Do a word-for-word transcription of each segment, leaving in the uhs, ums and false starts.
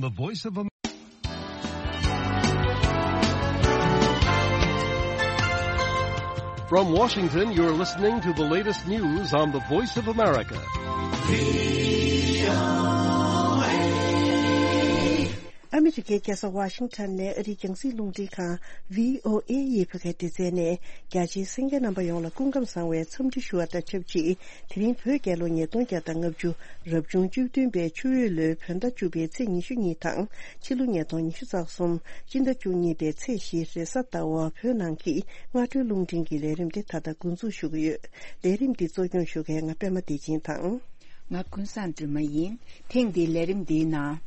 The Voice of Am- From Washington, you're listening to the latest news on the Voice of America. ཨ་མི་རི་ཀའི་རྒྱལ་ས་ཝ་ཤིང་ཊོན་ནས་ཨ་རིའི་རྒྱང་སྲིང་རླུང་འཕྲིན་ཁང་བྷི་ཨོ་ཨེ་ཡི་བོད་སྐད་སྡེ་ཚན་ནས་རྒྱ་ཆེའི་གསན་མཁན་རྣམ་པ་ཡོངས་ལ་སྐུ་ཁམས་བཟང་བའི་འཚམས་འདྲི་ཞུ་བ་དང་ཆབས་ཅིག་དེ་རིང་བོད་རྒྱལ་ལོ་ཉིས་སྟོང་བརྒྱ་དང་ལྔ་བཅུ་རབ་བྱུང་བཅུ་བདུན་པའི་ཆུ་འོད་ལོའི་བོད་ཟླ་བཅུ་པའི་ཚེས་ཉི་ཤུ་གཉིས་དང་ཕྱི་ལོ་ཉིས་སྟོང་ཉི་ཤུ་རྩ་གསུམ་སྤྱི་ཟླ་བཅུ་གཉིས་པའི་ཚེས་བཞི་རེས་གཟའ་ཟླ་བ་བོད་ནང་གི་སྔ་དྲོའི་རླུང་འཕྲིན་གྱི་ལས་རིམ་དེ་ད་ལྟ་འགོ་འཛུགས་ཞུ་གི་ཡོད། ལས་རིམ་འདི་གཙོ་སྐྱོང་ཞུ་མཁན་ང་པད་མ་བདེ་ཆེན་དང་། ང་ཀུན་བཟང་སྒྲོལ་མ་ཡིན། ཐེངས་འདིའི་ལས་རིམ་འདིའི་ནང་།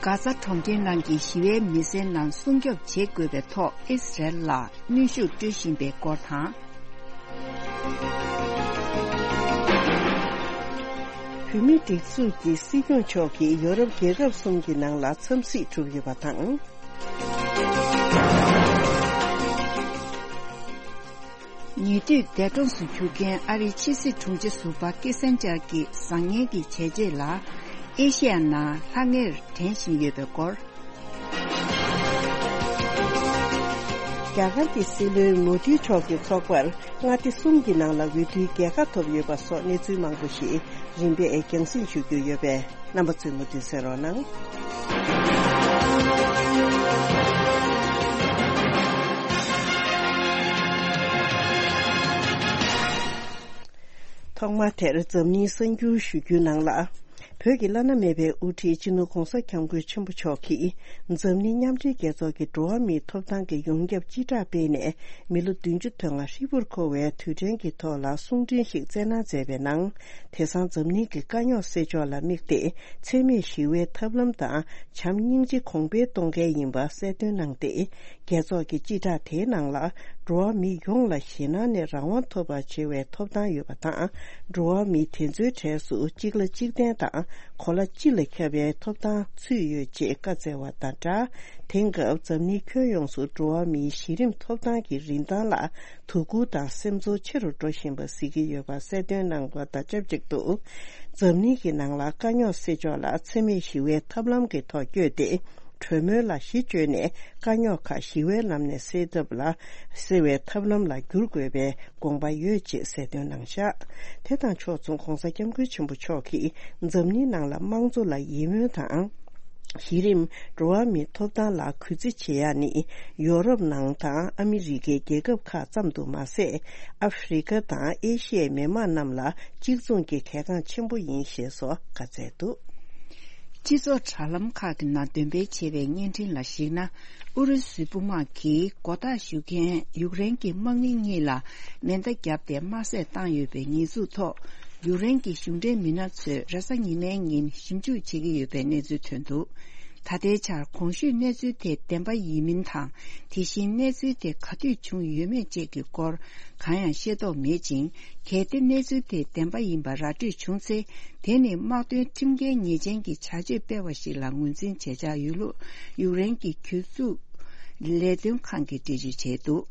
གྷ་ཛ་གྲོང་ཁྱེར་ནང་གི་ཞི་བའི་མི་སེར་རྣམས་སྲུང་སྐྱོབ་བྱེད་དགོས་པའི་ཐོག་ཨི་སི་རེལ་ལ་གནོན་ཤུགས་སྤྲོད་བཞིན་པའི་སྐོར་དང་། བོད་མིའི་སྒྲིག་འཛུགས་ཀྱི་སྲིད་སྐྱོང་མཆོག་གིས་ཡོ་རོབ་རྒྱལ་ཁབ་གསུམ་གྱི་ནང་ལ་འཚམས་གཟིགས་གྲུབ་ཡོད་པ་དང་། ཉེ་དུས་འདས་གྲོངས་སུ་གྱུར་མཁན་ཨ་རིའི་ཕྱི་སྲིད་དྲུང་ཆེ་ཟུར་པ་ཀི་སན་ཇར་གྱི་བཟང་ངན་གྱི་བྱས་རྗེས་ལ་ཨེ་ཤེ་ཡ་ནང་ལྷང་ངེར་དྲན་བཞིན་ཡོད་པའི་སྐོར། རྒྱ་གར་གྱི་སྲིད་བློན་མོ་དྷི་མཆོག་གི་ཚོགས་པར་མངའ་སྡེ་གསུམ་གྱི་ནང་ལ་འོས་བསྡུའི་རྒྱལ་ཁ་ཐོབ་ཡོད་པ་སོགས་གནས་ཚུལ་མང་པོ་ཞིག་རིམ་པས་རྒྱང་སྲིང་ཞུ་རྒྱུ་ཡོད་པས། རྣམ་པ་ཚོས་མུ་མཐུད་གསན་རོགས་གནང་། ཐོག་མར་དེར་འཛམ་གླིང་གསར་འགྱུར་ཞུ་རྒྱུའི་ནང་ལ། བོད་ཀྱི་བླ་ན་མེད་པའི་དབུ་ཁྲིད་སྤྱི་ནོར་༧གོང་ས་༧སྐྱབས་མགོན་ཆེན་པོ་མཆོག་གིས་འཛམ་གླིང་མཉམ་འབྲེལ་རྒྱལ་ཚོགས་ཀྱི་འགྲོ་བ་མིའི་ཐོབ་ཐང་གི་ཡོངས་ཁྱབ་སྤྱི་བསྒྲགས་སྤེལ་ནས་མི་ལོ་བདུན་ཅུ་དོན་ལྔ་ཧྲིལ་པོར་འཁོར་བའི་དུས་དྲན་གྱི་ཐོག་ལ་གསུང་འཕྲིན་ཞིག་བསྩལ་གནང་མཛད་པའི་ནང་། དེང་སང་འཛམ་གླིང་གི་དཀའ་རྙོག་སེལ་ཕྱོགས་ལ་དམིགས་ཏེ་འཚེ་མེད་ཞི་བའི་ཐབས་ལམ་དང་བྱམས་སྙིང་རྗེ་གོང་འཕེལ་གཏོང་གལ་ཡིན་པ་གསལ་སྟོན་གནང་སྟེ། རྒྱལ་ཚོགས་ཀྱི་སྤྱི་བསྒྲགས་དེའི་ནང་ལ། འགྲོ་བ་མི་ཡོངས་ལ་ཞེད་སྣང་ནས་རང་དབང་ཐོབ་པར་བྱེད་པའི་ཐོབ་ཐང་ཡོད་པ་དང་། འགྲོ་བ་མི་དེ་ཚོའི་གྲས་སུ་གཅིག་ལ་གཅིག་བརྟེན་དང་གོ་ལ་སྤྱི་ལ་ཁྱབ་པའི་ཐོབ་ཐང་ཚུད་ཡོད་ཅེས་བཀའ་སྩལ་བ་དང་སྦྲགས། དེང་སྐབས་འཛམ་གླིང་ཁྱོན་ཡོངས་སུ་འགྲོ་བ་མིའི་གཞི་རིམ་ཐོབ་ཐང་གི་རིན་ཐང་ལ་དོ་ཁུར་དང་སེམས་ཚོར་ཆེ་རུ་འགྲོ་བཞིན་པ་གཟིགས་ཀྱི་ཡོད་པ་གསལ་སྟོན་གནང་བ་དང་ཆབས་ཅིག་ཏུ། འཛམ་གླིང་གི་ནང་ལ་དཀའ་རྙོག་སེལ་ཕྱོགས་ལ་འཚེ་མེད་ཞི་བའི་ཐབས་ལམ་གྱི་ཐོག་བསྐྱོད་དེ། གྲོས་མོལ་ལ་གཞི་བཅོལ་ནས་དཀའ་རྙོག་ཁག་ཞི་བའི་ལམ་ནས་སེལ་ཐབས་ལ། སེལ་བའི་ཐབས་ལམ་ལ་བསྒྱུར་དགོས་པའི་དགོངས་པ་ཡོད་ཅེས་གསལ་སྟོན་གནང་བཞག་དེ་དང་ཕྱོགས་མཚུངས་༧གོང་ས་༧སྐྱབས་མགོན་ཆེན་པོ་མཆོག་གིས་འཛམ་གླིང་ནང་ལ་དམངས་གཙོ་ལ་ཡིད་སྨོན་དང་། གཞི་རིམ་འགྲོ་བ་མིའི་ཐོབ་ཐང་ལ་གུས་བརྩི་བྱེད་ཡ་ནི་ཡོ་རོབ་ནང་དང་ཨ་མི་རི་ཀའི་རྒྱལ་ཁབ་ཁག་ཙམ་དུ་མ་ཟད། ཨ་ཧྥེ་རི་ཁ་དང་ཨེ་ཤི་ཡའི་མི་དམངས་རྣམས་ལ་གཅིག་མཚུངས་ཀྱི་གལ་འགངས་ཆེན་པོ་ཡིན་ཞེས་སོགས་བཀའ་སྩལ་འདུག་སྤྱི་ཚོགས་དྲ་ལམ་ཁག་གི་ནང་འདོན་སྤེལ་བྱས་པའི་བརྙན་འཕྲིན་ལ་གཞིགས་ན། ཨུ་རུ་སུའི་དཔུང་དམག་གིས་མགོ་བཏགས་ཞུ་མཁན་ཡུཀ་རེན་གྱི་དམག་མི་གཉིས་ལ་མེ་མདའ་བརྒྱབ་སྟེ་དམར་བསད་བཏང་ཡོད་པའི་ཉེས་འཛུགས་ཐོག་ཡུཀ་རེན་གྱི་གཞུང་འབྲེལ་མི་སྣ་ཚོས་རེས་གཟའ་ཉི་མའི་ཉིན་ཞིབ་འཇུག་བྱེད་ཀྱི་ཡོད་པའི་གནས་ཚུལ་ཐོན་འདུག་ད་ལྟའི་ཆར་གོང་ཞུས་གནས་ཚུལ་དེ་བདེན་པ་ཡིན་མིན་དང་། དེ་བཞིན་གནས་ཚུལ་དེ་ག་དུས་བྱུང་ཡོད་མེད་བཅས་ཀྱི་སྐོར་གང་ཡང་ཤེས་རྟོགས་མེད་ཅིང་། གལ་ཏེ་གནས་ཚུལ་དེ་བདེན་པ་ཡིན་པ་ར་སྤྲོད་བྱུང་ཚེ། དེ་ནི་དམག་དོན་ཁྲིམས་འགལ་ཉེས་ཅན་གྱི་བྱ་སྤྱོད་སྤེལ་བ་ཞིག་ལ་ངོས་འཛིན་བྱེད་འཆར་ཡོད་ལུགས་ཡུཀ་རེན་གྱི་གྱོད་འཛུགས་ལས་དོན་ཁང་གིས་འགྲེལ་བརྗོད་བྱས་འདུག་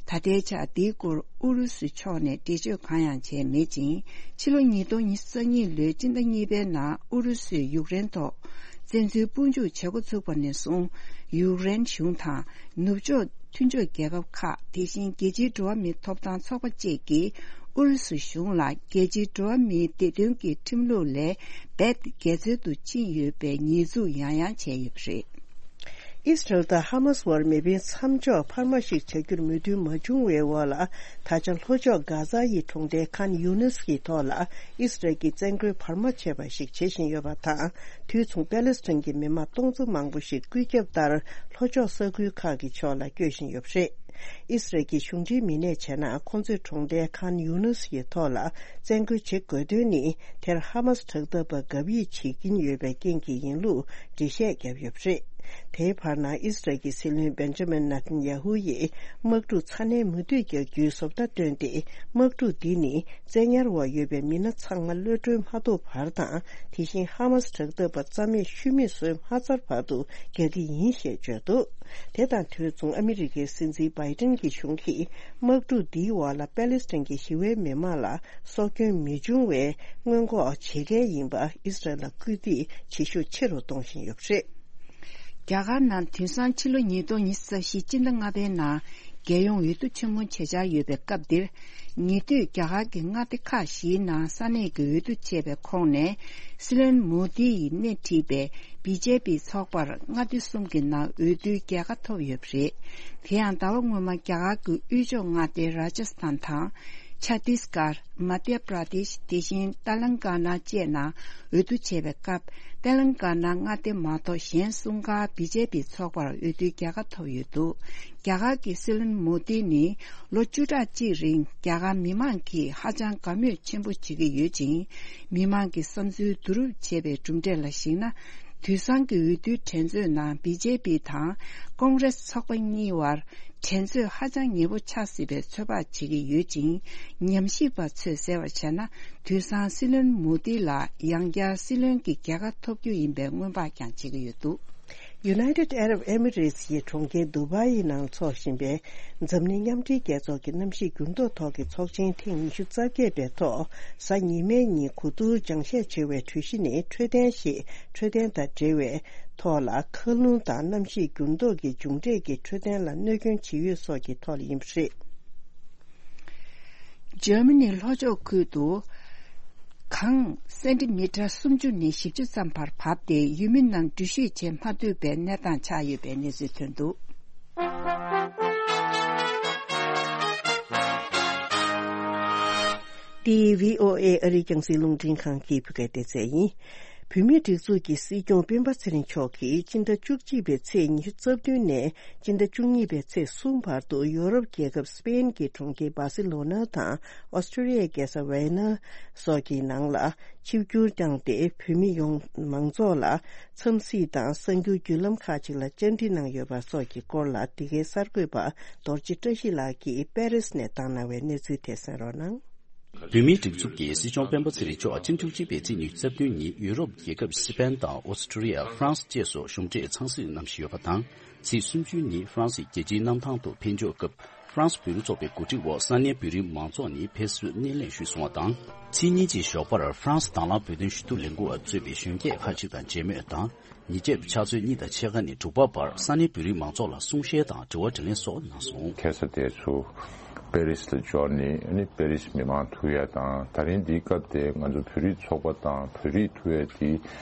ད་ལྟའི་ཆར་འདིའི་སྐོར་ཨུ་རུ་སུ་ཕྱོགས་ནས་འགྲེལ་བརྗོད་གང་ཡང་བྱས་མེད་ཅིང་། ཕྱི་ལོ་ཉིས་སྟོང་ཉི་ཤུ་རྩ་གཉིས་ལོའི་སྤྱི་ཟླ་གཉིས་པའི་ནང་ཨུ་རུ་སུས་ཡུཀ་རེན་ཐོག་བཙན་འཛུལ་དཔུང་འཇུག་བྱེད་འགོ་ཚུགས་པ་ནས་བཟུང་ཡུཀ་རེན་གཞུང་དང་ནུབ་ཕྱོགས་མཐུན་ཕྱོགས་རྒྱལ་ཁབ་ཁག་དེ་བཞིན་རྒྱལ་སྤྱིའི་འགྲོ་བ་མིའི་ཐོབ་ཐང་ཚོགས་པ་བཅས་ཀྱིས་ཨུ་རུ་སུ་གཞུང་ལ་རྒྱལ་སྤྱིའི་འགྲོ་བ་མིའི་བདེ་དོན་གྱི་ཁྲིམས་ལུགས་ལས་རྦད་དེ་འགལ་འཛོལ་དུ་ཕྱིན་ཡོད་པའི་ཉེས་འཛུགས་ཡང་ཡང་བྱས་ཡོད་པ་རེད། ཨི་སི་རལ་དང་ཧ་མ་སི་བར་མེ་འཕེན་མཚམས་འཇོག་འཕར་མ་ཞིག་བྱ་རྒྱུར་མོས་མཐུན་མ་བྱུང་བའི་འོག་ལ། ད་ཆ་ལྷོ་ཕྱོགས་གྷ་ཛ་ཡི་གྲོང་རྡལ་ཁཱན་ཡུ་ནིས་ཀྱི་ཐོག་ལ་ཨི་སི་རལ་གྱིས་བཙན་རྒོལ་འཕར་མ་བྱས་པ་ཞིག་བྱེད་བཞིན་ཡོད་པ་དང་། དུས་མཚུངས་པེ་ལེ་སི་ཐན་གྱི་མི་མང་སྟོང་ཚོ་མང་པོ་ཞིག་སྐུད་ཁྱབ་ལྟར་ལྷོ་ཕྱོགས་ས་ཁུལ་ཁག་གི་ཕྱོགས་ལ་བསྐྱོད་བཞིན་ཡོད་པ་རེད། ཨི་སི་རལ་གྱི་གཞུང་འབྲེལ་མི་སྣས་བྱས་ན། ཁོང་ཚོས་གྲོང་རྡལ་ཁཱན་ཡུ་ནིས་ཡི་ཐོག་ལ་བཙན་རྒོལ་བྱེད་དགོས་དོན་ནི། དེར་ཧ་མ་སི་དྲག་འཐབ་པ་གབ་ཡིབ་བྱེད་ཀྱིན་ཡོད་པའི་རྐྱེན་གྱིས་ཡིན་ལུགས་འགྲེལ་བཤད་བརྒྱབ་ཡོད་པ་རེད། དེའི་བར་ན་ཨི་སི་རལ་གྱི་སྲིད་བློན་བེན་ཇ་མིན་ནེ་ཐན་ཡ་ཧུ་ཡིས་དམག་འཁྲུག་ཚ་ནན་མུ་མཐུད་རྒྱག་རྒྱུའི་བཟོ་ལྟ་བཏོན་ཏེ། དམག་འཁྲུག་འདི་ནི་བཙན་ཉར་འོག་ཡོད་པའི་མི་སྣ་ཚང་མ་གློད་གྲོལ་མ་ཐུབ་བར་དང་། དེ་བཞིན་ཧ་མ་སི་དྲག་འཐབ་པ་རྩ་མེད་ཤུལ་མེད་བཟོས་མ་ཚར་བར་དུ་རྒྱག་གི་ཡིན་ཞེས་བརྗོད་འདུག་དེ་དང་དུས་མཚུངས་ཨ་མི་རི་ཀའི་སྲིད་འཛིན་བྷའི་ཏིན་གྱི་གཞུང་གིས་དམག་འཁྲུག་འདིའི་འོག་ལ་པེ་ལེ་སི་ཐན་གྱི་ཞི་བའི་མི་མང་ལ་སྲོག་སྐྱོན་མི་འབྱུང་བའི་སྔོན་འགོག་བྱེད་གལ་ཡིན་པ་ཨི་སི་རལ་ལ་སྐུལ་འདེད་བྱེད་ཤུགས་ཆེ་རུ་གཏོང་བཞིན་ཡོད་པ་རེད། རྒྱ་གར་ནང་དེང་སང་ཕྱི་ལོ་ཉིས་སྟོང་ཉི་ཤུ་རྩ་བཞི་སྤྱི་ཟླ་ལྔ་པའི་ནང་རྒྱལ་ཡོངས་འོས་བསྡུ་ཆེན་མོ་བྱེད་འཆར་ཡོད་པའི་སྐབས་འདིར། ཉེ་དུས་རྒྱ་གར་གྱི་མངའ་སྡེ་ཁག་བཞིའི་ནང་ས་གནས་ཀྱི་འོས་བསྡུ་བྱས་པའི་ཁོངས་ནས། སྲིད་བློན་མོ་དི་ཡིས་སྣེ་ཁྲིད་པའི་བི་ཇེ་པི་ཚོགས་པར་མངའ་སྡེ་གསུམ་གྱི་ནང་འོས་བསྡུའི་རྒྱལ་ཁ་ཐོབ་ཡོད་པ་རེད། དེ་ཡང་ཟླ་བ་སྔོན་མ་རྒྱ་གར་གྱི་དབུས་ཕྱོགས་མངའ་སྡེ་ར་ཇ་སི་ཐན་དང་། ཆ་ཏིས་གར། མ་དྷྱ་པྲ་དེཤ། དེ་བཞིན་ཏ་ལན་ཀ་ན་བཅས་ནང་འོས་བསྡུ་བྱས་པའི་སྐབས། ཏ་ལན་ཀ་ན་མངའ་སྡེ་མ་གཏོགས་གཞན་གསུམ་ཀ་བི་ཇེ་པི་ཚོགས་པར་འོས་བསྡུའི་རྒྱལ་ཁ་ཐོབ་ཡོད་འདུག་རྒྱ་གར་གྱི་སྲིད་བློན་མོ་དི་ནི་ལོ་བཅུ་ཕྲག་གཅིག་རིང་རྒྱ་གར་མི་མང་གིས་ཧ་ཅང་དགའ་མོས་ཆེན་པོ་བྱེད་ཀྱི་ཡོད་ཅིང་། མི་མང་གི་བསམ་ཚུལ་བསྡུ་རུབ་བྱས་པའི་གྲུབ་འབྲས་ལ་གཞིགས་ན། དུས་སང་གི་འོས་བསྡུའི་འགྲན་རྩོད་ནང་བི་ཇེ་པི་དང་ཀོང་རེ་སི་ཚོགས་པ་གཉིས་བར་འགྲན་རྩོད་ཧ་ཅང་ཉེ་པོ་ཆགས་སྲིད་པའི་ཚོད་དཔག་བྱེད་ཀྱི་ཡོད་ཅིང་། ཉམས་ཞིབ་པ་ཚོས་གསལ་བར་བྱས་ན། དུས་སང་སྲིད་བློན་མོ་དི་ལ་ཡང་བསྐྱར་སྲིད་བློན་གྱི་རྒྱལ་ཁ་ཐོབ་རྒྱུ་ཡིན་པའི་སྔོན་དཔག་ཀྱང་བྱེད་ཀྱི་ཡོད་འདུག United Arab Emirates ཡི་གྲོང་ཁྱེར་དུ་བྷ་ཡི་ནང་འཚོགས་བཞིན་པའི་འཛམ་གླིང་མཉམ་འབྲེལ་རྒྱལ་ཚོགས་ཀྱི་གནམ་གཤིས་འགྱུར་ལྡོག་ཐོག་གི་ཚོགས་ཆེན་ཐེངས་ཉི་ཤུ་རྩ་བརྒྱད་པའི་ཐོག་གཟའ་ཉི་མའི་ཉིན་གོ་བསྡུར་སྦྱང་བཤད་བྱེད་པའི་གྲོས་གཞི་ནི་འཕྲོད་བསྟེན་ཞེས། འཕྲོད་བསྟེན་དང་འབྲེལ་བའི་ཐོག་ལ་མཁའ་རླུང་དང་གནམ་གཤིས་འགྱུར་ལྡོག་གི་མཇུག་འབྲས་ཀྱིས་འཕྲོད་བསྟེན་ལ་གནོད་སྐྱོན་ཇི་ཡོད་སོགས་ཀྱི་ཐོག་ལ་ཡིན་པ་རེད། འཇར་མ་ནི་ལྷོ་ཕྱོགས་ཁུལ་དུ་གངས་སེན་ཏི་མི་ཊར་སུམ་ཅུ་ནས་བཞི་བཅུ་ཙམ་བར་བབས་ཏེ། ཡུལ་མི་རྣམས་འགྲུལ་བཞུད་བྱེད་མ་ཐུབ་པའི་གནས་སྟངས་ཆགས་ཡོད་པའི་གནས་ཚུལ་ཐོན་འདུག་འདི་བྷི་ཨོ་ཨེ་ཨ་རིའི་རྒྱང་སྲིང་རླུང་འཕྲིན་ཁང་གི་བོད་སྐད་སྡེ་ཚན་ཡིན། བོད་མིའི་སྒྲིག་འཛུགས་ཀྱི་སྲིད་སྐྱོང་སྤེན་པ་ཚེ་རིང་མཆོག་གིས་སྤྱི་ཟླ་བཅུ་གཅིག་པའི་ཚེས་ཉི་ཤུ་རྩ་བདུན་ནས་སྤྱི་ཟླ་བཅུ་གཉིས་པའི་ཚེས་གསུམ་བར་དུ་ཡོ་རོབ་རྒྱལ་ཁབ་སི་པེན་གྱི་གྲོང་ཁྱེར་སྦ་སི་ལོ་ན་དང་ཨོ་སི་ཀྲི་ཡའི་རྒྱལ་ས་ཝེ་ན་སོགས་ཀྱི་ནང་ལ་ཆིབས་བསྒྱུར་བསྐྱངས་ཏེ། བོད་མི་ཡོངས་མང་ཚོགས་ལ་འཚམས་གཟིགས་དང་གསར་འགྱུར་བརྒྱུད་ལམ་ཁག་ཅིག་ལ་བཅར་འདྲི་གནང་ཡོད་པ་སོགས་ཀྱི་སྐོར་ལ། འདི་གའི་གསར་འགོད་པ་རྡོ་རྗེ་བཀྲ་ཤིས་ལགས་ཀྱིས་པེ་རིས་ནས་བཏང་གནང་བའི་གནས་ཚུལ་དེ་གསན་རོགས་གནང་། བོད་མིའི་སྒྲིག་འཛུགས་ཀྱི་སྲིད་སྐྱོང་སྤེན་པ་ཚེ་རིང་མཆོག་སྤྱི་ཟླ་བཅུ་གཅིག་པའི་ཚེས་ཉི་ཤུ་རྩ་བདུན་ཉིན་ཡུ་རོབ་རྒྱལ་ཁབ་སི་པན་དང་ཨོ་སི་ཀྲི་ཡ། ཧྥ་རན་སི་བཅས་སུ་གཞུང་འབྲེལ་འཚམས་གཟིགས་གནང་བཞིན་ཡོད་པ་དང་། ཚེས་སུམ་ཅུ་ཉིན་ཧྥ་རན་སིའི་རྒྱལ་སྤྱིའི་གནམ་ཐང་དུ་ཕེབས་འབྱོར་སྐབས། ཧྥ་རན་སི་བོད་རིགས་ཚོགས་པའི་གོ་སྒྲིག་འོག་ས་གནས་བོད་རིགས་མང་ཚོགས་ནས་ཕེབས་བསུ་སྣེ་ལེན་ཞུས་སོང་བ་དང་། ཚེས་གཉིས་ཀྱི་ཞོགས་པར་ཧྥ་རན་སི་དྭང་བླངས་བོད་དོན་ཞུ་གཏུག་ལས་འགུལ་བ་གཙོས་པའི་གཞོན་སྐྱེས་ཁག་ཅིག་དང་མཇལ་མོལ་དང་། ཉིན་རྒྱབ་ཕྱག་ཚོད་གཉིས་དང་ཕྱེད་ཀ་ནས་དྲུག་པ་བར་ས་གནས་བོད་རིགས་མང་ཚོགས་ལ་གསུང་བཤད་དང་དྲི་བ་དྲིས་ལན་སོགས་གནང་སོང་། ཁ་སང་དེ་ཚོ་པེ་རིས་ལ་འབྱོར་ནས། ཨ་ནི་པེ་རིས་མི་མང་ཐུག་ཡ་དང་། ད་རིང་འདིའི་སྐབས་དེ་ང་ཚོ་བོད་རིགས་ཚོགས་པ་དང་བོད་རིགས་ཐུག་ཡ་དེ་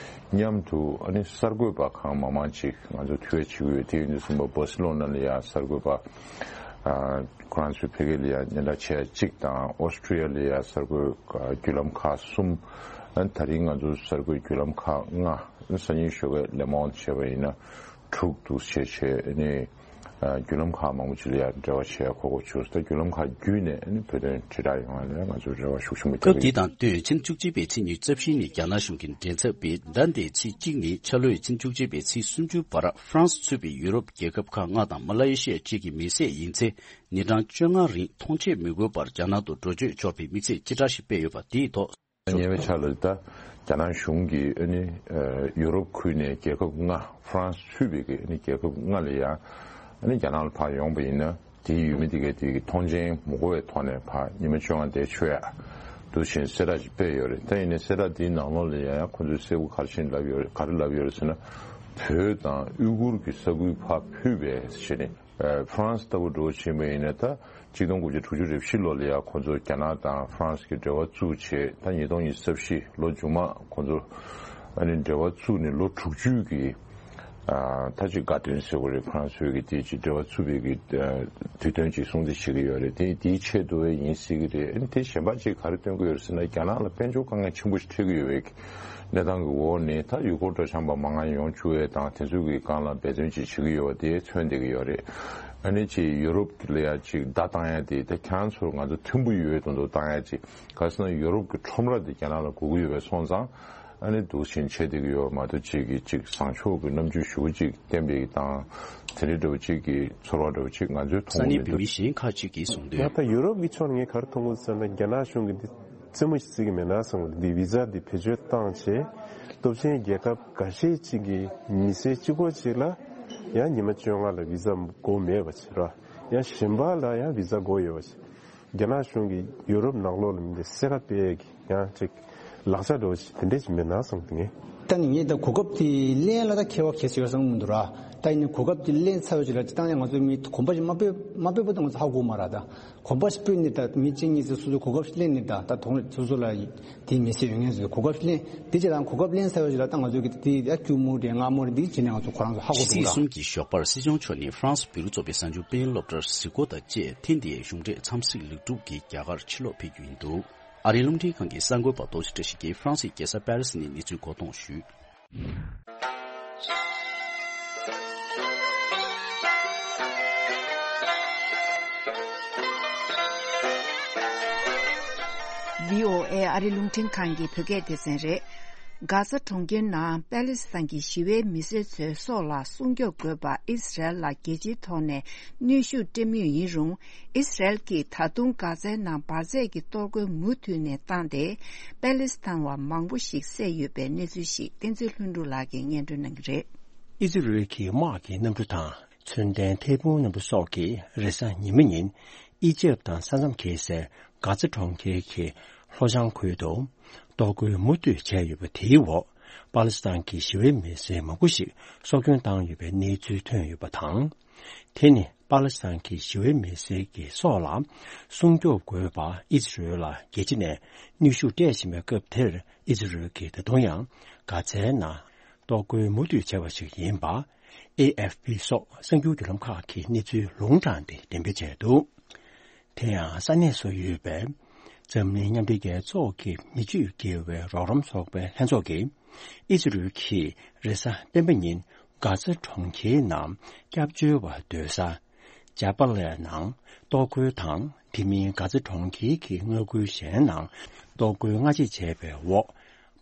མཉམ་དུ། ཨ་ནི་གསར་འགོད་པ་གང་མང་མང་ཅིག་ང་ཚོ་ཐུག་ཡ་བྱེད་ཀྱི་ཡོད། དེ་ཡིན་དུས་ཙམ་པ་སྦ་སི་ལོ་ན་ལ་ཡ་གསར་འགོད་པ། ཨ། ཁོ་རང་ཚོའི་ཕ་གི་ལ་ཡ་སྙན་གྲགས་ཆེ་གཅིག་དང་། ཨོ་སི་ཀྲི་ཡ་ལ་ཡ་གསར་འགོད་བརྒྱུད་ལམ་ཁག་གསུམ། ཨ་ནི་ད་རིང་ང་ཚོ་གསར་འགོད་བརྒྱུད་ལམ་ཁག་ལྔ། སང་ཉིན་ཞོགས་ཀས་ལེ་མོན་ཌི་བྱས་པ་ཡིན་ན་དྲུག་འདུག་བྱས་བྱས་ནས། ཨ། བརྒྱུད་ལམ་ཁག་མང་པོ་ཅིག་ལ་ཡ་འབྲེལ་བ་བྱེད་ཡ་གོ་སྐབས་བྱུང་སོང་། ད་བརྒྱུད་ལམ་ཁག་བརྒྱུད་ནས་ཨ་ནི་བོད་དོན་དྲིལ་བསྒྲགས་ཡོང་བ་ལ་ང་ཚོ་རེ་བ་ཤུགས་ཆེན་པོ་སྐབས་འདི་དང་བསྟུན། ཕྱི་ཟླ་བཅུ་གཅིག་པའི་ཚེས་ཉི་ཤུ་རྩ་བཞི་ཉིན་རྒྱ་ནག་གཞུང་གི་མགྲིན་ཚབ་པས། ཟླ་འདིའི་ཚེས་གཅིག་ནས་འཆར་ལོའི་ཕྱི་ཟླ་བཅུ་གཅིག་པའི་ཚེས་སུམ་ཅུ་བར་ཧྥ་རན་སི་ཚུད་པའི་ཡུ་རོབ་རྒྱལ་ཁབ་ཁག་ལྔ་དང་མ་ལེ་ཤི་ཡ་བཅས་ཀྱི་མི་སེར་ཡིན་ཚེ། ཉིན་གྲངས་བཅོ་ལྔ་རིང་ཐོངས་མཆན་མི་དགོས་པར་རྒྱ་ནག་ཏུ་འགྲོ་སྐྱོད་འབྱོར་བའི་དམིགས་ཚད་སྤྱི་བསྒྲགས་ཤིག་སྤེལ་ཡོད་པ་དེའི་ཐོག་ཉེ་བའི་ཆར་ལ་ད་རྒྱ་ནག་གཞུང་གིས་ཨ་ནི་ཡུ་རོབ་ཁུལ་ནས་རྒྱལ་ཁབ་ལྔ། ཧྥ་རན་སི་ཚུད་པའི་གི་ཨ་ནི་རྒྱལ་ཁབ་ལྔ་ལ་ཡ་ཨ་ནི་རྒྱ་ནག་ལ་ཕར་ཡོང་པ་ཡིན་ན། དེའི་ཡུལ་མི་དེ་གའི་དེ་གི་ཐོངས་མཆན་མི་དགོས་པའི་ཐོག་ནས་ཕར་ཉི་མ་བཅོ་ལྔ་བསྡད་ཆོག་ཡ་འདུག་བཞིན་གསལ་བསྒྲགས་ཤིག་སྤེལ་ཡོད་རེད། ད་ཡིན་ནའི་གསལ་བསྒྲགས་དེའི་ནང་ལོགས་ལ་ཡ་ཡ་ཁོ་ཚོས་གསལ་པོ་ག་རེ་བྱས་ལབ་ཡོད་རེད། ག་རེ་ལབ་ཡོད་རེད་ཟེར་ན། བོད་དང་ཨུ་གུར་གྱི་ས་ཁུལ་ཕར་ཕུད་པའི་ཞེས་ནས། ཨ། ཧྥ་རན་སི་ལྟ་བུ་འགྲོ་ཕྱིན་པ་ཡིན་ན། ད་གཅིག་སྟོང་དགུ་བརྒྱ་དྲུག་ཅུ་རེ་བཞི་ལོ་ལ་ཡ་ཁོ་ཚོ་རྒྱ་ནག་དང་ཧྥ་རན་སི་གི་འབྲེལ་བ་བཙུགས་བྱས། ད་ཉིས་སྟོང་ཉི་ཤུ་རྩ་བཞི་ལོ་མཇུག་མ་ཁོ་ཚོ་ཨ་ནི་འབྲེལ་བ་བཙུགས་ནས་ལོ་དྲུག་ཅུ་གི། ཨ། ད་ཅིག་དགའ་སྟོན་ཟེར་དགོས་རེད། ཧྥ་རན་སི་གི་དེ་ཅིག་འབྲེལ་བ་བཙུགས་པའི་གི། ཨ། དུས་སྟོན་ཅིག་སྲུང་བརྩི་བྱེད་ཀྱི་ཡོད་རེད། དེ་དེའི་ཆེད་དུ་ཡིན་སྲིད་ཀྱི་རེད། ཨ་ནི་དེ་གཞན་པ་ཅིག་ག་རེ་སྟོན་གྱི་ཡོད་རེད་ཟེར་ན། རྒྱ་ནག་ལ་དཔལ་འབྱོར་དཀའ་ངལ་ཆེན་པོ་ཞིག་འཕྲད་ཀྱི་ཡོད་པའི་གནས་སྟངས་ཀྱི་འོག་ནས། ད་ཡུལ་སྐོར་སྤྲོ་འཆམ་པ་མང་ང་ཡོང་བཅུག་ཡས་དང་། དེ་ཚོ་གི་སྒང་ལ་འབད་བརྩོན་ཅིག་བྱེད་ཀྱི་ཡོད་པ་དེ་མཚོན་བསྡད་ཀྱི་ཡོད་རེད། ཨ་ནི་ཅིག་ཡུ་རོབ་ལ་ཡ་ཅིག་བརྡ་བཏང་ཡ་དེ། ད་ཁྱེད་རང་ཚོར་ང་ཚོ་མཐུན་པོ་ཡོད་མདོག་མདོག་བཏང་ཡ་ཅིག་ག་རེ་ཟེར་ན། ཡུ་རོབ་ཀྱི་ཁྲོམ་ར་དེ་རྒྱ་ནག་ལ་དགོས་ཀྱི་ཡོད་པ་སོང་ཙང་། ཨ་ནི་འདུག་བཞིན་བྱེད་བསྡད་ཀྱི་ཡོད་མ་གཏོགས། ཅིག་གིས་ཅིག་བཟང་ཕྱོགས་ཀྱི་རྣམ་འགྱུར་ཞུ་ཅིག་བསྟན་པའི་དང་། དེ་འདྲའི་འདྲ་བོ་ཅིག་གི་ཚོར་བ་འདྲ་བོ་ཅིག་ང་ཚོས་ས་མཐོང་གནས་གི་མི་མི་འདུག་གཞན་ཁག་ཅིག་གིས་གསུངས་ཡང་དོན། ད་ཡུ་རོབ་ཀྱི་ཕྱོགས་ནས་ངས་ག་རེ་མཐོང་གི་ཟེར་ན། རྒྱ་ནག་གཞུང་གིས་འདི་རྩེད་མོ་ཞིག་རྩེ་གི་མེད་ན་བསམ་གི་འདུག་འདི་བི་ཟ་འདི་བེད་སྤྱོད་བཏང་བྱས། སྟོབས་ཆེན་རྒྱལ་ཁབ་འགའ་ཤས་ཅིག་གི་མི་སེར་གཅིག་པོ་ཅིག་ལ་ཡང་ཉི་མ་བཅོ་ལྔ་ལ་བི་ཟ་དགོས་མེད་པ་ཅིག་ར། ཡང་གཞན་པ་ལ་ཡང་བི་ཟ་དགོས་ཡོད་པ་ཅིག་རྒྱ་ནག་གཞུང་གིས་ཡུ་རོབ་ནང་ལོགས་ལ་མི་འདི་སེ་ཁ་སྤེལ་གི་ཡང་ཅིག་ལག་ཆ་འདྲ་བོ་ཅིག་དེ་འདྲས་ཅིག་མེད་ན་བསམ་གི་འདུག་ངས། ད་ནི་ངས་ད་གོ་སྐབས་དེ་ལེན་ལ་ད་ཁྱད་པར་གལ་ཆེ་བ་བསམ་གི་མི་འདུག་ར། ད་ཡིན་ནའི་གོ་སྐབས་དེ་ལེན་ཚར་བའི་རྗེས་ལ་ད་ཡང་ང་ཚོ་མི་གོམ་པ་ཞིག་མ་སྤོས་མ་སྤོས་པ་ད་ང་ཚོ་ཧ་གོ་མ་ར། ད་གོམ་པ་ཞིག་སྤོས་ནས། ད་མི་གཅིག་གཉིས་ཚོས་སོ་སོའི་གོ་སྐབས་ཞིག་ལེན་ནས། ད་ད་དོན་སོ་སོ་ལ་དེའི་མི་ཚེ་ཡོད་མཁན་ཚོས་གོ་སྐབས་ཞིག་ལེན། དེ་རྗེས་ལ་གོ་སྐབས་ལེན་ཚར་བའི་རྗེས་ལ་ད་ང་ཚོ་གི་དེ་ཡ་སྐྱུར་མོ་རེད། ངར་མོ་རེད། འདི་བྱས་ནས་ང་ཚོ་ཁོ་རང་ཚོ་ཧ་གོ་ཕྱི་ཚེས་འདུག་གསུམ་ར། གྱི་ཞོགས་པར་སྲིད་སྐྱོང་མཆོག་ནས་ཧྥ་རན་སི་བེ་རུ་གཙོས་པའི་གཟའ་མཇུག་སྤེན་སློབ་གྲྭར་གཟིགས་སྐོར་དང་བཅས། ཐེངས་འདིའི་གཞུང་འབྲེལ་འཚམས་གཟིགས་ལེགས་གྲུབ་ཀྱིས་རྒྱ་གར་ཕྱིར་ལོག་ཕེབས་རྒྱུ་ཡིན་འདུག་ཨ་རིའི་རླུང་འཕྲིན་ཁང་གི་གསར་འགོད་པ་རྡོ་རྗེ་བཀྲ་ཤིས་ཀྱིས་ཧྥ་རན་སིའི་རྒྱལ་ས་པེ་རི་སི་ནས་གནས་ཚུལ་མགོ་འདོགས་ཞུས། བྷི་ཨོ་ཨེ་ཨ་རིའི་རླུང་འཕྲིན་ཁང་གི་བོད་སྐད་སྡེ་ཚན་རེད། གྷ་ཛ་གྲོང་ཁྱེར་ནང་པ་ལི་སི་ཐན་གྱི་ཞི་བའི་མི་སེར་ཚོའི་སྲོག་ལ་སྲུང་སྐྱོབ་དགོས་པ་ཨི་སི་རལ་ལ་རྒྱལ་སྤྱིའི་ཐོག་ནས་གནོན་ཤུགས་སྤྲད་མུས་ཡིན་རུང་། ཨི་སི་རལ་གྱིས་ད་དུང་གྷ་ཛའི་ནང་འབར་རྫས་ཀྱི་གཏོར་རྒོལ་མུ་མཐུད་ནས་བཏང་སྟེ། པ་ལི་སི་ཐན་བ་མང་པོ་ཞིག་བསད་ཡོད་པའི་གནས་ཚུལ་ཞིག་བསྟན་འཛིན་ལྷུན་གྲུབ་ལགས་ཀྱིས་སྙན་སྒྲོན་གནང་གི་རེད། ཨི་ཛི་རལ་གྱི་དམག་གི་གནམ་གྲུ་དང་མཚོན་ལྡན་ཐད་འཕུར་གནམ་གྲུ་སོགས་ཀྱིས་རེས་གཟའ་ཉི་མ་ཉིན་ཨི་ཇེབ་དང་ས་མཚམས་འཁེལ་སའི་གྷ་ཛ་གྲོང་ཁྱེར་གྱི་ལྷོ་བྱང་ཁུལ་དུ་གཏོར་རྒོལ་མུ་མཐུད་བྱས་ཡོད་པ་དེའི་འོག་པ་ལི་སི་ཐན་གྱི་ཞི་བའི་མི་སེར་མང་པོ་ཞིག་སྲོག་སྐྱོན་བཏང་ཡོད་པའི་གནས་ཚུལ་ཐོན་ཡོད་པ་དང་། དེ་ནི་པ་ལི་སི་ཐན་གྱི་ཞི་བའི་མི་སེར་གྱི་སྲོག་ལ་སྲུང་སྐྱོབ་དགོས་པ་ཨི་ཛི་རལ་ལ་རྒྱལ་སྤྱི་ནས་གནོན་ཤུགས་སྤྲད་བཞིན་པའི་སྐབས་དེར། ཨི་ཛི་རལ་གྱིས་ད་དུང་ཡང་གྷ་ཛའི་ནང་གཏོར་རྒོལ་མུ་མཐུད་བྱས་པ་ཞིག་ཡིན་པ་ཨེ་ཨེཕ་པི་སོགས་གསར་འགྱུར་བརྒྱུད་ལམ་ཁག་གིས་གནས་ཚུལ་ལུང་དྲངས་ཏེ་འགྲེམས་སྤེལ་བྱས་འདུག་དེ་ཡང་ས་གནས་སུ་ཡོད་པའི་འཛམ་གླིང་མཉམ་འབྲེལ་རྒྱལ་ཚོགས་ཀྱི་མི་ཆོས་དགེ་བའི་རོགས་རམ་ཚོགས་པའི་ལྷན་ཚོགས་ཀྱིས་ཨི་ཛི་རལ་གྱིས་རེས་གཟའ་སྤེན་པ་ཉིན་གྷ་ཛ་གྲོང་ཁྱེར་ནང་སྐྱབས་བཅོལ་བ་སྡོད་ས་ཇ་པ་ལའི་ནང་གཏོར་རྒོལ་དང་། དེ་མིན་གྷ་ཛ་གྲོང་ཁྱེར་གྱི་མངའ་ཁུལ་གཞན་ནང་གཏོར་རྒོལ་སྔ་རྗེས་བྱས་པའི་འོག་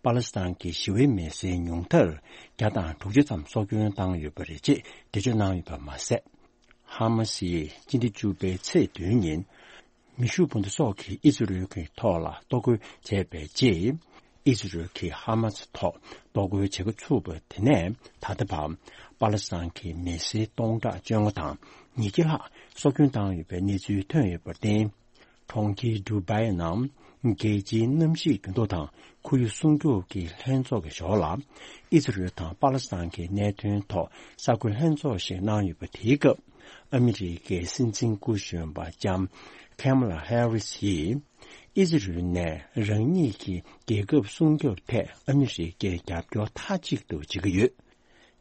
པ་ལི་སི་ཐན་གྱི་ཞི་བའི་མི་སེར་ཉུང་མཐར་བརྒྱ་དང་དྲུག་ཅུ་ཙམ་སྲོག་སྐྱོན་བཏང་ཡོད་པ་རེད་ཅེས་འགྲེལ་བརྗོད་གནང་ཡོད་པ་མ་ཟད། ཧ་མ་སི་ཡིས་སྤྱི་ཟླ་བཅུ་པའི་ཚེས་བདུན་ཉིན་མེ་ཤུགས་འཕུར་མདའ་སོགས་ཀྱིས་ཨི་ཛི་རལ་གྱི་ཐོག་ལ་གཏོར་རྒོལ་བྱས་པའི་རྗེས། ཨི་ཛི་རལ་གྱིས་ཧ་མ་སི་ཐོག་གཏོར་རྒོལ་བྱེད་འགོ་ཚུགས་པ་དེ་ནས་ད་ལྟ་བར་པ་ལི་སི་ཐན་གྱི་མི་སེར་སྟོང་ཕྲག་བཅོ་ལྔ་དང་ཉིས་བརྒྱ་ལྷག་སྲོག་སྐྱོན་བཏང་ཡོད་པའི་གནས་ཚུལ་ཐོན་ཡོད་པར་བརྟེན། གྲོང་ཁྱེར་ཌུ་བྷའི་ནང་རྒྱལ་སྤྱིའི་གནམ་གཤིས་འགྱུར་ལྡོག་དང་ཁོར་ཡུག་སྲུང་སྐྱོབ་ཀྱི་ལྷན་ཚོགས་ཀྱི་ཞོར་ལ། ཨི་ཛི་རལ་དང་པ་ལི་སི་ཐན་གྱི་གནད་དོན་ཐོག་གསར་འགོད་ལྷན་ཚོགས་ཤིག་གནང་ཡོད་པ་དེའི་སྐབས། ཨ་མི་རི་ཀའི་སྲིད་འཛིན་སྐུ་གཞོན་པ་ལྕམ་ཁེ་མ་ལ་ཧེ་རི་སི་ཡིས། ཨི་ཛི་རལ་ནས་རང་ཉིད་ཀྱི་རྒྱལ་ཁབ་སྲུང་སྐྱོབ་ཐད་ཨ་མི་རི་ཀས་རྒྱབ་སྐྱོར་མཐའ་གཅིག་ཏུ་བྱེད་ཀྱི་ཡོད།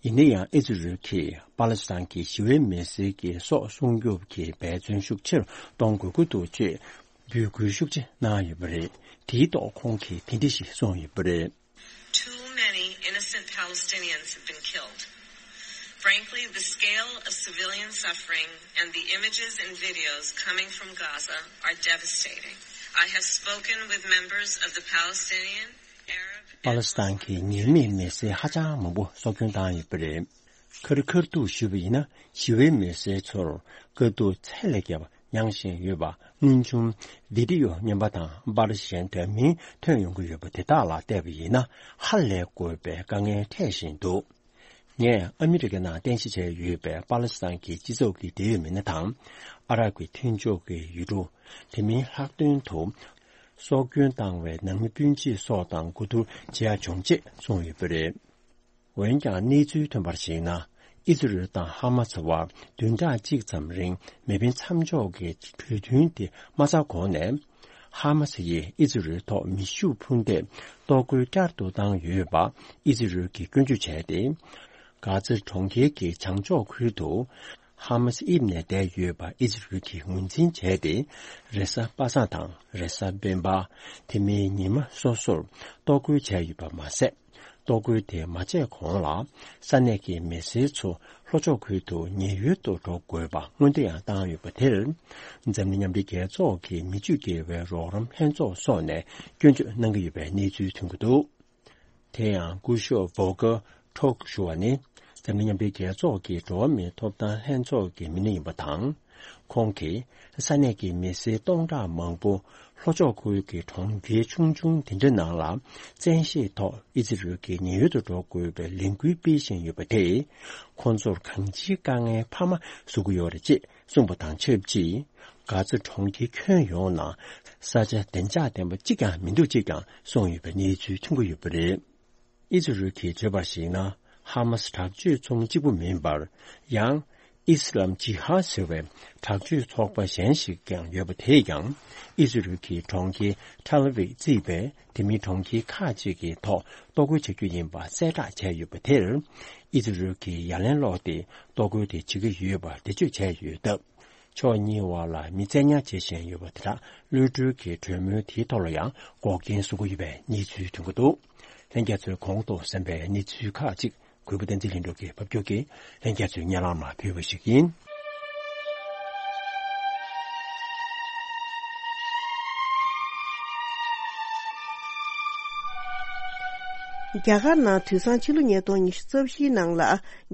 ཡིན་ན་ཡང་ཨི་ཛི་རལ་གྱིས་པ་ལི་སི་ཐན་གྱི་ཞི་བའི་མི་སེར་གྱི་སྲོག་སྲུང་སྐྱོབ་ཀྱི་འབད་བརྩོན་ཤུགས་ཆེ་རུ་གཏོང་དགོས་ཀྱི་འདུག་ཅེས་འབོད་སྐུལ་ཤུགས་ཆེ་གནང་ཡོད་པ་རེད། དེའི་ཐོག་ཁོང་གིས་དེ་འདྲ་ཞིག་གསུངས་ཡོད་པ་རེད། Too many innocent Palestinians have been killed. Frankly, the scale of civilian suffering and the images and videos coming from Gaza are devastating. I have spoken with members of the Palestinian, Arab, and པ་ལི་སི་ཐན་གྱི་ཉེས་མེད་མི་སེར་ཧ་ཅང་མང་པོ་སྲོག་སྐྱོན་བཏང་ཡོད་པ་རེད། ཁ་རི་ཁ་ཐུག་ཞུས་པ་ཡིན་ན། ཞི་བའི་མི་སེར་ཚོར་དཀའ་སྡུག་ཚད་ལས་བརྒལ་བ་མྱངས་བཞིན་ཡོད་པ། སྔོན་བྱུང་བི་ཌི་ཡོ་རྙིང་པ་དང་པར་གཞན་འདྲ་མིན་ཐོན་ཡོང་གི་ཡོད་པ་དེ་དག་ལ་བལྟས་པ་ཡིན་ན། ཧ་ལས་དགོས་པའི་དཀའ་ངལ་འཕྲད་བཞིན་འདུག་ངས་ཨ་མི་རི་ཀའི་ནང་རྟེན་གཞི་བྱས་ཡོད་པའི་པ་ལི་སི་ཐན་གྱི་སྤྱི་ཚོགས་ཀྱི་འབྲེལ་ཡོད་མི་སྣ་དང་། ཨ་རབ་ཀྱི་མཐུན་ཕྱོགས་ཀྱི་ཡུལ་གྲུ། དེ་མིན་ལྷག་དོན་དུ། སྲོག་སྐྱོན་བཏང་བའི་ནང་མི་སྤུན་མཆེད་སོགས་དང་གོ་བསྡུར་བྱེད་ཡག་བྱུང་ཅེས་གསུངས་ཡོད་པ་རེད། འོན་ཀྱང་གནས་ཚུལ་ཐོན་པར་གཞིགས་ན། ཨི་ཛི་རལ་དང་ཧ་མ་སི་བར་བདུན་ཕྲག་གཅིག་ཙམ་རིང་མེ་འཕེན་མཚམས་འཇོག་གི་གྲོས་མཐུན་དེ་མ་ཚར་གོང་ནས། ཧ་མ་སི་ཡིས་ཨི་ཛི་རལ་ཐོག་མེ་ཤུགས་འཕུར་མདའི་གཏོར་རྒོལ་བསྐྱར་དུ་བཏང་ཡོད་པ་ཨི་ཛི་རལ་གྱིས་སྐྱོན་བརྗོད་བྱས་ཏེ། གྷ་ཛ་གྲོང་ཁྱེར་གྱི་བྱང་ཕྱོགས་ཁུལ་དུ་ཧ་མ་སི་དབྱིབས་ནས་བསྡད་ཡོད་པ་ཨི་ཛི་རལ་གྱིས་ངོས་འཛིན་བྱས་ཏེ། རེས་གཟའ་པ་སངས་དང་རེས་གཟའ་སྤེན་པ། དེ་མིན་ཉི་མ་སོ་སོར་གཏོར་རྒོལ་བྱས་ཡོད་པ་མ་ཟད། གཏོར་རྒོལ་དེ་མ་བྱས་གོང་ལ། ས་གནས་ཀྱི་མི་སེར་ཚོ་ལྷོ་ཕྱོགས་ཁུལ་དུ་ཉེན་གཡོལ་དུ་འགྲོ་དགོས་པ་སྔོན་འདྲི་ཡང་བཏང་ཡོད་པ་དེར། འཛམ་གླིང་མཉམ་འབྲེལ་རྒྱལ་ཚོགས་ཀྱི་མི་ཆོས་དགེ་བའི་རོགས་རམ་ལྷན་ཚོགས་སོགས་ནས་སྐྱོན་བརྗོད་གནང་གི་ཡོད་པའི་གནས་ཚུལ་ཐོན་གྱི་འདུག་དེ་ཡང་སྐུ་ཞབས་ཝོ་ཀར་ཊུརྐ་ཞུ་བ་ནི། འཛམ་གླིང་མཉམ་འབྲེལ་རྒྱལ་ཚོགས་ཀྱི་འགྲོ་བ་མིའི་ཐོབ་ཐང་ལྷན་ཚོགས་ཀྱི་མི་སྣ་ཡིན་པ་དང་། ཁོང་གིས་ས་གནས་ཀྱི་མི་སེར་སྟོང་ཕྲག་མང་པོ་ལྷོ་ཕྱོགས་ཁུལ་གྱི་གྲོང་ཁྱེར་ཆུང་ཆུང་དེ་འདྲ་ནང་ལ་བཙན་ཤེད་ཐོག་ཨི་ཛི་རལ་གྱི་ཉེན་གཡོལ་དུ་འགྲོ་དགོས་པའི་ལས་འགུལ་སྤེལ་བཞིན་ཡོད་པ་དེས། ཁོང་ཚོར་གང་ཅིའི་དཀའ་ངལ་འཕར་མ་བཟོ་གི་ཡོད་རེད་ཅེས་གསུངས་པ་དང་ཆབས་ཅིག་གྷ་ཛ་གྲོང་ཁྱེར་ཁྱོན་ཡོངས་ནང་ས་ཆ་བདེ་འཇགས་ལྡན་པ་གཅིག་ཀྱང་མི་འདུག་ཅེས་ཀྱང་གསུངས་ཡོད་པའི་གནས་ཚུལ་ཐོན་གྱི་ཡོད་པ་རེད། ཨི་ཛི་རལ་གྱིས་བརྗོད་པར་གཞིགས་ན། ཧ་མ་སི་དྲག་སྤྱོད་ཚོགས་མི་གཅིག་པུ་མིན་པར། ཡང་། ཨི་སི་ལམ་ཇི་ཧ་ཟེར་བའི་དྲག་སྤྱོད་ཚོགས་པ་གཞན་ཞིག་ཀྱང་ཡོད་པ། དེས་ཀྱང་ཨི་ཛི་རལ་གྱི་གྲོང་ཁྱེར་ཐེལ་ཨ་ཝིབ་བརྩིས་པའི་དེ་མིན་གྲོང་ཁྱེར་ཁག་ཅིག་གི་ཐོག་གཏོར་རྒོལ་བྱ་རྒྱུ་ཡིན་པ་གསལ་བསྒྲགས་བྱས་ཡོད་པ་དེར། ཨི་ཛི་རལ་གྱིས་ཡ་ལན་སློག་སྟེ་གཏོར་རྒོལ་དེ་བྱེད་ཀྱི་ཡོད་པར་འགྲེལ་བརྗོད་བྱས་ཡོད་སྟབས། ཕྱོགས་གཉིས་བར་ལ་མི་བཙན་ཉར་བྱེད་བཞིན་ཡོད་པ་དེ་དག་གློད་གྲོལ་གྱི་གྲོས་མོལ་དེའི་ཐོག་ལ་ཡང་འགོག་རྐྱེན་བཟོ་གི་ཡོད་པའི་གནས་ཚུལ་ཐོན་གྱི་འདུག་ལྷན་རྒྱས་ཚོས་གོང་དུ་གསན་པའི་གནས་ཚུལ་ཁག་ཅིག་གུས་པ་བསྟན་འཛིན་ལྷུན་གྲུབ་ཀྱིས་ཕབ་སྒྱུར་གྱིས་ལྷན་རྒྱས་ཚོའི་སྙན་ལམ་ལ་ཕུལ་བ་ཞིག་ཡིན། རྒྱ་གར་ནང་དུས་སང་ཕྱི་ལོ་ཉིས་སྟོང་ཉི་ཤུ་རྩ་བཞིའི་ནང་ལ།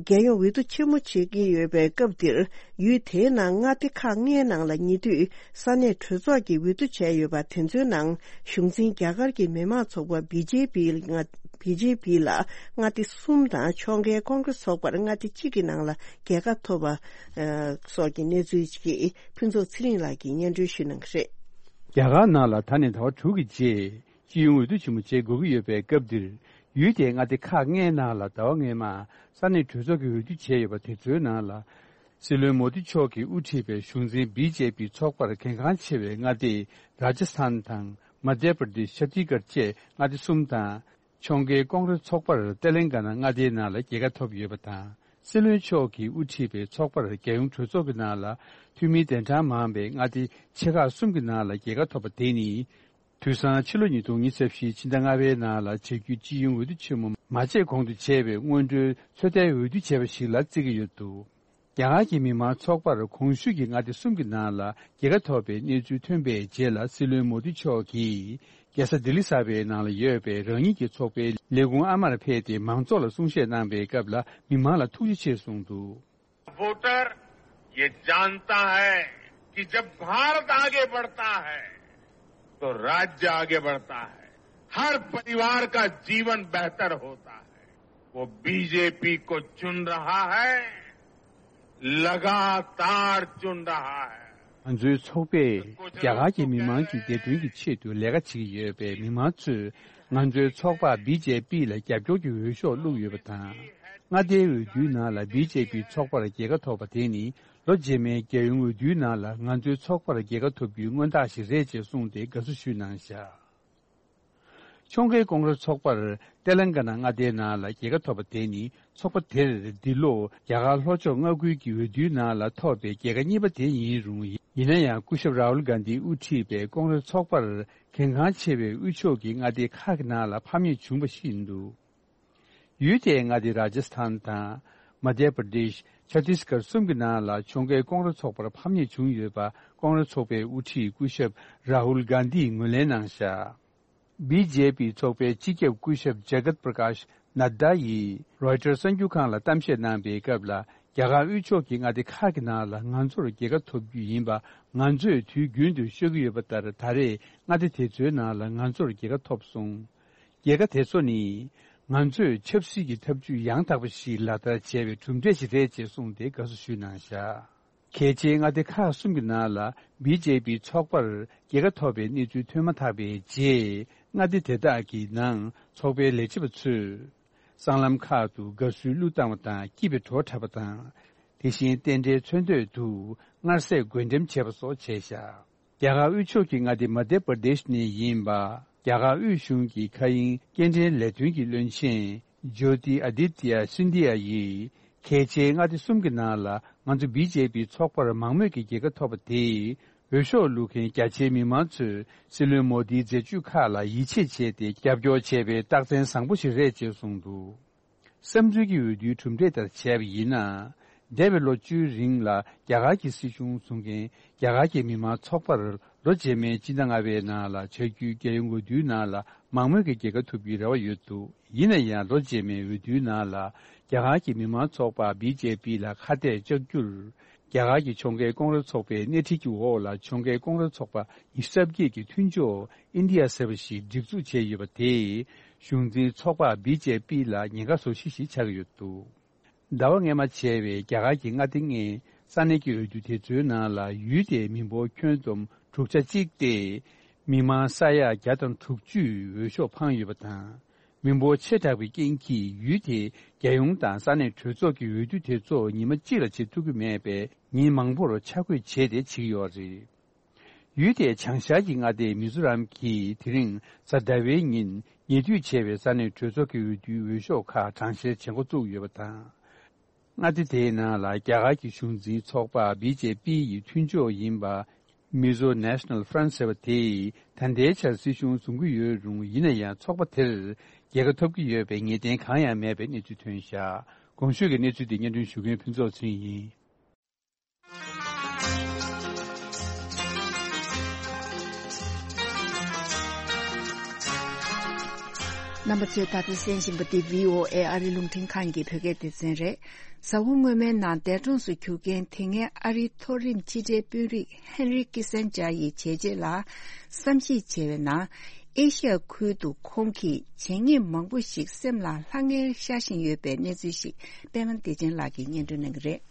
རྒྱལ་ཡོངས་འོས་བསྡུ་ཆེན་མོ་བྱེད་ཀྱི་ཡོད་པའི་སྐབས་འདིར། ཡུལ་དེའི་ནང་མངའ་སྡེ་ཁག་ལྔའི་ནང་ལ་ཉེ་དུས་ས་གནས་གྲོས་ཚོགས་ཀྱིས་འོས་བསྡུ་བྱས་ཡོད་པ་དེ་ཚོའི་ནང་གཞུང་འཛིན་རྒྱ་གར་གྱི་མི་དམངས་ཚོགས་པ་བི་ཇེ་པི་ལ་མངའ་བི་ཇེ་པི་ལ་མངའ་སྡེ་གསུམ་དང་ཕྱོགས་འགལ་ཀོང་ཀྲེས་ཚོགས་པར་མངའ་སྡེ་གཅིག་གི་ནང་ལ་རྒྱལ་ཁ་ཐོབ་པ་སོགས་ཀྱི་གནས་ཚུལ་ཞིག་ཕུན་ཚོགས་ཚེ་རིང་ལགས་ཀྱིས་སྙན་སྒྲོན་ཞུ་གནང་གི་རེད། རྒྱ་གར་ནང་ལ་ད་ནས་ཟླ་བ་དྲུག་གི་རྗེས། སྤྱི་ཡོངས་འོས་བསྡུ་ཆེན་མོ་བྱེད་དགོས་ཀྱི་ཡོད་པའི་སྐབས་འདིར། ཡུལ་དེའི་མངའ་སྡེ་ཁག་ལྔའི་ནང་ལ་ཟླ་བ་སྔོན་མ་ས་གནས་གྲོས་ཚོགས་ཀྱི་འོས་བསྡུ་བྱས་ཡོད་པ་དེ་ཚོའི་ནང་ལ། སྲིད་བློན་མོ་དི་མཆོག་གིས་དབུ་ཁྲིད་པའི་གཞུང་འཛིན་བི་ཇེ་པི་ཚོགས་པར་གལ་འགངས་ཆེ་བའི་མངའ་སྡེ་ར་ཇ་སི་ཐན་དང་མ་དྷྱ་པྲ་དེ་ཤི་ཆ་ཏི་གྷར་བཅས་མངའ་སྡེ་གསུམ་དང་། ཕྱོགས་འགལ་ཀོང་ཀྲེས་ཚོགས་པར་ཏེ་ལན་ག་ན་མངའ་སྡེའི་ནང་ལ་རྒྱལ་ཁ་ཐོབ་ཡོད་པ་དང་། སྲིད་བློན་མཆོག་གིས་དབུ་ཁྲིད་པའི་ཚོགས་པར་རྒྱལ་ཡོངས་གྲོས་ཚོགས་ཀྱི་ནང་ལ་འཐུས་མི་གདན་གྲངས་མང་བའི་མངའ་སྡེ་ཆེ་ཁག་གསུམ་གྱི་ནང་ལ་རྒྱལ་ཁ་ཐོབ་པ་དེ་ནི། དུས་སང་ཕྱི་ལོ་ཉིས་སྟོང་ཉི་ཤུ་རྩ་བཞི་ཕྱི་ཟླ་ལྔ་པའི་ནང་ལ་བྱ་རྒྱུའི་སྤྱི་ཡོངས་འོས་བསྡུ་ཆེན་མོ་མ་བྱས་གོང་དུ་བྱས་པའི་སྔོན་འགྲོའི་ཚོད་ལྟའི་འོས་བསྡུ་བྱས་པ་ཞིག་ལ་བརྩི་གི་ཡོད་འདུག་རྒྱ་གར་གྱི་མི་དམངས་ཚོགས་པར་གོང་ཞུས་ཀྱི་མངའ་སྡེ་གསུམ་གྱི་ནང་ལ་རྒྱལ་ཁ་ཐོབ་པའི་གནས་ཚུལ་ཐོན་པའི་རྗེས་ལ། སྲིད་བློན་མོ་དི་མཆོག་གིས་རྒྱལ་ས་ལྡི་ལི་གསར་པའི་ནང་ལ་ཡོད་པའི་རང་ཉིད་ཀྱི་ཚོགས་པའི་ལས་ཁུངས་ཨ་མར་ཕེབས་ཏེ་མང་ཚོགས་ལ་གསུང་བཤད་གནང་པའི་སྐབས་ལ། མི་མང་ལ་ཐུགས་རྗེ་ཆེ་གསུངས་འདུག། वोटर ये जानता है कि जब भारत आगे बढ़ता है, तो राज्य आगे बढ़ता है, हर परिवार का जीवन बेहतर होता है। वो बीजेपी को चुन रहा है, लगातार चुन रहा है। ང་ཚོའི་ཚོགས་པས་རྒྱ་གར་གྱི་མི་མང་གི་བདེ་དོན་གྱི་ཆེད་དུ་ལས་ཀ་བྱེད་ཀྱི་ཡོད་པས། མི་མང་ཚོས་ང་ཚོའི་ཚོགས་པ་བི་ཇེ་པི་ལ་རྒྱབ་སྐྱོར་གྱི་འོས་ཤོག་བླུགས་ཡོད་པ་དང་། མངའ་སྡེའི་འོས་བསྡུའི་ནང་ལ་བི་ཇེ་པི་ཚོགས་པར་རྒྱལ་ཁ་ཐོབ་པ་དེ་ནི། ལོ་རྗེས་མའི་རྒྱལ་ཡོངས་འོས་བསྡུའི་ནང་ལ་ང་ཚོའི་ཚོགས་པར་རྒྱལ་ཁ་ཐོབ་རྒྱུའི་མངོན་རྟགས་ཤིག་རེད་ཅེས་གསུངས་ཏེ་དགའ་བསུ་ཞུས་གནང་བཞག། ཕྱོགས་འགལ་ཀོང་ཀྲེས་ཚོགས་པར་ཏེ་ལན་ག་ན་མངའ་སྡེའི་ནང་ལ་རྒྱལ་ཁ་ཐོབ་པ་དེ་ནི། ཚོགས་པ་དེར་འདི་ལོ་རྒྱ་གར་ལྷོ་ཕྱོགས་མངའ་ཁུལ་གྱི་འོས་བསྡུའི་ནང་ལ་ཐོབ་པའི་རྒྱལ་ཁ་གཉིས་པ་དེ་ཡིན་རུང་། ཡིན་ན་ཡང་སྐུ་ཞབས་རཱ་ཧུལ་གྷན་དྷི་དབུ་ཁྲིད་པའི་ཀོང་ཀྲེས་ཚོགས་པར་གལ་འགངས་ཆེ་བའི་དབུས་ཕྱོགས་ཀྱི་མངའ་སྡེ་ཁག་གི་ནང་ལ་ཕམ་ཉེས་བྱུང་བ་ཞིག་འདུག། ཡུལ་དེའི་མངའ་སྡེ་ར་ཇ་སི་ཐན་དང་། མ་དྷྱ་པྲ་དེཤ། ཆ་ཏིས་གྷར་གསུམ་གྱི་ནང་ལ་ཕྱོགས་འགལ་ཀོང་ཀྲེས་ཚོགས་པར་ཕམ་ཉེས་བྱུང་ཡོད་པ། ཀོང་ཀྲེས་ཚོགས་པའི་དབུ་ཁྲིད་སྐུ་ཞབས་རཱ་ཧུལ་གྷན་དྷིས་ངོས་ལེན་གནང་བཞག། བི་ཇེ་པི་ཚོགས་པའི་སྤྱི་ཁྱབ་སྐུ་ཞབས་ཇ་གཏ་པྲ་ཀཱཤ་ནད་དཱ་ཡིས་རོའི་ཊར་གསར་འགྱུར་ཁང་ལ་གཏམ་བཤད་གནང་པའི་སྐབས་ལ། རྒྱ་གར་དབུས་ཕྱོགས་ཀྱི་མངའ་སྡེ་ཁག་གི་ནང་ལ་ང་ཚོར་རྒྱལ་ཁ་ཐོབ་རྒྱུ་ཡིན་པ་ང་ཚོས་དུས་རྒྱུན་དུ་ཤོད་ཀྱི་ཡོད་པ་ལྟར། ད་རེས་མངའ་སྡེ་དེ་ཚོའི་ནང་ལ་ང་ཚོར་རྒྱལ་ཁ་ཐོབ་སོང་། རྒྱལ་ཁ་དེ་ཚོ་ནི། ང་ཚོས་ཆབ་སྲིད་ཀྱི་ཐབས་ཇུས་ཡང་དག་པ་ཞིག་ལག་བསྟར་བྱས་པའི་གྲུབ་འབྲས་ཤིག་རེད་ཅེས་གསུངས་ཏེ་དགའ་བསུ་ཞུས་གནང་བཞག། གལ་ཆེའི་མངའ་སྡེ་ཁག་གསུམ་གྱི་ནང་ལ་བི་ཇེ་པི་ཚོགས་པར་རྒྱལ་ཁ་ཐོབ་པའི་གནས་ཚུལ་ཐོན་མ་ཐག་པའི་རྗེས། མངའ་སྡེ་དེ་དག་གི་ནང་ཚོགས་པའི་ལས་བྱེད་པ་ཚོས་སྲང་ལམ་ཁག་ཏུ་དགའ་བསུའི་གླུ་བཏང་བ་དང་། སྐྱིད་པའི་བྲོ་འཁྲབ་པ་དང་། དེ་བཞིན་རྟེན་འབྲེལ་མཚོན་དོད་དུ་མངར་ཟས་བགོད་འགྲེམས་བྱས་པ་སོགས་བྱས་བཞག། རྒྱ་གར་དབུས་ཕྱོགས་ཀྱི་མངའ་སྡེ་མ་དྷྱ་པྲ་དེཤ་ནས་ཡིན་པ། རྒྱ་གར་དབུས་གཞུང་གི་མཁའ་དབྱིངས་སྐྱེལ་འདྲེན་ལས་དོན་གྱི་བློན་ཆེན་ཇོ་ཏི་ཨ་དིད་ཏི་ཡ་སིན་དྷི་ཡ་ཡིས། གལ་ཆེའི་མངའ་སྡེ་གསུམ་གྱི་ནང་ལ་ང་ཚོ་བི་ཇེ་པི་ཚོགས་པར་མང་མོས་ཀྱི་རྒྱལ་ཁ་ཐོབ་པ་དེས། འོས་ཤོག་བླུག་མཁན་རྒྱ་ཆེའི་མི་མང་ཚོས་སྲིད་བློན་མོ་དིའི་མཛད་ཇུས་ཁག་ལ་ཡིད་ཆེས་བྱས་ཏེ་རྒྱབ་སྐྱོར་བྱས་པའི་རྟགས་མཚན་བཟང་པོ་ཞིག་རེད་ཅེས་གསུངས་འདུག། བསམ་ཚུལ་གྱི་འོས་བསྡུའི་གྲུབ་འབྲས་ལྟར་བྱས་པ་ཡིན་ན། འདས་པའི་ལོ་བཅུའི་རིང་ལ་རྒྱ་གར་གྱི་སྲིད་གཞུང་བཟུང་མཁན་རྒྱ་གར་གྱི་མི་དམངས་ཚོགས་པར་ལོ་རྗེས་མའི་སྤྱི་ཟླ་ལྔ་པའི་ནང་ལ་བྱ་རྒྱུའི་རྒྱལ་ཡོངས་འོས་བསྡུའི་ནང་ལ་ མང་མོས་ཀྱི་རྒྱལ་ཁ་ཐོབ་རྒྱུའི་རེ་བ་ཡོད་འདུག་ཡིན་ན་ཡང་ལོ་རྗེས་མའི་འོས་བསྡུའི་ནང་ལ་རྒྱ་གར་གྱི་མི་མང་ཚོགས་པ་བི་ཇེ་པི་ལ་ཁ་གཏད་བཅག་རྒྱུར། རྒྱ་གར་གྱི་ཕྱོགས་འགལ་ཀོང་རེ་ཚོགས་པའི་སྣེ་ཁྲིད་ཀྱི་འོག་ལ་ཕྱོགས་འགལ་ཀོང་རེ་ཚོགས་པ་ཉི་ཤུ་རྩ་བརྒྱད་ཀྱི་མཐུན་ཕྱོགས་ཨིན་ཌི་ཡ་ཟེར་བ་ཞིག་སྒྲིག་འཛུགས་བྱས་ཡོད་པ་དེས་གཞུང་འཛིན་ཚོགས་པ་བི་ཇེ་པི་ལ་ཉེན་ཁ་བཟོ་གཞི་ཞིག་ཆགས་ཀྱི་ཡོད་འདུག་ཟླ་བ་སྔོན་མ་བྱས་པའི་རྒྱ་གར་གྱི་མངའ་སྡེ་ལྔའི་ས་གནས་ཀྱི་འོས་བསྡུ་དེ་ཚོའི་ནང་ལ་ཡུལ་དེའི་མི་འབོར་ཁྱོན་བསྡོམས་དྲུག་ཆ་གཅིག་སྟེ། མི་མང་ས་ཡ་བརྒྱ་དང་དྲུག་ཅུས་འོས་ཤོག་འཕངས་ཡོད་པ་དང་། མི་འབོར་ཆེ་དྲགས་པའི་རྐྱེན་གྱིས་ཡུལ་དེའི་རྒྱལ་ཡོངས་དང་ས་གནས་གྲོས་ཚོགས་ཀྱི་འོས་བསྡུ་དེ་ཚོ་ཉི་མ་གཅིག་ལ་བྱེད་ཐུབ་ཀྱི་མེད་པས་ཉིན་མང་པོར་ཆ་བགོས་བྱས་ཏེ་བྱེད་ཀྱི་ཡོད་རེད། ཡུལ་དེའི་བྱང་ཤར་གྱི་མངའ་སྡེ་མི་ཛོ་རམ་གྱིས་དེ་རིང་གཟའ་ཟླ་བའི་ཉིན་ཉེ་དུས་བྱས་པའི་ས་གནས་གྲོས་ཚོགས་ཀྱི་འོས་བསྡུའི་འོས་ཤོག་ཁག་གྲངས་བཤེར་བྱེད་འགོ་བཙུགས་ཡོད་པ་དང་། མངའ་སྡེ་དེའི་ནང་ལ་རྒྱ་གར་གྱི་གཞུང་འཛིན་ཚོགས་པ་བི་ཇེ་པི་ཡི་མཐུན་ཕྱོགས་ཡིན་པ། Mizo National Front ཟེར་བ་དེས་ད་ལྟའི་ཆར་སྲིད་གཞུང་བཟུང་གི་ཡོད་རུང་ཡིན་ན་ཡང་ཚོགས་པ་དེར་རྒྱལ་ཁ་ཐོབ་ཀྱི་ཡོད་པའི་ངེས་གཏན་གང་ཡང་མེད་པའི་གནས་ཚུལ་ཐོན་བཞག་གོང་ཞུས་ཀྱི་གནས་ཚུལ་དེ་སྙན་སྒྲོན་ཞུ་མཁན་ཕུན་ཚོགས་ཚེ་རིང་ཡིན། རྣམ་པ་ཚོས་ད་ལྟ་གསན་བཞིན་པ་འདི་བྷི་ཨོ་ཨེ་ཨ་རི་རླུང་འཕྲིན་ཁང་གི་བོད་སྐད་སྡེ་ཚན་རེད། གཟའ་འཁོར་སྔོན་མའི་ནང་འདས་གྲོངས་སུ་གྱུར་མཁན་དེ་སྔའི་ཨ་རིའི་མཐོ་རིམ་ཕྱི་དྲིལ་དཔོན་རིགས་ཧན་རི་ཀི་སན་ཇར་ཡི་བྱས་རྗེས་ལ་བསམ་གཞིག་བྱས་པའི་ནང་། ཨེ་ཤི་ཡ་ཁུལ་དུ་ཁོང་གིས་བྱས་ཉེས་མང་པོ་ཞིག་སེམས་ལ་ལྷང་ངེར་ཤར་བཞིན་ཡོད་པའི་གནས་ཚུལ་ཞིག་པད་མ་བདེ་ཆེན་ལགས་ཀྱིས་སྙན་སྒྲོན་གནང་གི་རེད།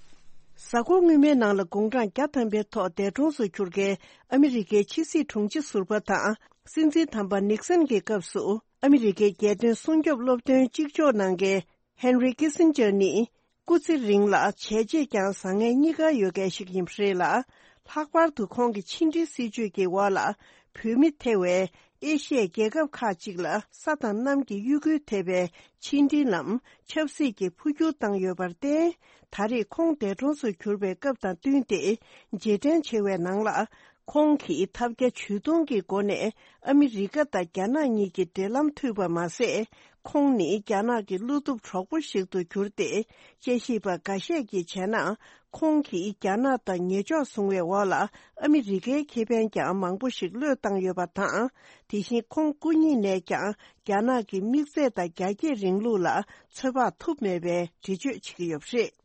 གཟའ་འཁོར་སྔོན་མའི་ནང་ལ་དགུང་གྲངས་བརྒྱ་ཐམ་པའི་ཐོག་འདས་གྲོངས་སུ་གྱུར་མཁན་ཨ་མི་རི་ཀའི་ཕྱི་སྲིད་དྲུང་ཆེ་ཟུར་པ་དང་སྲིད་འཛིན་དམ་པ་ནིག་སན་གྱི་སྐབས་སུ་ཨ་མི་རི་ཀའི་རྒྱལ་དོན་སྲུང་སྐྱོབ་སློབ་སྟོན་གཅིག་ལྕོགས་གནང་མཁན་ཧན་རི་ཀི་སིན་ཇར་ནི་སྐུ་ཚེ་རིང་ལ་བྱས་རྗེས་ཀྱང་བཟང་ངན་གཉིས་ཀ་ཡོད་མཁན་ཞིག་ཡིན་པ་རེད་ལ། ལྷག་པར་དུ་ཁོང་གི་ཕྱི་འབྲེལ་སྲིད་ཇུས་ཀྱི་འོག་ལ་བོད་མི་ཐེ་བའི་ཨེ་ཤི་ཡའི་རྒྱལ་ཁབ་ཁག་ཅིག་ལ་ས་དང་གནམ་གྱི་གཡོ་འགུལ་ཐེབས་པའི་ཕྱི་འབྲེལ་ལམ་ཆབ་སྲིད་ཀྱི་འཕོ་འགྱུར་བཏང་ཡོད་པར་བརྟེན། ད་རེས་ཁོང་འདས་གྲོངས་སུ་གྱུར་པའི་སྐབས་དང་བསྟུན་ཏེ་རྗེས་དྲན་ཆེ་བའི་ནང་ལ། ཁོང་གིས་ཐབས་བརྒྱ་ཇུས་སྟོང་གི་སྒོ་ནས་ཨ་མི་རི་ཀ་དང་རྒྱ་ནག་གཉིས་ཀྱི་འབྲེལ་ལམ་མཐུད་པ་མ་ཟད། ཁོང་ནི་རྒྱ་ནག་གི་བློ་སྟོབས་གྲོགས་པོ་ཞིག་ཏུ་གྱུར་ཏེ། དཔྱད་ཞིབ་པ་འགའ་ཤས་ཀྱིས་བྱས་ན། ཁོང་གིས་རྒྱ་ནག་དང་ཉེ་ཕྱོགས་བཟུང་བའི་འོག་ལ་ཨ་མི་རི་ཀའི་ཁེ་ཕན་ཀྱང་མང་པོ་ཞིག་བློས་བཏང་ཡོད་པ་དང་། དེ་བཞིན་ཁོང་སྐུ་ཉིད་ནས་ཀྱང་རྒྱ་ནག་གི་དམིགས་ཚད་དང་རྒྱ་སྐྱེད་རིང་ལུགས་ལ་ཚོད་དཔག་ཐུབ་མེད་པའི་འགྲེལ་བརྗོད་བྱེད་ཀྱི་ཡོད་པ་རེད།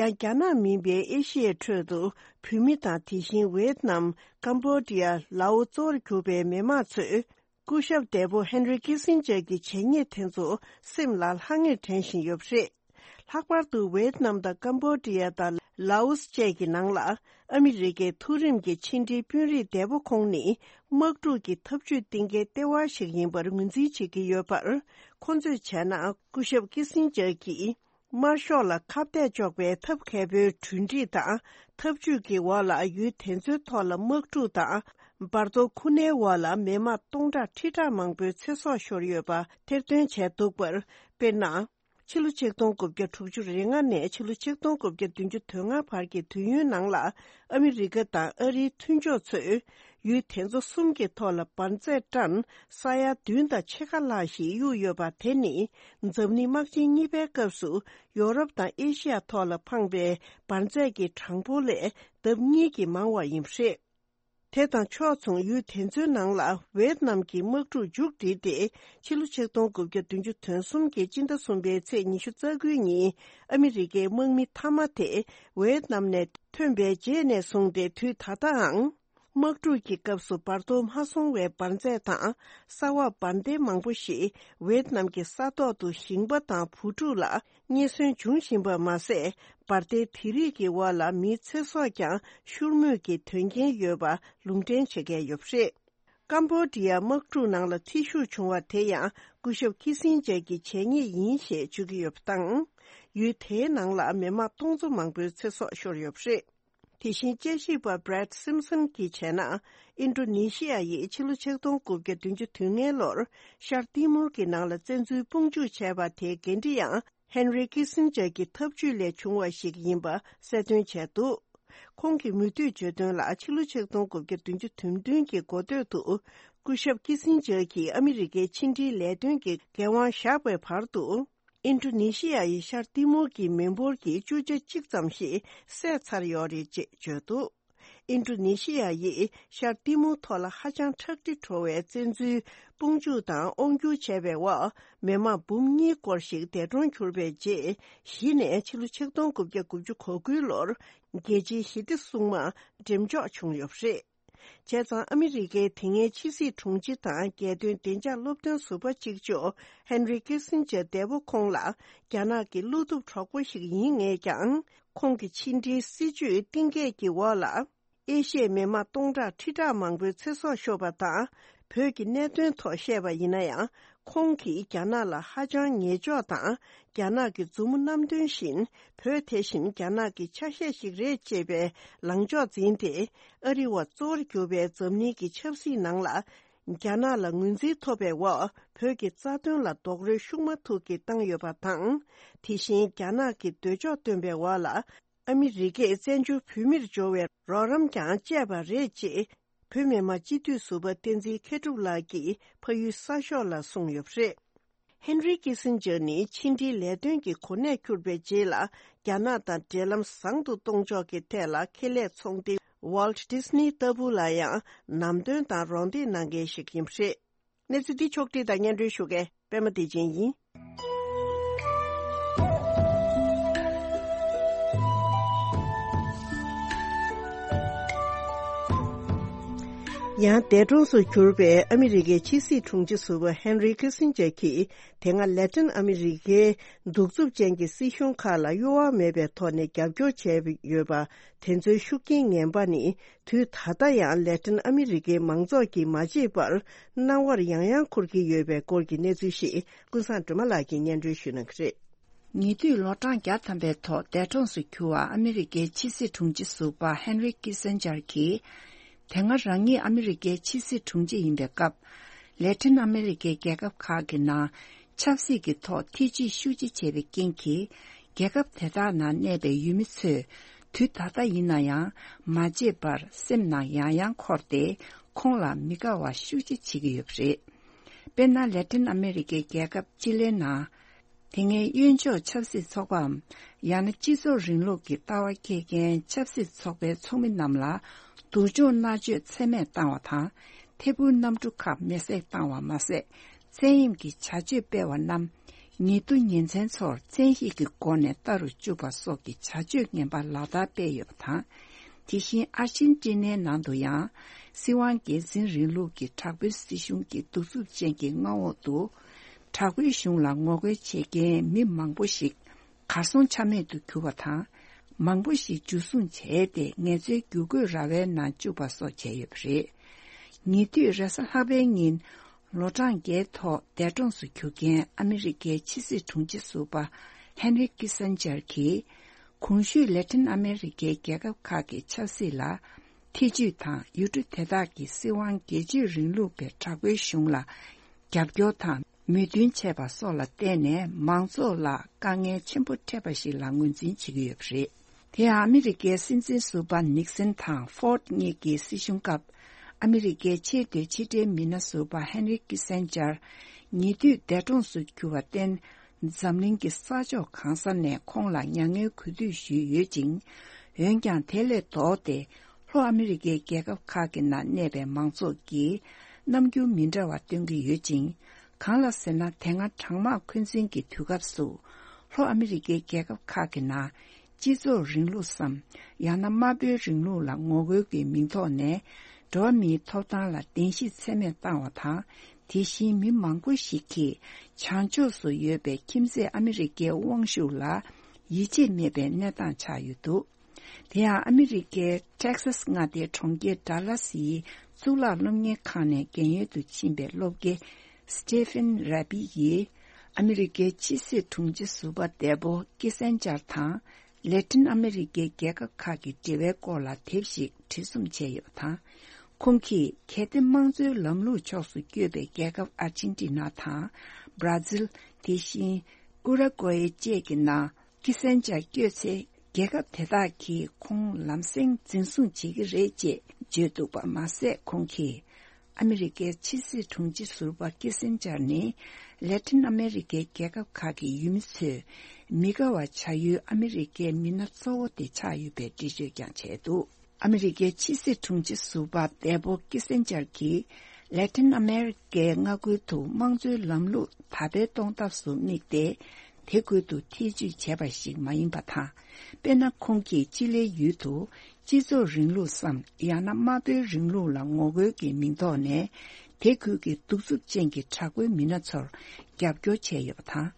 ཡང་རྒྱ་ནག་མིན་པའི་ཨེ་ཤི་ཡའི་ཁྲོད་དུ་བོད་མི་དང་དེ་བཞིན་ཝེད་ནམ། ཀམ་བོ་ཌི་ཡ། ལའོ་གཙོ་བོར་གྱུར་པའི་མི་དམངས་ཚོས། སྐུ་ཞབས་འདས་པོ་ཧན་རི་ཀི་སིན་ཇར་གྱི་བྱས་ཉེས་དེ་ཚོ་སེམས་ལ་ལྷང་ངེར་དྲན་བཞིན་ཡོད་པ་རེད། ལྷག་པར་དུ་ཝེད་ནམ་དང་ཀམ་བོ་ཌི་ཡ་དང་ལའོ་སི་བཅས་ཀྱི་ནང་ལ་ཨ་མི་རི་ཀའི་མཐོ་རིམ་གྱི་ཕྱི་འབྲེལ་དཔོན་རིགས་འདས་པོ་ཁོང་ནི་དམག་འཁྲུག་གི་འཐབ་ཇུས་གཏིང་འཁེལ་ལྟེ་བ་ཞིག་ཡིན་པར་ངོས་འཛིན་བྱེད་ཀྱི་ཡོད་པར། ཁོང་ཚོས་བྱས་ན་སྐུ་ཞབས་ཀི་སིན་ཇར་གྱིས། དམར་ཤོག་ལ་ཁ་གཏད་གཅོག་པའི་ཐབས་མཁས་པོའི་གྲོས་འགྲིག་དང་ཐབས་ཇུས་ཀྱི་འོག་ལ་ཡུལ་དེ་ཚོའི་ཐོག་ལ་དམག་འཁྲུག་དང་འབར་གཏོར་ཁུ་ནའི་འོག་ལ་མི་དམངས་སྟོང་ཕྲག་ཁྲི་ཕྲག་མང་པོའི་ཚེ་སྲོག་ཤོར་ཡོད་པ་ཐེར་འདོན་བྱས་འདུག་པར་དཔེར་ན། ཕྱི་ལོ་ཆིག་སྟོང་དགུ་བརྒྱ་དྲུག་ཅུ་རེ་ལྔ་ནས་ཕྱི་ལོ་ཆིག་སྟོང་དགུ་བརྒྱ་བདུན་ཅུ་དོན་ལྔ་བར་གྱི་དུས་ཡུན་ནང་ལ་ཨ་མི་རི་ཀ་དང་ཨ་རིའི་མཐུན་ཕྱོགས་ཚོས། ཡུལ་དེ་ཚོ་གསུམ་གྱི་ཐོག་ལ་འབར་རྫས་ཊོན་ས་ཡ་བདུན་དང་ཕྱེད་ཀ་ལྷག་ཞིག་གཡུགས་ཡོད་པ་དེ་ནི་འཛམ་གླིང་དམག་ཆེན་གཉིས་པའི་སྐབས་སུ་ཡོ་རོབ་དང་ཨེ་ཤི་ཡ་ཐོག་ལ་འཕངས་པའི་འབར་རྫས་ཀྱི་གྲངས་འབོར་ལས་ལྡབ་གཉིས་ཀྱིས་མང་བ་ཡིན་པ་རེད། དེ་དང་ཕྱོགས་མཚུངས་ཡུལ་དེ་ཚོའི་ནང་ལ་ཝེད་ནམ་གྱི་དམག་འཁྲུག་མཇུག་བསྒྲིལ་ཏེ་ཕྱི་ལོ་ཆིག་སྟོང་དགུ་བརྒྱ་བདུན་ཅུ་དོན་གསུམ་གྱི་སྤྱི་ཟླ་གསུམ་པའི་ཚེས་ཉི་ཤུ་རྩ་དགུའི་ཉིན་ཨ་མི་རི་ཀའི་དམག་མི་མཐའ་མ་དེ་ཝེད་ནམ་ནས་ཐོན་པའི་རྗེས་ནས་བཟུང་སྟེ་དུས་ད་ལྟའང་། དམག་འཁྲུག་གི་སྐབས་སུ་འབར་གཏོར་མ་སོང་བའི་འབར་རྫས་དང་ས་འོག་འབར་མདེལ་མང་པོ་ཞིག་ཝེད་ནམ་གྱི་ས་ཐོག་ཏུ་ཞིང་པ་དང་བུ་ཕྲུག་ལ་རྙེད་སོན་འབྱུང་བཞིན་པ་མ་ཟད། འབར་མདེལ་དེ་རིགས་ཀྱི་འོག་ལ་མིའི་ཚེ་སྲོག་ཀྱང་ཤོར་མུས་ཀྱི་དོན་རྐྱེན་ཡོད་པ་ལུང་འདྲེན་བྱེད་མཁན་ཡོད་པ་རེད། ཀམ་བོ་ཌི་ཡ་དམག་འཁྲུག་ནང་ལ་འཐུས་ཤོར་བྱུང་བ་དེ་ཡང་སྐུ་ཞབས་ཁི་སིན་ཇར་གྱི་བྱས་ཉེས་ཡིན་ཞེས་བརྗོད་ཀྱི་ཡོད་པ་དང་། ཡུལ་དེའི་ནང་ལ་མི་དམངས་སྟོང་ཚོ་མང་པོའི་ཚེ་སྲོག་ཤོར་ཡོད་པ་རེད། དེ་བཞིན་དཔྱད་ཞིབ་པ་Brad Simpson་གྱིས་བྱས་ན། ཨིན་ཌོ་ནེ་ཤི་ཡ་ཡིས་ཕྱི་ལོ་ཆིག་སྟོང་དགུ་བརྒྱ་བདུན་ཅུ་དོན་ལྔའི་ལོར་ཤར་ཏི་མོར་གྱི་ནང་ལ་བཙན་འཛུལ་དཔུང་འཇུག་བྱས་པ་དེའི་འགན་འཁྲི་ཡང་ཧན་རི་ཁི་སིན་ཇར་གྱི་ཐབས་ཇུས་ལས་བྱུང་བ་ཞིག་ཡིན་པ་གསལ་སྟོན་བྱས་འདུག་ཁོང་གིས་མུ་མཐུད་བརྗོད་དོན་ལ་ཕྱི་ལོ་ཆིག་སྟོང་དགུ་བརྒྱ་བདུན་ཅུ་དོན་བདུན་གྱི་འགོ་སྟོད་དུ་སྐུ་ཞབས་ཁི་སིན་ཇར་གྱིས་ཨ་མི་རི་ཀའི་ཕྱི་འབྲེལ་ལས་དོན་གྱི་འགན་དབང་བཞག་པའི་བར་དུ། ཨིན་ཌོ་ནེ་ཤི་ཡ་ཡི་ཤར་ཏི་མོར་གྱི་མི་འབོར་གྱི་བཅུ་ཆ་གཅིག་ཙམ་ཞིག་བསད་ཚར་ཡོད་རེད་ཅེས་བརྗོད་འདུག་ཨིན་ཌོ་ནེ་ཤི་ཡ་ཡིས་ཤར་ཏི་མོར་ཐོག་ལ་ཧ་ཅང་ཁྲག་དྲི་བྲོ་བའི་བཙན་འཛུལ་དཔུང་འཇུག་དང་དབང་བསྒྱུར་བྱས་པའི་འོག་མི་དམངས་འབུམ་གཉིས་སྐོར་ཞིག་འདས་གྲོངས་གྱུར་པའི་རྗེས་གཞི་ནས་ཕྱི་ལོ་ཆིག་སྟོང་དགུ་བརྒྱ་དགུ་བཅུ་གོ་དགུའི་ལོར་རྒྱལ་སྤྱིའི་ཞི་བདེ་སྲུང་དམག་འགྲེམས་འཇོག་བྱུང་ཡོད་པ་རེད། བྱས་ཙང་ཨ་མི་རི་ཀའི་དེ་སྔའི་ཕྱི་སྲིད་དྲུང་ཆེ་དང་རྒྱལ་དོན་བདེ་འཇགས་སློབ་སྟོན་ཟུར་པ་གཅིག་ལྕོགས་ཧེན་རི་ཀི་སིན་ཇར་འདས་པོ་ཁོང་ལ་རྒྱ་ནག་གི་བློ་གཏུབ་གྲོགས་པོ་ཞིག་ཡིན་ངེས་ཀྱང་། ཁོང་གི་ཕྱི་འབྲེལ་སྲིད་ཇུས་གཏིང་སྐྱེས་ཀྱི་འོག་ལ། ཨེ་ཤི་ཡའི་མི་དམངས་སྟོང་ཕྲག་ཁྲི་ཕྲག་མང་པོའི་ཚེ་སྲོག་ཤོར་བ་དང་། བོད་ཀྱི་གནད་དོན་ཐོག་བཤད་པ་ཡིན་ན་ཡང་། ཁོང་གིས་རྒྱ་ནག་ལ་ཧ་ཅང་ཉེས་འཇོག་དང་། རྒྱ་ནག་གི་མཛུབ་མོ་བསྣམས་དོན་བཞིན། བོད་དེ་བཞིན་རྒྱ་ནག་གི་ཆ་ཤས་ཤིག་རེད་ཅེས་པའི་ལངས་ཕྱོགས་འཛིན་ཏེ། ཨ་རི་བ་གཙོ་བོར་གྱུར་པའི་འཛམ་གླིང་གི་ཆབ་སྲིད་ནང་ལ། རྒྱ་ནག་ལ་ངོས་འཛིན་ཐོབ་པའི་འོག་བོད་ཀྱི་རྩ་དོན་ལ་རྡོག་རོལ་ཤུགས་མ་ཐུག་གིས་བཏང་ཡོད་པ་དང་། དེ་བཞིན་རྒྱ་ནག་གི་འདོད་ཕྱོགས་བཏོན་པའི་འོག་ལ། ཨ་མི་རི་ཀས་བཙན་བྱོལ་བོད་མིར་འབྱོར་བའི་རོགས་རམ་ཀྱང་བཅད་པ་རེད་ཅེས། བོད་མི་མང་སྤྱི་འཐུས་ཟུར་པ་བསྟན་འཛིན་མཁས་གྲུབ་ལགས་ཀྱིས་ཕ་ཡུལ་གསར་ཤོག་ལ་གསུངས་ཡོད་པ་རེད། ཧེན་རི་ཀི་སིན་ཇར་ནི་ཕྱི་འབྲེལ་ལས་དོན་གྱི་གོ་གནས་གྱུར་པའི་རྗེས་ལ། རྒྱ་ནག་དང་འབྲེལ་ལམ་བཟང་དུ་གཏོང་ཕྱོགས་ཀྱི་ཐད་ལ་ཁེ་ལས་ཚོང་སྡེ་Walt Disney ལྟ་བུ་ལ་ཡང་ལམ་སྟོན་དང་རོགས་འདེགས་གནང་མཁན་ཞིག་ཡིན་པ་རེད། གནས་ཚུལ་འདི་ཕྱོགས་བསྒྲིགས་དང་སྙན་སྒྲོན་ཞུ་མཁན་པད་མ་བདེ་ཆེན་ཡིན། ཡང་འདས་གྲོངས་སུ་གྱུར་པའི་ཨ་མི་རི་ཀའི་ཕྱི་སྲིད་དྲུང་ཆེ་ཟུར་པ་ཧེན་རི་ཁི་སིན་ཇར་གྱིས། དེ་སྔ་ལེ་ཏིན་ཨ་མི་རི་ཀའི་གདུག་རྩུབ་ཅན་གྱི་སྲིད་གཞུང་ཁག་ལ་གཡོ་བ་མེད་པའི་ཐོག་ནས་རྒྱབ་སྐྱོར་བྱས་ཡོད་པ། དེ་ཚོའི་ཤུགས་རྐྱེན་ངན་པ་ནི། དུས་ད་ལྟ་ཡང་ལེ་ཏིན་ཨ་མི་རི་ཀའི་མང་ཚོགས་ཀྱིས་མ་བརྗེད་པར་སྣང་བར་ཡང་ཡང་འཁོར་གྱི་ཡོད་པའི་སྐོར་གྱི་གནས་ཚུལ་ཞིག་ཀུན་བཟང་སྒྲོལ་མ་ལགས་ཀྱིས་སྙན་སྒྲོན་ཞུ་གནང་གི་རེད། ཉེ་དུས་ལོ་གྲངས་བརྒྱ་ཐམ་པའི་ཐོག་འདས་གྲོངས་སུ་གྱུར་བ་ཨ་མི་རི་ཀའི་ཕྱི་སྲིད་དྲུང་ཆེ་ཟུར་པ་ཧེན་རི་ཀི་སན་ཇར་གྱིས། དེ་སྔ་རང་ཉིད་ཨ་མི་རི་ཀའི་ཕྱི་སྲིད་དྲུང་ཆེ་ཡིན་པའི་སྐབས། ལེ་ཏིན་ཨ་མི་རི་ཀའི་རྒྱལ་ཁབ་ཁག་གི་ནང་ཆབ་སྲིད་ཀྱི་ཐོག་ཐེ་ཇུས་ཤུགས་ཆེ་བྱས་པའི་རྐྱེན་གྱིས། རྒྱལ་ཁབ་དེ་དག་ནང་གནས་པའི་ཡུལ་མི་ཚོས་དུས་ད་ལྟ་ཡིན་ན་ཡང་མ་བརྗེད་པར་སེམས་ནང་ཡང་ཡང་འཁོར་ཏེ་ཁོང་ལ་མི་དགའ་བ་ཤུགས་ཆེ་བྱེད་ཀྱི་ཡོད་པ་རེད། དཔེར་ན་ལེ་ཏིན་ཨ་མི་རི་ཀའི་རྒྱལ་ཁབ་ཅི་ལེ་ནང་དེ་སྔའི་གཡོན་ཕྱོགས་ཆབ་སྲིད་ཚོགས་པའམ་ཡང་ན་སྤྱི་ཚོགས་རིང་ལུགས་ཀྱི་ལྟ་བ་འཁྱེར་མཁན་ཆབ་སྲིད་ཚོགས་པའི་ཚོགས་མི་རྣམས་ལ་སྡུག་སྦྱོང་མནར་གཅོད་ཚད་མེད་བཏང་བ་དང་ཐད་འཕུར་གནམ་གྲུ་ཁག་མེ་བསྲེགས་བཏང་བ་མ་ཟད། བཙན་གཡེམ་གྱི་བྱ་སྤྱོད་སྤེལ་བ་རྣམས་ཉེ་དུ་ཉེ་ཚན་ཚོར་བཙན་ཤེད་ཀྱི་སྒོ་ནས་ལྟ་རུ་བཅུག་པ་སོགས་ཀྱི་བྱ་སྤྱོད་ངན་པ་ལག་བསྟར་སྤེལ་ཡོད་པ་དང་། དེ་བཞིན་ཨར་ཅན་ཏི་ནའི་ནང་དུ་ཡང་སྲིད་དབང་སྒེར་འཛིན་རིང་ལུགས་ཀྱི་དྲག་པོའི་སྲིད་གཞུང་གི་གདུག་རྩུབ་ཅན་གྱི་མངའ་འོག་ཏུ་དྲག་པོའི་གཞུང་ལ་ངོ་རྒོལ་བྱེད་མཁན་མི་མང་པོ་ཞིག་གར་སོང་ཆ་མེད་དུ་གྱུར་བ་དང་། མང་པོ་ཞིག་འཇུ་བཟུང་བྱས་ཏེ་ངལ་རྩོལ་བསྒྱུར་བཀོད་ར་བའི་ནང་བཅུག་པ་སོགས་བྱས་ཡོད་པ་རེད། ཉེ་དུས་རེས་གཟའ་ལྷག་པའི་ཉིན་ལོ་གྲངས་བརྒྱད་ཐོག་འདས་གྲོངས་སུ་གྱུར་མཁན་ཨ་མི་རི་ཀའི་ཕྱི་སྲིད་དྲུང་ཆེ་ཟུར་པ་ཧན་རི་ཀི་སན་ཇར་གྱིས་གོང་ཞུས་ལེ་ཏིན་ཨ་མི་རི་ཀའི་རྒྱལ་ཁབ་ཁག་གི་ཆབ་སྲིད་ལ་ཐེ་ཇུས་དང་ཡུལ་གྲུ་དེ་དག་གི་སྲིད་དབང་སྒེར་གཅོད་རིང་ལུགས་པའི་དྲག་པོའི་གཞུང་ལ་རྒྱབ་སྐྱོར་དང་མོས་མཐུན་བྱས་པ་སོགས་ལ་བརྟེན་ནས་མང་ཚོགས་ལ་དཀའ་ངལ་ཆེན་པོ་འཕྲད་པ་ཞིག་ལ་ངོས་འཛིན་བྱེད་ཀྱི་ཡོད་པ་རེད། དེ་ཡང་ཨ་མི་རི་ཀའི་སྲིད་འཛིན་ཟུར་པ་ནིག་སན་དང་ཧྥོར་ཌི་གཉིས་ཀྱི་སྲིད་གཞུང་སྐབས་ཨ་མི་རི་ཀའི་ཆེས་མཐོའི་ཕྱི་འབྲེལ་མི་སྣ་ཟུར་པ་ཧན་རི་ཀི་སན་ཇར་ཉེ་དུས་འདས་གྲོངས་སུ་གྱུར་བར་བརྟེན། འཛམ་གླིང་གི་ས་ཕྱོགས་གང་ས་ནས་ཁོང་ལ་མྱ་ངན་གུས་འདུད་ཞུས་ཡོད་ཅིང་། འོན་ཀྱང་དེ་ལས་ལྡོག་སྟེ་ལྷོ་ཨ་མི་རི་ཀའི་རྒྱལ་ཁབ་ཁག་གི་ནང་གནས་པའི་མང་ཚོགས་ཀྱིས་རྣམ་འགྱུར་མི་འདྲ་བ་སྟོན་གྱི་ཡོད་ཅིང་། གང་ལ་ཟེར་ན་དེ་སྔ་གྲང་དམག་འཁོན་འཛིན་གྱི་དུས་སྐབས་སུ་ལྷོ་ཨ་མི་རི་ཀའི་རྒྱལ་ཁབ་ཁག་གི་ནང་སྤྱི་ཚོགས་རིང་ལུགས་སམ་ཡང་ན་དམར་པོའི་རིང་ལུགས་ལ་ངོ་རྒོལ་གྱི་མིང་ཐོག་ནས་འགྲོ་བ་མིའི་ཐོབ་ཐང་ལ་བདེན་བཞི་ཚད་མེད་བཏང་བ་དང་། དེ་བཞིན་མི་མང་པོ་ཞིག་གིས་བྱང་ཕྱོགས་སུ་ཡོད་པའི་ཁྱིམ་མཚེས་ཨ་མི་རི་ཀའི་དབང་ཤུགས་ལ་ཡིད་ཆེས་མེད་པའི་གནས་སྟངས་ཆགས་ཡོད་འདུག་དེ་ཡང་ཨ་མི་རི་ཀའི་ཊེག་སཱས་མངའ་སྡེའི་གྲོང་ཁྱེར་ཌ་ལཱ་སིའི་གཙུག་ལག་སློབ་གཉེར་ཁང་ནས་རྒན་ཡོལ་དུ་ཕྱིན་པའི་སློབ་དགེ་སི་ཊི་ཕིན་ར་བྷི་ཡིས་ཨ་མི་རི་ཀའི་ཕྱི་སྲིད་དྲུང་ཆེ་ཟུར་པ་འདས་པོ་ཀི་སན་ཇར་དང་། ལེ་ཏིན་ཨ་མི་རི་ཀའི་རྒྱལ་ཁབ་ཁག་གི་འབྲེལ་བའི་སྐོར་ལ་དེབ་ཞིག་བྲིས་རྩོམ་བྱས་ཡོད་པ་དང་། ཁོང་གིས་གལ་ཏེ་དམངས་གཙོའི་ལམ་ལུགས་ཕྱོགས་སུ་བསྐྱོད་པའི་རྒྱལ་ཁབ་ཨར་ཅན་ཏི་ན་དང་། བྷ་ར་ཛིལ། དེ་བཞིན་ཨུ་ར་གོ་ཡེ་བཅས་ཀྱི་ནང་ཀི་སན་ཇར་བསྐྱོད་ཚེ། རྒྱལ་ཁབ་དེ་དག་གིས་ཁོང་ལམ་སེང་འཛིན་བཟུང་བྱེད་ཀྱི་རེད་ཅེས་བརྗོད་འདུག་པ་མ་ཟད། ཁོང་གིས། ཨ་མི་རི་ཀའི་ཕྱི་སྲིད་དྲུང་ཆེ་ཟུར་པ་ཀི་སན་ཇར་ནི་ལེ་ཏིན་ཨ་མེ་རི་ཀའི་རྒྱལ་ཁབ་ཁག་གི་ཡུལ་མི་ཚོས་མི་དགའ་བ་བྱ་ཡུལ་ཨ་མི་རི་ཀའི་མི་སྣ་གཙོ་བོ་དེ་ཆགས་ཡོད་པའི་འགྲེལ་བརྗོད་ཀྱང་བྱས་འདུག་ཨ་མི་རི་ཀའི་ཕྱི་སྲིད་དྲུང་ཆེ་ཟུར་པ་འདས་པོ་ཀི་སན་ཇར་གྱིས་ལེ་ཏིན་ཨ་མེ་རི་ཀའི་མངའ་ཁུལ་དུ་དམངས་གཙོའི་ལམ་ལུགས་དར་སྤེལ་གཏོང་ཐབས་སུ་དམིགས་ཏེ། དེ་ཁུལ་དུ་ཐེ་ཇུས་བྱས་པ་ཞིག་མ་ཡིན་པ་དང་། དཔེར་ན། ཁོང་གིས་ཅི་ལེའི་ཡུལ་དུ་སྤྱི་ཚོགས་རིང་ལུགས་སམ། ཡང་ན་དམར་པོའི་རིང་ལུགས་ལ་ངོ་རྒོལ་གྱི་མིང་ཐོག་ནས། དེ་ཁུལ་གྱི་གདུག་རྩུབ་ཅན་གྱི་དྲག་པོའི་མི་སྣ་ཚོར་རྒྱབ་སྐྱོར་བྱས་ཡོད་པ་དང་།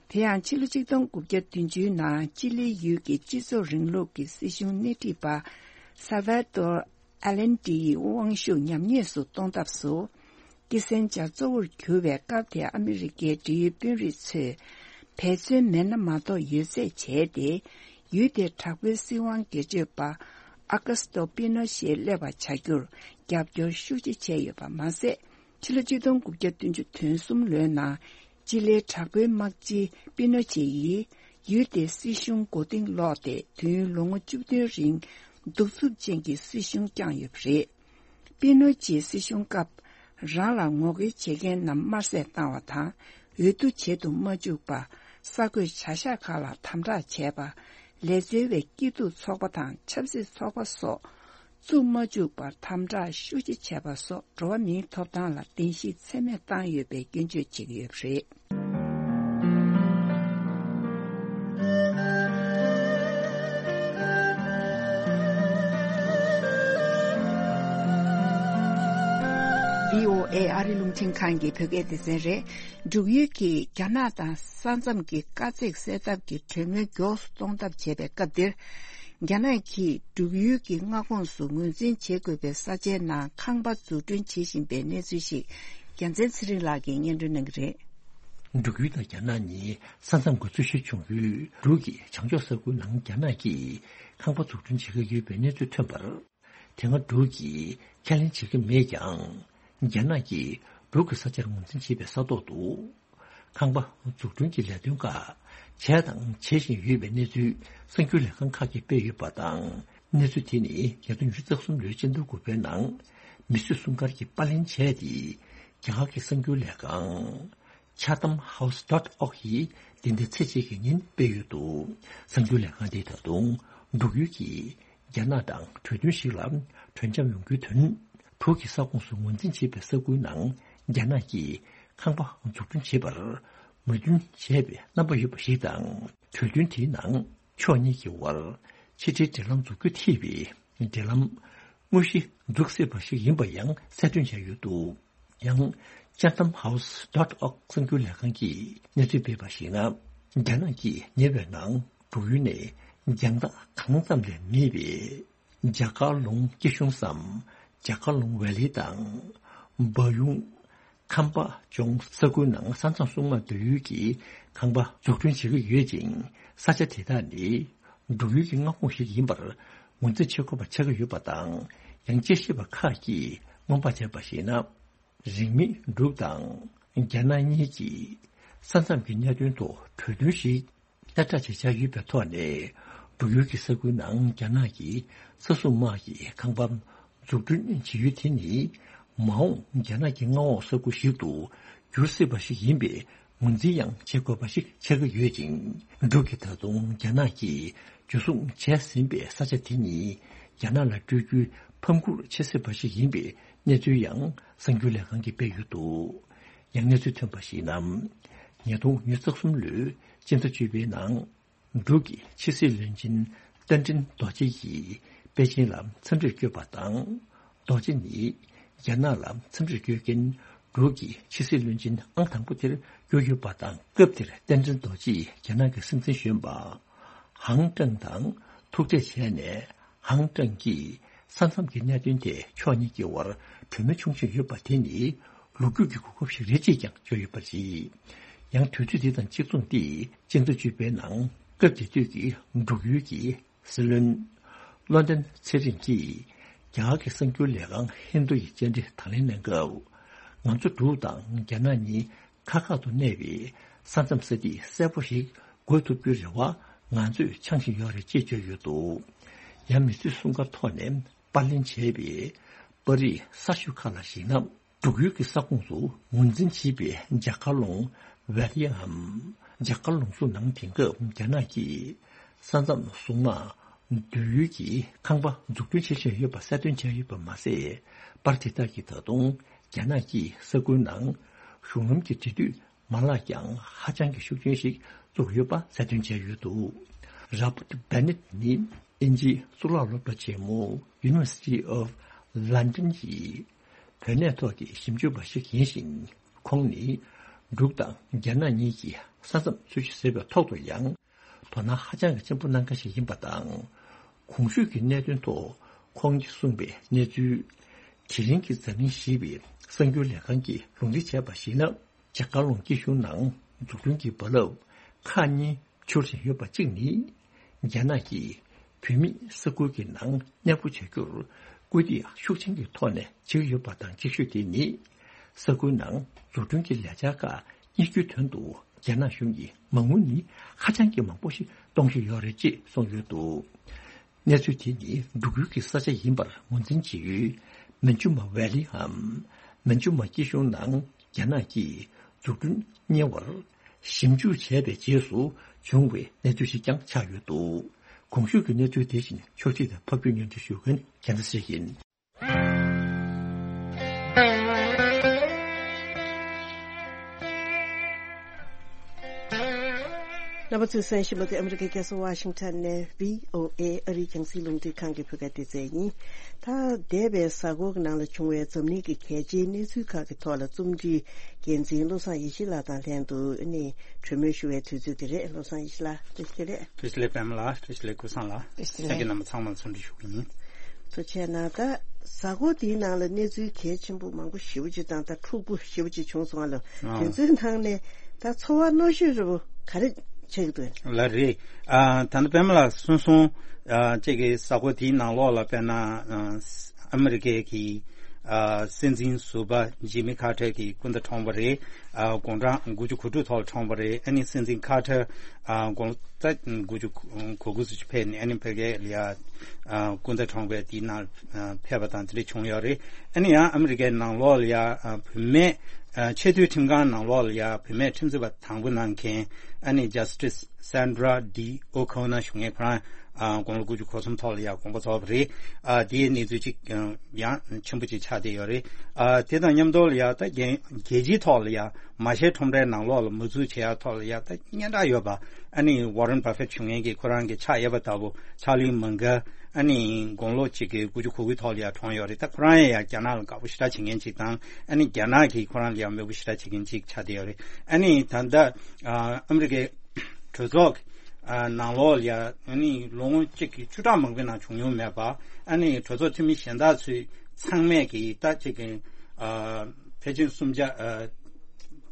དེ་ཡང་ཕྱི་ལོ་ཆིག་སྟོང་དགུ་བརྒྱ་བདུན་ཅུ་ནང་ཅི་ལེའི་ཡུལ་གྱི་སྤྱི་ཚོགས་རིང་ལུགས་ཀྱི་སྲིད་གཞུང་སྣེ་ཁྲིད་པ་སལ་ཝ་དོར་ཨ་ལན་ཏི་ཡི་དབང་ཤུགས་ཉམས་ཉེས་སུ་གཏོང་ཐབས་སུ། ཀི་སན་ཇར་གཙོ་བོར་གྱུར་བའི་སྐབས་དེའི་ཨ་མི་རི་ཀའི་འབྲེལ་ཡོད་དཔོན་རིགས་ཚོས་འབད་བརྩོན་མེད་ན་མ་གཏོགས་ཡོད་ཚད་བྱས་ཏེ། ཡུལ་དེར་དྲག་པོའི་སྲིད་དབང་སྒེར་གཅོད་པ་ཨ་ཀ་སི་ཏོ་པི་ནོ་ཤེ་སླེབས་པར་བྱ་རྒྱུར་རྒྱབ་སྐྱོར་ཤུགས་ཆེ་བྱས་ཡོད་པ་མ་ཟད། ཕྱི་ལོ་ཆིག་སྟོང་དགུ་བརྒྱ་བདུན་ཅུ་དོན་གསུམ་ལོའི་ནང་ཅི་ལེའི་དྲག་པོའི་དམག་སྤྱི་པི་ནོ་ཆེ་ཡིས་ཡུལ་དེའི་སྲིད་གཞུང་མགོ་རྟིང་སློག་སྟེ། དུས་ཡུན་ལོ་ངོ་བཅུ་བདུན་རིང་གདུག་རྩུབ་ཅན་གྱི་སྲིད་གཞུང་བསྐྱངས་ཡོད་པ་རེད། པི་ནོ་ཆེའི་སྲིད་གཞུང་སྐབས། རང་ལ་ངོ་རྒོལ་བྱེད་མཁན་རྣམས་དམར་གསོད་བཏང་བ་དང་། འོས་བསྡུ་བྱེད་དུ་མ་བཅུག་པ། གསར་འགོད་བྱ་གཞག་ཁག་ལ་དམ་དྲག་བྱས་པ། ལས་བཙལ་བའི་སྐྱིད་སྡུག་ཚོགས་པ་དང་ཆབ་སྲིད་ཚོགས་པ་སོགས་བཙུགས་མ་བཅུག་པར་དམ་དྲག་ཤུགས་ཆེ་བྱས་པ་སོགས། འགྲོ་བ་མིའི་ཐོབ་ཐང་ལ་བརྡལ་བཤིག་ཚད་མེད་བཏང་ཡོད་པའི་སྐྱོན་བརྗོད་བྱེད་ཀྱི་ཡོད་པ་རེད། བྷི་ཨོ་ཨེ་ཨ་རི་རླུང་འཕྲིན་ཁང་གི་བོད་སྐད་སྡེ་ཚན་རེད། འབྲུག་ཡུལ་གྱིས་རྒྱ་ནག་དང་ས་མཚམས་ཀྱི་དཀའ་ཚེགས་སེལ་ཐབས་ཀྱི་གྲོས་མོལ་མགྱོགས་སུ་གཏོང་ཐབས་བྱེད་པའི་སྐབས་འདིར། རྒྱ་ནག་གིས་འབྲུག་ཡུལ་གྱི་མངའ་ཁོངས་སུ་ངོས་འཛིན་བྱེད་དགོས་པའི་ས་ཆའི་ནང་ཁང་པ་འཛུགས་སྐྲུན་བྱེད་བཞིན་པའི་གནས་ཚུལ་ཞིག་རྒྱལ་མཚན་ཚེ་རིང་ལགས་ཀྱིས་སྙན་སྒྲོན་གནང་གི་རེད། འབྲུག་ཡུལ་དང་རྒྱ་ནག་གཉིས་ས་མཚམས་ཀྱི་རྩོད་གཞི་བྱུང་ཡུལ་འབྲུག་གི་བྱང་ཕྱོགས་ས་ཁུལ་ནང་རྒྱ་ནག་གིས་ཁང་པ་འཛུགས་སྐྲུན་བྱེད་ཀྱི་ཡོད་པའི་གནས་ཚུལ་ཐོན་པར། དེ་སྔ་འབྲུག་གིས་ཁས་ལེན་བྱེད་ཀྱི་མེད་ཀྱང་། རྒྱ་ནག་གིས་འབྲུག་གི་ས་ཆར་ངོས་འཛིན་བྱེད་པའི་ས་ཐོག་ཏུ། ཁང་པ་འཛུགས་སྐྲུན་གྱི་ལས་དོན་ཁག་བྱས་དང་བྱེད་བཞིན་ཡོད་པའི་གནས་ཚུལ་གསར་འགྱུར་ལས་ཁང་ཁག་གིས་སྤེལ་ཡོད་པ་དང་། གནས་ཚུལ་དེ་ནི་ཉིས་སྟོང་ཉི་ཤུ་རྩ་གསུམ་ལོའི་སྤྱི་ཟླ་དགུ་པའི་ནང་མི་གསོད་སྲུང་སྐར་གྱིས་པར་ལེན་བྱས་ཏེ། རྒྱ་གར་གྱི་གསར་འགྱུར་ལས་ཁང་། Chatham House dot org ཡིས་འདི་ཟླའི་ཚེས་གཅིག་གི་ཉིན་སྤེལ་ཡོད་འདུག་གསར་འགྱུར་ལས་ཁང་དེས་ད་དུང་འབྲུག་ཡུལ་གྱིས་རྒྱ་ནག་དང་གྲོས་མཐུན་ཞིག་ལ་གྲོས་འཆམ་ཡོང་རྒྱུའི་དོན། འབྲུག་གི་ས་ཁོངས་སུ་ངོས་འཛིན་བྱེད་པའི་ས་ཁུལ་ནང་རྒྱ་ནག་གིས་ཁང་པ་འཛུགས་སྐྲུན་བྱེད་པར་མོས་མཐུན་བྱས་པའི་རྣམ་པ་ཡོད་པ་ཞིག་དང་། གྲོས་མཐུན་དེའི་ནང་ཕྱོགས་གཉིས་ཀྱི་དབར་ཕྱི་འབྲེལ་འབྲེལ་ལམ་འཛུགས་རྒྱུ་ཐེ་བའི་འབྲེལ་ལམ་དངོས་གཞི་འཛུགས་སྲིད་པ་ཞིག་ཡིན་པ་ཡང་གསལ་སྟོན་བྱས་ཡོད་འདུག་ཡང་། Chatham House dot org གསར་འགྱུར་ལས་ཁང་གིས་གནས་ཚུལ་སྤེལ་བར་གཞིགས་ན། རྒྱ་ནག་གིས་ཉེ་བའི་ནང་འབྲུག་ཡུལ་ནས་རྒྱང་ཐག་གང་ཙམ་ལས་མེད་པའི་ཇ་ཀར་ལུང་སྐྱིད་གཤོངས་སམ། ཇ་ཀར་ལུང་ཝེ་ལི་དང་། སྦ་ཡུང་། ཁམ་པ་ལྗོངས་ས་ཁུལ་ནང་ས་མཚམས་སྲུང་དམག་སྡོད་ཡུལ་གྱི་ཁང་པ་འཛུགས་སྐྲུན་བྱེད་ཀྱི་ཡོད་ཅིང་། ས་ཆ་དེ་དག་ནི་འབྲུག་ཡུལ་གྱི་མངའ་ཁོངས་ཤིག་ཡིན་པར་ངོས་འཛིན་བྱེད་དགོས་པ་ཆགས་ཀྱི་ཡོད་པ་དང་། ཡང་དཔྱད་ཞིབ་པ་ཁག་གིས་སྔོན་དཔག་བྱས་པར་གཞིགས་ན། རིང་མིན་འབྲུག་དང་རྒྱ་ནག་གཉིས་ཀྱིས་ས་མཚམས་ཀྱི་གནད་དོན་ཐོག་གྲོས་མཐུན་ཞིག་གསལ་བསྒྲགས་བྱེད་འཆར་ཡོད་པའི་ཐོག་ནས། འབྲུག་ཡུལ་གྱི་ས་ཁུལ་ནང་རྒྱ་ནག་གི་ས་སྲུང་དམག་གི་ཁང་པ་འཛུགས་སྐྲུན་བྱེད་ཡུལ་དེ་ནི། མ་འོངས་རྒྱ་ནག་གི་མངའ་འོག་ས་ཁུལ་ཞིག་ཏུ་འགྱུར་སྲིད་པ་ཞིག་ཡིན་པའི་ངོས་འཛིན་ཡང་བྱེད་དགོས་པ་ཞིག་ཆགས་ཀྱི་ཡོད་ཅིང་། འབྲུག་གིས་ད་དུང་རྒྱ་ནག་གིས་འཇུ་བཟུང་བྱས་ཟིན་པའི་ས་ཆ་དེ་ནི་རྒྱ་ནག་ལ་སྤྲོད་རྒྱུའི་ཕམ་ཁུར་བྱེད་སྲིད་པ་ཞིག་ཡིན་པའི་གནས་ཚུལ་ཡང་གསར་འགྱུར་ལས་ཁང་གིས་སྤེལ་ཡོད་འདུག་ཡང་གནས་ཚུལ་ཐོན་པར་གཞིགས་ན། ཉིས་སྟོང་ཉི་ཤུ་རྩ་གསུམ་ལོའི་སྤྱི་ཟླ་བཅུ་པའི་ནང་། འབྲུག་གི་ཕྱི་སྲིད་བློན་ཆེན་རྟ་མགྲིན་རྡོ་རྗེ་ཡིས་པེ་ཅིན་ལ་འཚམས་འདྲིར་བསྐྱོད་པ་དང་། རྡོ་རྗེ་ནི་རྒྱ་ནག་ལ་འཚམས་འདྲིར་བསྐྱོད་མཁན་འབྲུག་གི་ཕྱི་སྲིད་བློན་ཆེན་ཨང་དང་པོ་དེར་གྱུར་ཡོད་པ་དང་། སྐབས་དེར་རྟ་མགྲིན་རྡོ་རྗེ་ཡིས་རྒྱ་ནག་གི་སྲིད་འཛིན་གཞོན་པ་ཧང་ཀྲང་དང་ཐུག་འཕྲད་བྱས་ནས། ཧང་ཀྲང་གིས་ས་མཚམས་ཀྱི་གནད་དོན་ཐད་ཕྱོགས་གཉིས་ཀྱི་དབར་གྲོས་མོལ་བྱུང་བཞིན་ཡོད་པ་དེ་ནི་ལོ་རྒྱུས་ཀྱི་གོ་སྐབས་ཤིག་རེད་ཅེས་ཀྱང་བརྗོད་ཡོད་པ་རེད། ཡང་དུས་ཚོད་འདི་དང་གཅིག་མཚུངས་ཏེ་སྤྱི་ཟླ་བཅུ་པའི་ནང་སྐབས་དེ་དུས་ཀྱི་འབྲུག་ཡུལ་གྱི་སྲིད་བློན་བློ་ལྡན་ཚེ་རིང་གིས་རྒྱ་གར་གྱི་གསར་འགྱུར་ལས་ཁང་ཧིན་རྡུ་ཡི་བཅར་འདྲི་དང་ལེན་གནང་སྐབས། ང་ཚོ་འབྲུག་དང་རྒྱ་ནག་གཉིས་ཁ་ཁ་ཏུ་གནས་པའི་ས་མཚམས་ས་ཐིག་གསལ་པོ་ཞིག་འགོད་ཐུབ་རྒྱུའི་རེ་བ་ང་ཚོས་འཆང་བཞིན་ཡོད་རེད་ཅེས་བརྗོད་ཡོད་འདུག་ཡང་མི་གསོད་སྲུང་སྐར་ཐོག་ནས་པར་ལེན་བྱས་པའི་པར་རིས་གསར་ཤོས་ཁག་ལ་གཞིགས་ན། འབྲུག་ཡུལ་གྱི་ས་ཁོངས་སུ་ངོས་འཛིན་བྱེད་པའི་ཇ་ཀར་ལུང་ཝེ་ལི་འམ། ཇ་ཀར་ལུང་སོགས་ནང་དེང་སྐབས་རྒྱ་ནག་གིས་ས་མཚམས་སྲུང་དམག་ འདོད་ཡུལ་གྱི་ཁང་པ་འཛུགས་སྐྲུན་བྱེད་བཞིན་ཡོད་པ་གསལ་སྟོན་བྱས་ཡོད་པ་མ་ཟད། པར་དེ་དག་གིས་ད་དུང་རྒྱ་ནག་གིས་ས་ཁུལ་ནང་གཞུང་ལམ་གྱི་འབྲེལ་མཐུད་མ་ལག་ཀྱང་ཧ་ཅང་གི་ཤུགས་ཆེན་ཞིག་བཙུགས་ཡོད་པ་གསལ་སྟོན་བྱས་ཡོད་འདུག Robert Bennett ནི་དབྱིན་ཇིའི་གཙུག་ལག་སློབ་གྲྭ་ཆེན་མོ་University of London ཡི་བོད་གནས་ཐོག་གི་ཞིབ་འཇུག་པ་ཞིག་ཡིན་ཞིང་། ཁོང་ནི་འབྲུག་དང་རྒྱ་ནག་གཉིས་ཀྱི་ས་མཚམས་ཚུལ་བཞིན་བཟོས་པའི་ཐོག་ཏུ་ཡང་དོ་སྣང་ཧ་ཅང་གི་ཆེན་པོ་གནང་མཁན་ཞིག་ཡིན་པ་དང་། གོང་ཞུས་ཀྱི་གནད་དོན་ཐོག་ཁོང་གིས་གསུངས་པའི་གནས་ཚུལ། དེ་རིང་གི་འཛམ་གླིང་ཞེས་པའི་གསར་འགྱུར་ལས་ཁང་གིས་ལུང་འདྲེན་བྱས་པར་གཞིགས་ན། རྒྱ་གར་ལུང་སྐྱིད་གཤོངས་ནང་འཛུགས་སྐྲུན་གྱི་རྦ་རླབས་ཁག་གཉིས་འཕྱུར་བཞིན་ཡོད་པ་གཅིག་ནི། རྒྱ་ནག་གིས་བོད་མི་ས་ཁུལ་གྱི་ནང་གནས་སྤོ་བྱ་རྒྱུར་སྐུལ་འདེད་ཤུགས་ཆེན་གྱི་ཐོག་ནས་བྱེད་ཀྱི་ཡོད་པ་དང་། གཅིག་ཤོས་དེ་ནི་ས་ཁུལ་ནང་འཛུགས་སྐྲུན་གྱི་ལས་འཆར་ཁག་གཉེར་རྒྱུའི་དོན་དུ་རྒྱ་ནག་གཞུང་གིས་མ་དངུལ་ནི་ཧ་ཅང་གི་མང་པོ་ཞིག་གཏོང་བཞིན་ཡོད་རེད་ཅེས་གསུངས་ཡོད་འདུག་གནས་ཚུལ་དེ་ནི་འབྲུག་ཡུལ་གྱི་ས་ཆ་ཡིན་པར་ངོས་འཛིན་བྱེད་ཡུལ་མན་ཇུ་མ་ཝེ་ལིའམ་མན་ཇུ་མ་སྐྱིད་གཤོངས་ནང་རྒྱ་ནག་གིས་འཛུགས་སྐྲུན་གཉེར་བར་ཞིབ་འཇུག་བྱས་པའི་རྗེས་སུ་བྱུང་བའི་གནས་ཚུལ་ཞིག་ཀྱང་ཆགས་ཡོད་འདུག་གོང་ཞུས་ཀྱི་གནས་ཚུལ་དེ་བཞིན་ཕྱོགས་སྒྲིག་དང་ཕབ་སྒྱུར་སྙན་སྒྲོན་ཞུ་མཁན་རྒྱལ་མཚན་ཡིན། རྣམ་པ་ཚོས་གསན་བཞིན་པ་དེ་ཨ་མི་རི་ཀའི་རྒྱལ་ས་ཝ་ཤིང་ཊོན་ནས་བྷི་ཨོ་ཨེ་ཨ་རིའི་རྒྱང་སྲིང་རླུང་འཕྲིན་ཁང་གི་བོད་སྐད་སྡེ་ཚན་ཡིན། ད་འདས་པའི་གཟའ་འཁོར་གྱི་ནང་ལ་བྱུང་བའི་འཛམ་གླིང་གི་གལ་ཆེའི་གནས་ཚུལ་ཁག་གི་ཐོག་ལ་རྩོམ་སྒྲིག་འགན་འཛིན་བློ་བཟང་ཡེ་ཤེས་ལགས་དང་ལྷན་དུ་ཨ་ནི་གྲོས་མོལ་ཞུ་བའི་དུས་ཚོད་དེ་རེད། བློ་བཟང་ཡེ་ཤེས་ལགས། བཀྲ་ཤིས་བདེ་ལེགས། བཀྲ་ཤིས་བདེ་ལེགས་པད་མ་ལགས། བཀྲ་ཤིས་བདེ་ལེགས་ཀུན་བཟང་ལགས། བཀྲ་ཤིས་བདེ་ལེགས། ལྷན་རྒྱས་རྣམ་པ་ཚང་མར་འཚམས་འདྲི་ཞུ་གི་ཡིན། ཐུགས་རྗེ་གནང་། ད་གཟའ་འཁོར་འདིའི་ནང་ལ་གནས་ཚུལ་གལ་ཆེན་པོ་མང་པོ་ཞེ་པོ་ཅིག་དང་ད་འཁྲུག་པོ་ཞེ་པོ་ཅིག་བྱུང་སོང་བ་ལ། ཨ། དེ་ཚོའི་ནང་ནས་ད་ཚོར་བ་རྣོ་ཤོས་རེ་བོ་ག་རེ་ཆགས་ཀྱི་འདུག་ལགས་རེད། ཨ། ད་ལྟ་པད་མ་ལགས་གསུངས་སོང་། ཨ། གཅིག་གི་གཟའ་འཁོར་དེའི་ནང་ལོགས་ལ་དཔེར་ན། ཨ། ཨ་མི་རི་ཀའི་གི། ཨ། སྲིད་འཛིན་ཟུར་པ་ཇི་མི་ཁ་ཏར་གྱིས་སྐུ་ཟླ་གྲོངས་པ་རེད། ཨ། དགུང་གྲངས་དགུ་བཅུ་གོ་དྲུག་ཐོག་ལ་གྲོངས་པ་རེད། ཨ་ནི་སྲིད་འཛིན་ཁ་ཏར། ཨ། དགུང་ད་དགུ་བཅུ་གོ་དགུ་ཙམ་ཅིག་ཕེབས་ནས་ཨ་ནི་ཕ་གིར་ལ་ཡ། ཨ། སྐུ་ཟླ་གྲོངས་པའི་དེའི་ནང་ཕེབས་པ་དང་དེ་འདྲ་བྱུང་ཡོད་རེད། ཨ་ནི་ཡང་ཨ་མི་རི་ཀའི་ནང་ལོགས་ལ་ཡ། ཨ། བུད་མེད། ཨ། ཆེས་མཐོའི་ཁྲིམས་ཁང་ནང་ལོགས་ལ་ཡ་བུད་མེད་ཁྲིམས་རྩོད་པ་དང་པོ་གནང་མཁན་ཨ་ནི་Justice Sandra D'O'Connor ཞུ་མཁན་ཁོ་རང་། ཨ། དགུང་ལོ་དགུ་བཅུ་གོ་གསུམ་ཐོག་ལ་ཡ་དགོངས་པ་རྫོགས་པ་རེད། ཨ། དེའི་གནས་ཚུལ་ཅིག་ཡང་ཆེན་པོ་ཅིག་ཆགས་བསྡད་ཡོད་རེད། ཨ། དེ་དང་མཉམ་དུ་ལ་ཡ་ད་རྒྱལ་རྒྱལ་སྤྱིའི་ཐོག་ལ་ཡ་མ་ཤེས་ཁྲོམ་རའི་ནང་ལོགས་ལ་མ་འཛུལ་བྱེད་ཡ་ཐོག་ལ་ཡ་ད་སྙན་གྲགས་ཡོད་པ་ཨ་ནི་Warren Buffett ཞུ་མཁན་གྱི་ཁོ་རང་གི་ཕྱག་གཡས་པ་ལྟ་བུ་Charlie Munger ཨ་ནི་དགུང་ལོ་གཅིག་གི་དགུ་བཅུ་གོ་དགུའི་ཐོག་ལ་ཡ་གྲོངས་ཡོད་རེད། ད་ཁོ་རང་ཡང་ཡ་རྒྱ་ནག་ལ་དགའ་པོ་ཞེ་དྲག་བྱེད་མཁན་ཅིག་དང་ཨ་ནི་རྒྱ་ནག་གིས་ཁོ་རང་ལ་ཡ་མོས་པོ་ཞེ་དྲག་བྱེད་མཁན་ཅིག་ཆགས་བསྡད་ཡོད་རེད། ཨ་ནི་ད་ལྟ་ཨ་ཨ་མི་རི་ཀའི་གྲོས་ཚོགས་ཨ་ནང་ལོགས་ལ་ཡ་ཨ་ནི་ལོ་ངོ་གཅིག་གི་བཅུ་ཕྲག་མང་པོའི་ནང་བྱུང་མྱོང་མེད་པ། ཨ་ནི་གྲོས་ཚོགས་འཐུས་མི་གཞན་དག་ཚོས་ཚང་མས་ཀྱིས་ད་ཅིག་གི་ཨ་ཕལ་ཆེར་གསུམ་ཆ་ཨ་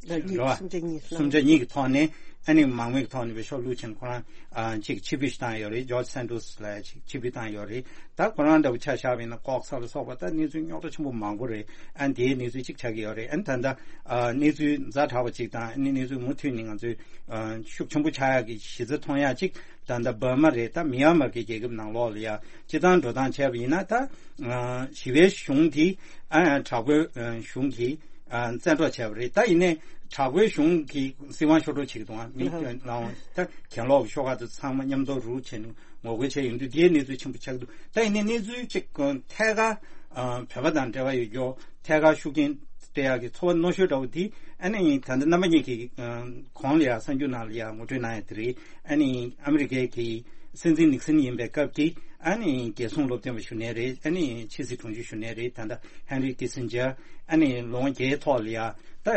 ལ་གཉིས་རེད་བ། གསུམ་ཆ་གཉིས་སོང་། གསུམ་ཆ་གཉིས་ཀྱི་ཐོག་ནས་ཨ་ནི་མང་མོས་ཀྱི་ཐོག་ནས་བེད་ཤོག་བླུགས་ཕྱིན། ཁོ་རང་ཨ་ཅིག་ཕྱིར་འབུད་ཞིག་བཏང་ཡོད་རེད། George Santos ལ་ཅིག་ཕྱིར་འབུད་བཏང་ཡོད་རེད། ད་ཁོ་རང་འདྲ་བོ་ཆ་བཞག་པ་ཡིན་ན་ལྐོག་ཟ་ལ་སོགས་པ་ད་གནས་ཚུལ་རྙོག་དྲ་ཆེན་པོ་མང་པོ་རེད། ཨ་ནི་དེའི་གནས་ཚུལ་གཅིག་ཆགས་ཀྱི་ཡོད་རེད། ཨ་ནི་ད་ལྟ་ཨ་གནས་ཚུལ་ཛ་དྲག་པ་གཅིག་དང་ཨ་ནི་གནས་ཚུལ་མུ་མཐུད་ནས་ང་ཚོས་ཨ་ཤུགས་ཆེན་པོ་ཆགས་ཡག་གི་གཞི་རྩ་མཐོང་ཡག་གཅིག་ད་ལྟ་འབར་མ་རེད། ད་མི་ཡན་མར་གྱི་རྒྱལ་ཁབ་ནང་ལོགས་ལ་ཡ་སྤྱི་བཏང་འགྲོ་སྟངས་བྱས་པ་ཡིན་ན་ད་ཨ་ཞི་བའི་གཞུང་གིས་ཨ་དྲག་པོའི་ཨ་གཞུང་གིས་ཨ་བཙན་འཕྲོག་བྱས་པ་རེད། ད་ཡིན་ནའི་དྲག་པོའི་གཞུང་གིས་སྲིད་དབང་ཤོར་སྤྲོད་བྱེད་ཀྱི་འདུག་ཨ་མི་ལའང་ད་གྱེན་ལོག་གི་ཤོག་ཁག་དེ་ཚང་མ་མཉམ་དུ་རུག་བྱས་ནས་ངོ་རྒོལ་བྱས་ཡོང་དུས་དེའི་གནས་ཚུལ་ཆེན་པོ་ཆགས་ཀྱི་འདུག་ད་ཡིན་ནའི་གནས་ཚུལ་གཅིག་ཐད་ཀར་ཨ་བོད་པ་དང་འབྲེལ་བ་ཡོད་རྒྱུ་ཐད་ཀར་ཤུགས་རྐྱེན་སྤྲད་ཡག་གི་ཚོར་བ་རྣོ་ཤོས་འདྲ་བོ་དེ་ཨ་ནི་ད་ལྟ་རྣམ་པ་གཉིས་ཀྱིས་ཨ་གོང་ལ་ཡ་གསར་འགྱུར་ནང་ལ་ཡ་ངོ་སྤྲོད་གནང་ཡ་དེ་རེད། ཨ་ནི་ཨ་མི་རི་ཀའི་གི་སྲིད་འཛིན་ནིག་སན་ཡིན་པའི་སྐབས་ཀྱི་ཨ་ནི་རྒྱལ་སྲུང་སློབ་སྟོན་པ་ཞུ་མཁན་རེད། ཨ་ནི་ཕྱི་སྲིད་དྲུང་ཆེ་ཞུ་མཁན་རེད། ད་ལྟ་ཧན་རི་ཀི་སིན་ཇར་ཨ་ནི་ལོ་ངོ་བརྒྱའི་ཐོག་ལ་ཡ་ད་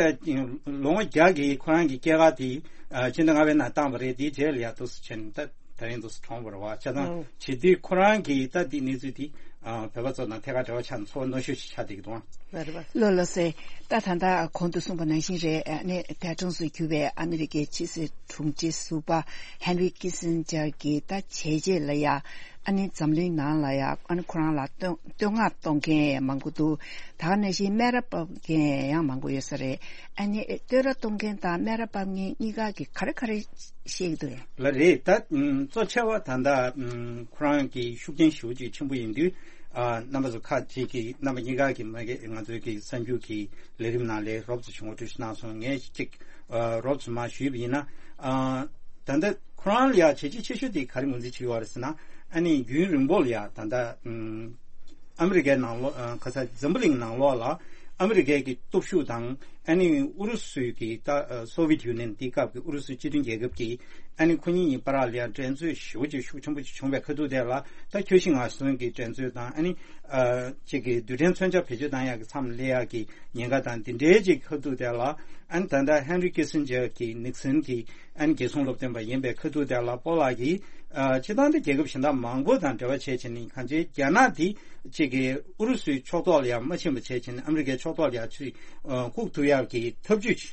ལོ་ངོ་བརྒྱ་གི་ཁོ་རང་གི་སྐྱེས་སྐར་དེ་ཨ་སྤྱི་ཟླ་ལྔ་པའི་ནང་བཏང་བ་རེད། དེའི་རྗེས་ལ་ཡ་ཏོག་ཙམ་བྱས་ནས་ད་ད་རིང་ཏོག་ཙམ་གྲོངས་པ་རེད་བ། བྱས་ཙང་ཨང་། བྱེད་དུས་ཁོ་རང་གིས་ད་འདི་གནས་ཚུལ་འདི་ཨ་བོད་པ་ཚོ་དང་ཐད་ཀར་འབྲེལ་བ་ཆགས་ནས་ཚོར་བ་རྣོ་ཤོས་ཤིག་ཆགས་བསྡད་ཀྱི་འདུག་ཨང་། ལོ་ལོ་སེ། ད་ད་ལྟ་གོང་དུ་གསུངས་པ་ནང་བཞིན་རེད། ཨ་ནི་འདས་གྲོངས་སུ་གྱུར་བའི་ཨ་མི་རི་ཀའི་ཕྱི་སྲིད་དྲུང་ཆེ་ཟུར་པ་ཧན་རི་ཀི་སིན་ཇར་གྱི་ད་བྱས་རྗེས་ལ་ཡ་ཨ་ནི་འཛམ་གླིང་ནང་ལ་ཡ་ཨ་ནི་ཁོ་རང་ལ་བསྟོད་བསྟོད་བསྔགས་གཏོང་མཁན་མང་པོ་འདུག་ད་ག་ནང་བཞིན་སྨད་ར་ཕབ་མཁན་ཡང་མང་པོ་ཡོད་ས་རེད། ཨ་ནི་བསྟོད་ར་གཏོང་མཁན་དང་སྨད་ར་ཕབ་མཁན་གཉིས་ཀ་གི་ག་རེ་ག་རེ་ཤེས་ཀྱི་འདུག་ཡ། ལགས་རེད། ད་ཨ་གཙོ་ཆེ་བ་ད་ལྟ་ཨ་ཁོ་རང་གི་ཤུགས་རྐྱེན་ཞེ་པོ་ཅིག་ཆེན་པོ་ཡིན་དུས་ཨ་རྣམ་པ་ཚོ་ཁག་ཅིག་གིས་རྣམ་པ་གཉིས་ཀ་གི་མ་གི་ང་ཚོའི་གི་གསར་འགྱུར་གྱི་ལས་རིམ་ནང་ལ་རོབ་ཙམ་ཞིག་ངོ་སྤྲོད་ཞིག་གནང་སོང་། ངས་ཅིག་ཨ་རོབ་ཙམ་མར་ཞུས་པ་ཡིན་ན་ཨ་ད་ལྟ་ཁོ་རང་ལ་ཡ་བྱས་རྗེས་ཆེ་ཤོས་དེ་ག་རེ་ངོས་འཛིན་བྱེད་ཀྱི་ཡོད་རེད་ཟེར་ན། ཨ་ནི་རྒྱུན་རིང་པོ་ལ་ཡ་ད་ལྟ་ཨམ་ཨ་མི་རི་ཀའི་ནང་ལོགས་ཨ་ཁ་ས་འཛམ་བུ་གླིང་ནང་ལོགས་ལ་ཨ་མི་རི་ཀའི་གི་སྟོབས་ཤུགས་དང་ཨ་ནི་ཨུ་རུ་སུའི་གི་ད་ཨ་སོ་ཝི་ཡེཊ་ཡུ་ནི་ཡན་དེའི་སྐབས་ཀྱི་ཨུ་རུ་སུ་སྤྱི་མཐུན་རྒྱལ་ཁབ་ཀྱི་ཨ་ནི་ཁོ་གཉིས་གཉིས་བར་ལ་ཡ་འགྲན་རྩོད་ཞེ་པོ་ཅིག་ཤུགས་ཆེན་པོ་ཅིག་བྱུང་བའི་ཁ་ཐུག་དེ་ལ་ད་ཁྱོད་ཤི་ང་གསོན་གྱི་འགྲན་རྩོད་དང་ཨ་ནི་ཨ་ཅིག་གི་རྡུལ་ཕྲན་མཚོན་ཆ་བེད་སྤྱོད་བཏང་ཡག་གི་མཚམས་སླེབས་ཡག་གི་ཉེན་ཁ་དང་དེ་འདྲའི་ཅིག་ཁ་ཐུག་དེ་ལ་ཨ་ནི་ད་ལྟ་ཧན་རི་ཀི་སིན་ཇར་གྱི་ནིག་སན་གྱི་ཨ་ནི་རྒྱལ་སྲུང་སློབ་སྟོན་པ་ཡིན་པའི་ཁ་ཐུག་དེ་ལ་པོ་ལག་གིས་ཨ་སྤྱིར་བཏང་དུ་རྒྱལ་ཁབ་གཞན་དག་མང་པོ་དང་འབྲེལ་བ་བྱས་བྱས་ནས་གང་ཅིའི་རྒྱ་ནག་དེ་ཅིག་གི་ཨུ་རུ་སུའི་ཕྱོགས་གཏོགས་ལ་ཡང་མ་ཕྱིན་པ་བྱས་བྱས་ནས་ཨ་མི་རི་ཀའི་ཕྱོགས་གཏོགས་ལ་ཡང་ཚུར་ཨ་བཀུག་ཐུབ་ཡག་གི་ཐབས་ཇུས་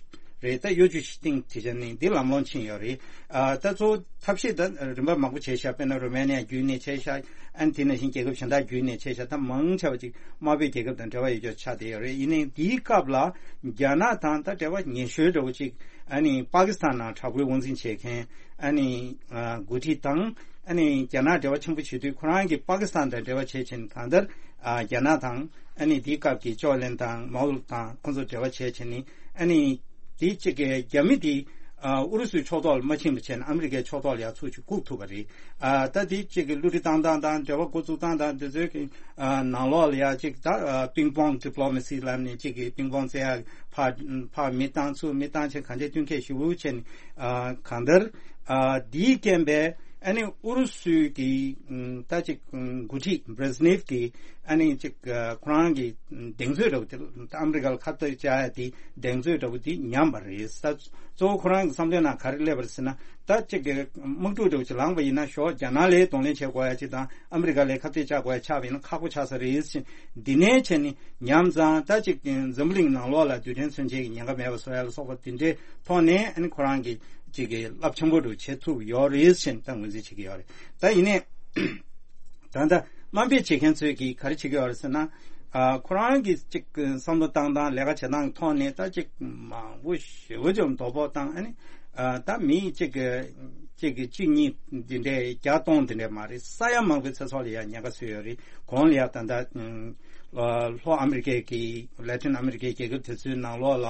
རེད། ད་གཡོ་ཇུས་ཤིག་སྟེང་དེ་བྱས་ནས་འདི་ལམ་ལྷོང་ཕྱིན་ཡོད་རེད། ཨ་ད་གཙོ་བོ་ཐབས་ཤེས་ད་རིམ་པ་མང་པོ་བྱས་ཤག་དཔེར་ན་རོ་མེ་ནི་ཡ་བརྒྱུད་ནས་བྱས་ཤག་ཨ་ནི་དེ་ནང་བཞིན་རྒྱལ་ཁབ་གཞན་དག་བརྒྱུད་ནས་བྱས་ཤག་ད་མང་ཆེ་བ་ཅིག་དམར་པོའི་རྒྱལ་ཁབ་དང་འབྲེལ་བ་ཡོད་ཀྱོག་ཆགས་བསྡད་ཡོད་རེད། ཡིན་ནའི་འདིའི་སྐབས་ལ་རྒྱ་ནག་དང་ད་འབྲེལ་བ་ཉེ་ཤོས་འདྲ་བོ་ཅིག་ཨ་ནི་པ་ཀི་སི་ཐན་ནང་དྲག་པོའི་དབང་འཛིན་བྱེད་མཁན་ཨ་ནི་ཨ་འགོ་ཁྲིད་དང་ཨ་ནི་རྒྱ་ནག་འབྲེལ་བ་ཆེན་པོ་བྱེད་དུས་ཁོ་རང་གིས་པ་ཀི་སི་ཐན་དང་འབྲེལ་བ་བྱེད་བྱེད་ནས་གང་ལྟར་ཨ་རྒྱ་ནག་དང་ཨ་ནི་དེའི་སྐབས་ཀྱི་ཅོ་ལན་དང་མའོ་དང་ཁོང་ཚོ་འབྲེལ་བ་བྱེད་བྱེད་ནས་ཨ་ནི་དེ་གཅིག་གི་རྒྱ་མི་དེ་ཨ་ཨུ་རུ་སུའི་ཕྱོགས་གཏོགས་ལ་མ་ཕྱིན་པ་བྱས་ན་ཨ་མི་རི་ཀའི་ཕྱོགས་གཏོགས་ལ་ཡ་ཚུར་ཅིག་བཀུག་ཐུབ་པ་རེད། ཨ་ད་དེ་གཅིག་གི་བསླུ་བྲིད་བཏང་སྟངས་དང་འབྲེལ་བ་འགོ་བཙུགས་སྟངས་དང་དེ་ཚོའི་གི་ཨ་ནང་ལོགས་ལ་ཡ་གཅིག་ད་ཨ་པིང་པོང་ཌི་པི་ལོ་མ་སི་ལབ་ནས་གཅིག་གི་པིང་པོང་རྩེ་ཡག་ཕར་ཕར་མི་བཏང་ཚུར་མི་བཏང་བྱས་གང་ཅིའི་བསྟུན་མཁས་ཞེ་པོ་བྱས་ནས་ཨ་གང་ལྟར་ཨ་དེའི་རྐྱེན་པས། ཨ་ནི་ཨུ་རུ་སུའི་གི་ཨ་ད་ཅིག་ཨ་འགོ་ཁྲིད་བྷི་རེ་ཟི་ནེབ་ཀྱི་ཨ་ནི་ཅིག་ཨ་ཁོ་རང་གི་གདེང་ཚོད་འདྲ་བོ་དེ་ཨ་མི་རི་ཀ་ལ་ཁ་གཏད་བཅག་ཡ་དེ་གདེང་ཚོད་འདྲ་བོ་དེ་ཉམས་པ་རེད། ད་གཙོ་བོ་ཁོ་རང་གི་བསམ་བློའི་ནང་ག་རེ་སླེབས་པ་རེད་ཟེར་ན་ད་ཅིག་གི་དམག་འཁྲུག་འདྲ་བོ་ཅིག་ལངས་པ་ཡིན་ན་ཞོགས་རྒྱ་ནག་ལ་གདོང་ལེན་བྱེད་དགོས་ཡ་ཅིག་དང་ཨ་མི་རི་ཀ་ལ་ཁ་གཏད་བཅག་དགོས་ཡ་ཆགས་པ་ཡིན་ན་ཁག་པོ་ཆགས་ས་རེད་ཟེར་འདི་ནས་བྱས་ནས་ཉམས་ཙང་ད་ཅིག་འཛམ་བུ་གླིང་ནང་ལོགས་ལ་རྡུལ་ཕྲན་མཚོན་ཆའི་ཉེན་ཁ་མེད་པ་བཟོ་ཡ་ལ་སོགས་པ་དེ་འདྲའི་ཐོག་ནས་ཨ་ནི་ཁོ་རང་གི་ཅིག་གི་རླབས་ཆེན་པོ་འདྲ་བྱེད་ཐུབ་ཡོད་རེད་ཟེར་ནས་ད་ངོས་འཛིན་བྱེད་ཀྱི་ཡོད་རེད། ད་ཡིན་ནའི་ད་ལྟ་དམའ་འབེབས་བྱེད་མཁན་ཚོས་ཀྱིས་ག་རེ་བྱེད་ཀྱི་ཡོད་རེད་ཟེར་ན། ཨ་ཁོ་རང་གི་ཅིག་བསམ་བློ་བཏང་སྟངས་ལས་ཀ་བྱེད་སྟངས་ཀྱི་ཐོག་ནས་ད་ཅིག་མང་པོ་ཞེ་པོ་ཅིག་དོ་ཕོག་བཏང་ཨ་ནི་ཨ་ད་མི་གཅིག་གི་གཅིག་གི་གཅིག་གཉིས་འདི་འདྲའི་བརྒྱ་སྟོང་འདི་འདྲའི་མ་རེད། ས་ཡ་མང་པོའི་ཚེ་སྲོག་ལ་ཡང་ཉེན་ཁ་བཟོས་ཡོད་རེད། གོང་ལ་ཡང་ད་ལྟ་ཨ་ལྷོ་ཨ་མི་རི་ཀའི་གི་ལ་ཏིན་ཨ་མི་རི་ཀའི་རྒྱལ་ཁབ་དེ་ཚོའི་ནང་ལོགས་ལ་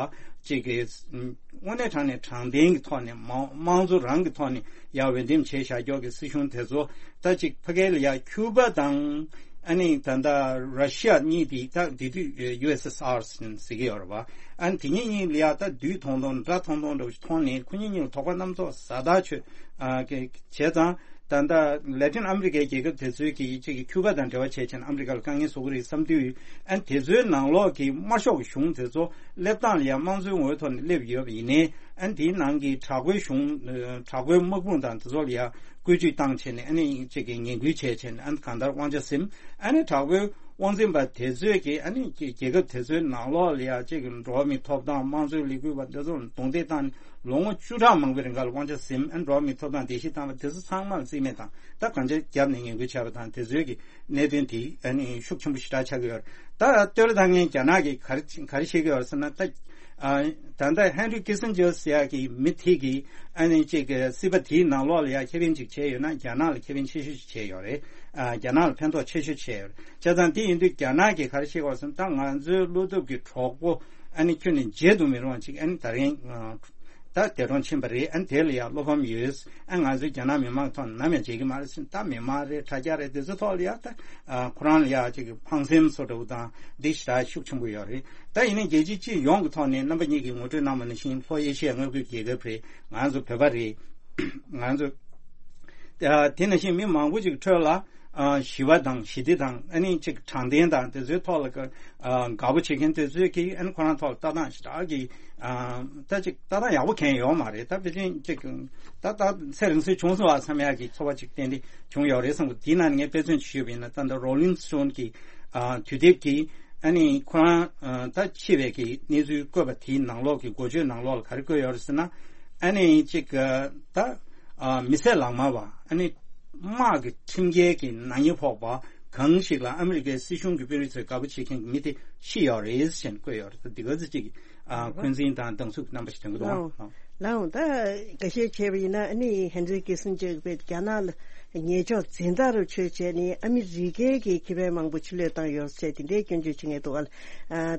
གཅིག་གི་དངོས་གནས་དྲང་ནས་དྲང་བདེན་གྱི་ཐོག་ནས་མང་དམངས་གཙོ་རང་གི་ཐོག་ནས་ཡར་འོས་འདེམས་བྱས་བཞག་ཀྱོག་གི་སྲིད་གཞུང་དེ་ཚོ་ད་ཅིག་ཕ་གི་ལ་ཡ་ཁྱུ་པ་དང་ཨ་ནི་ད་ལྟ་ར་ཤི་ཡ་གཉིས་དེ་ད་དེ་དུས་ཡུ་ཨེས་ཨེས་ཨར་ཟེར་གྱི་ཡོད་རེད་བ། ཨ་ནི་དེ་གཉིས་གཉིས་ལ་ཡ་ད་བསྡུས་ཐོང་ཐོང་འདྲ་ཐོང་ཐོང་འདྲ་བོ་ཞིག་མཐོང་ནས་ཁོ་གཉིས་གཉིས་ལ་དོགས་པ་རྣམ་རྟོག་ཟ་ཐག་ཆོད་ཨ་གི་བྱས་ཙང་། ད་ལྟ་ལ་ཏིན་ཨ་མི་རི་ཀའི་རྒྱལ་ཁབ་དེ་ཚོའི་གི་གཅིག་གི་ཁྱུ་པ་དང་འབྲེལ་བ་བྱས་བྱས་ན་ཨ་མི་རི་ཀ་ལ་དཀའ་ངལ་བཟོ་གི་རེད་བསམ་དུས་ཨ་ནི་དེ་ཚོའི་ནང་ལོགས་ཀྱི་དམར་ཤོག་གི་གཞུང་དེ་ཚོ་སླེབས་སྟངས་ལ་ཡང་དམངས་གཙོའི་ངོ་བོའི་ཐོག་ནས་སླེབས་ཡོད་པ་ཡིན་ནའི་ཨ་ནི་དེའི་ནང་གི་དྲག་པོའི་གཞུང་དྲག་པོའི་དམག་དཔུང་དང་དེ་ཚོ་ལ་ཡང་བཀོལ་སྤྱོད་བཏང་བྱས་ནས་ཨ་ནི་གཅིག་གི་ངན་སྐུལ་བྱས་བྱས་ནས་ཨ་ནི་གང་ལྟར་དབང་ཆ་ཟིན་ཨ་ནི་དྲག་པོའི་དབང་འཛིན་པ་དེ་ཚོས་ཀྱིས་ཨ་ནི་རྒྱལ་ཁབ་དེ་ཚོའི་ནང་ལོགས་ལ་ཡང་གཅིག་གི་འགྲོ་བ་མིའི་ཐོབ་ཐང་དམངས་གཙོའི་ལས་འགུལ་བ་འདི་ཚོ་ལ་རྡུང་རྡེག་བཏང་ནས་ལོ་ངོ་བཅུ་ཕྲག་མང་པོའི་རིང་ག་ལ་དབང་ཆ་ཟིན་ཨ་ནི་འགྲོ་བ་མིའི་ཐོབ་ཐང་བརྡལ་བཤིག་བཏང་བ་དེ་ཚོ་ཚང་མ་ལ་རྩིས་མེད་བཏང་ད་གང་ཅི་བརྒྱབ་ནས་ངན་སྐུལ་བྱས་པ་དང་དེ་ཚོའི་གི་གནད་དོན་དེ་ཨ་ནི་ཤུགས་ཆེན་པོ་ཞེ་དྲག་ཆགས་ཀྱི་ཡོད་རེད། ད་ལྟོས་ལ་ད་ངས་རྒྱ་ནག་གིས་ག་རེ་ག་རེ་བཤད་ཀྱི་ཡོད་རེད་ཟེར་ན་ད་ཨ་ད་ལྟ་ཧན་རི་ཀི་སིན་ཇར་ཟེར་ཡག་གི་མི་དེ་གིས་ཨ་ནི་གཅིག་གི་སྲིད་པ་དེའི་ནང་ལོགས་ལ་ཡ་ཁེ་ཕན་ཅིག་བྱས་ཡོད་ན་རྒྱ་ནག་ལ་ཁེ་ཕན་ཆེ་ཤོས་ཅིག་བྱས་ཡོད་རེད། ཨ་རྒྱ་ནག་ལ་ཕན་ཐོགས་ཆེ་ཤོས་བྱས་ཡོད་རེད། བྱས་ཙང་དེ་ཡིན་དུས་རྒྱ་ནག་གིས་ག་རེ་བཤད་ཀྱི་ཡོད་རེད་ཟེར་ན་ད་ང་ཚོའི་བློ་སྟོབས་ཀྱི་གྲོགས་པོ་ཨ་ནི་ཁྱོན་ནས་བརྗེད་དུ་མི་རུང་བ་ཅིག་ཨ་ནི་ད་རིང་ད་འདས་གྲོངས་ཕྱིན་པ་རེད། ཨ་ནི་དེ་ལ་ཡང་བློ་ཕམ་ཡོད། ཨ་ང་ཚོའི་རྒྱ་ནག་མི་མང་ཐོག་ནས་ནམ་ཡང་བརྗེད་ཀྱི་མ་རེད་ཟེར་ད་མི་མང་རེད་དྲ་རྒྱ་རེད་དེ་ཚོ་ཐོག་ལ་ཡང་ད་ཨ་ཁོ་རང་ལ་ཡང་ཅིག་ཕངས་སེམས་བཟོ་འདྲ་བོ་དང་འདི་ཞེ་དྲག་ཤུགས་ཆེན་པོ་ཡོད་རེད། ད་ཡིན་ནའི་རྒྱལ་སྤྱི་སྤྱི་ཡོངས་ཀྱི་ཐོག་ནས་རྣམ་པ་གཉིས་ཀྱིས་ངོ་སྤྲོད་གནང་བ་ནང་བཞིན་ལྷོ་ཨེ་ཤི་ཡའི་མངའ་ཁུལ་རྒྱལ་ཁབ་རེད། ང་ཚོ་བོད་པ་རེད། ང་ཚོ་ཨ་དེ་ནང་བཞིན་མི་མང་པོ་ཅིག་ཁྲོད་ལ་ཨ་ཞི་བ་དང་ཞི་བདེ་དང་ཨ་ནི་ཅིག་དྲང་བདེན་དང་དེ་ཚོའི་ཐོག་ལ་ཨ་དགའ་པོ་བྱེད་མཁན་དེ་ཚོས་ཀྱིས་ཨ་ནི་ཁོ་རང་ཐོག་ལ་ལྟ་སྟངས་ཞེ་དྲག་གི་ཨ་ད་ཅིག་ལྟ་སྟངས་ཡག་པོ་གང་ཡོད་མ་རེད། ད་ཕལ་ཆེར་ཅིག་ད་ད་ཚེ་རིང་སུ་བྱུང་སོང་བ་བསམ་ཡག་གི་ཚོར་བ་ཅིག་ཏན་ཏན་བྱུང་ཡོད་རེད་བསམ་གི། དེའི་ནང་ནས་ངས་དཔེ་མཚོན་ཅིག་ཞུས་པ་ཡིན་ན་ད་ལྟ་Rolling Stone་གི་ཨ་དུས་དེབ་ཀྱི་ཨ་ནི་ཁོ་རང་ཨ་ད་འཆི་བའི་གི་གནས་ཚུལ་བཀོད་པ་དེའི་ནང་ལོགས་ཀྱི་འགོ་བརྗོད་ནང་ལོགས་ལ་ག་རེ་བཀོད་ཡོད་རེད་ཟེར་ན་ཨ་ནི་ཅིག་ད་ཨ་མི་བསད་ལག་དམར་བ་ཨ་ནི་དམག་གི་ཁྲིམས་འགལ་གྱི་ནག་ཉེས་ཕོག་པ་གང་ཞིག་ལ་ཨ་མི་རི་ཀའི་སྲིད་གཞུང་གི་དཔོན་རིགས་ཚོས་དགའ་པོ་བྱེད་མཁན་གྱི་མི་དེ་ཤི་ཡོད་རེད་ཟེར་ནས་བཀོད་ཡོད་རེད། ད་འདི་ག་ཚོད་ཅིག་ཨ་འཁོན་འཛིན་དང་སྡང་ཟུག་གི་རྣམ་པ་ཞིག་སྟོན་གྱི་འདུག་ཨང་། ལགས་འོང་། ད་འགའ་ཤས་བྱས་པ་ཡིན་ན་ཨ་ནི་ཧན་རི་ཀི་སིན་ཇར་པས་རྒྱ་ནག་ལ་ཉེས་ཕྱོགས་འཛིན་བདག་རུ་ཆོས་བྱས་ནས་ཨ་མི་རི་ཀའི་གི་ཁེ་ཕན་མང་པོ་ཕྱི་ལོགས་བཏང་ཡོད་ཟེར་དེ་འདྲའི་སྐྱོན་བརྗོད་བྱེད་མཁན་འདུག་ཨ།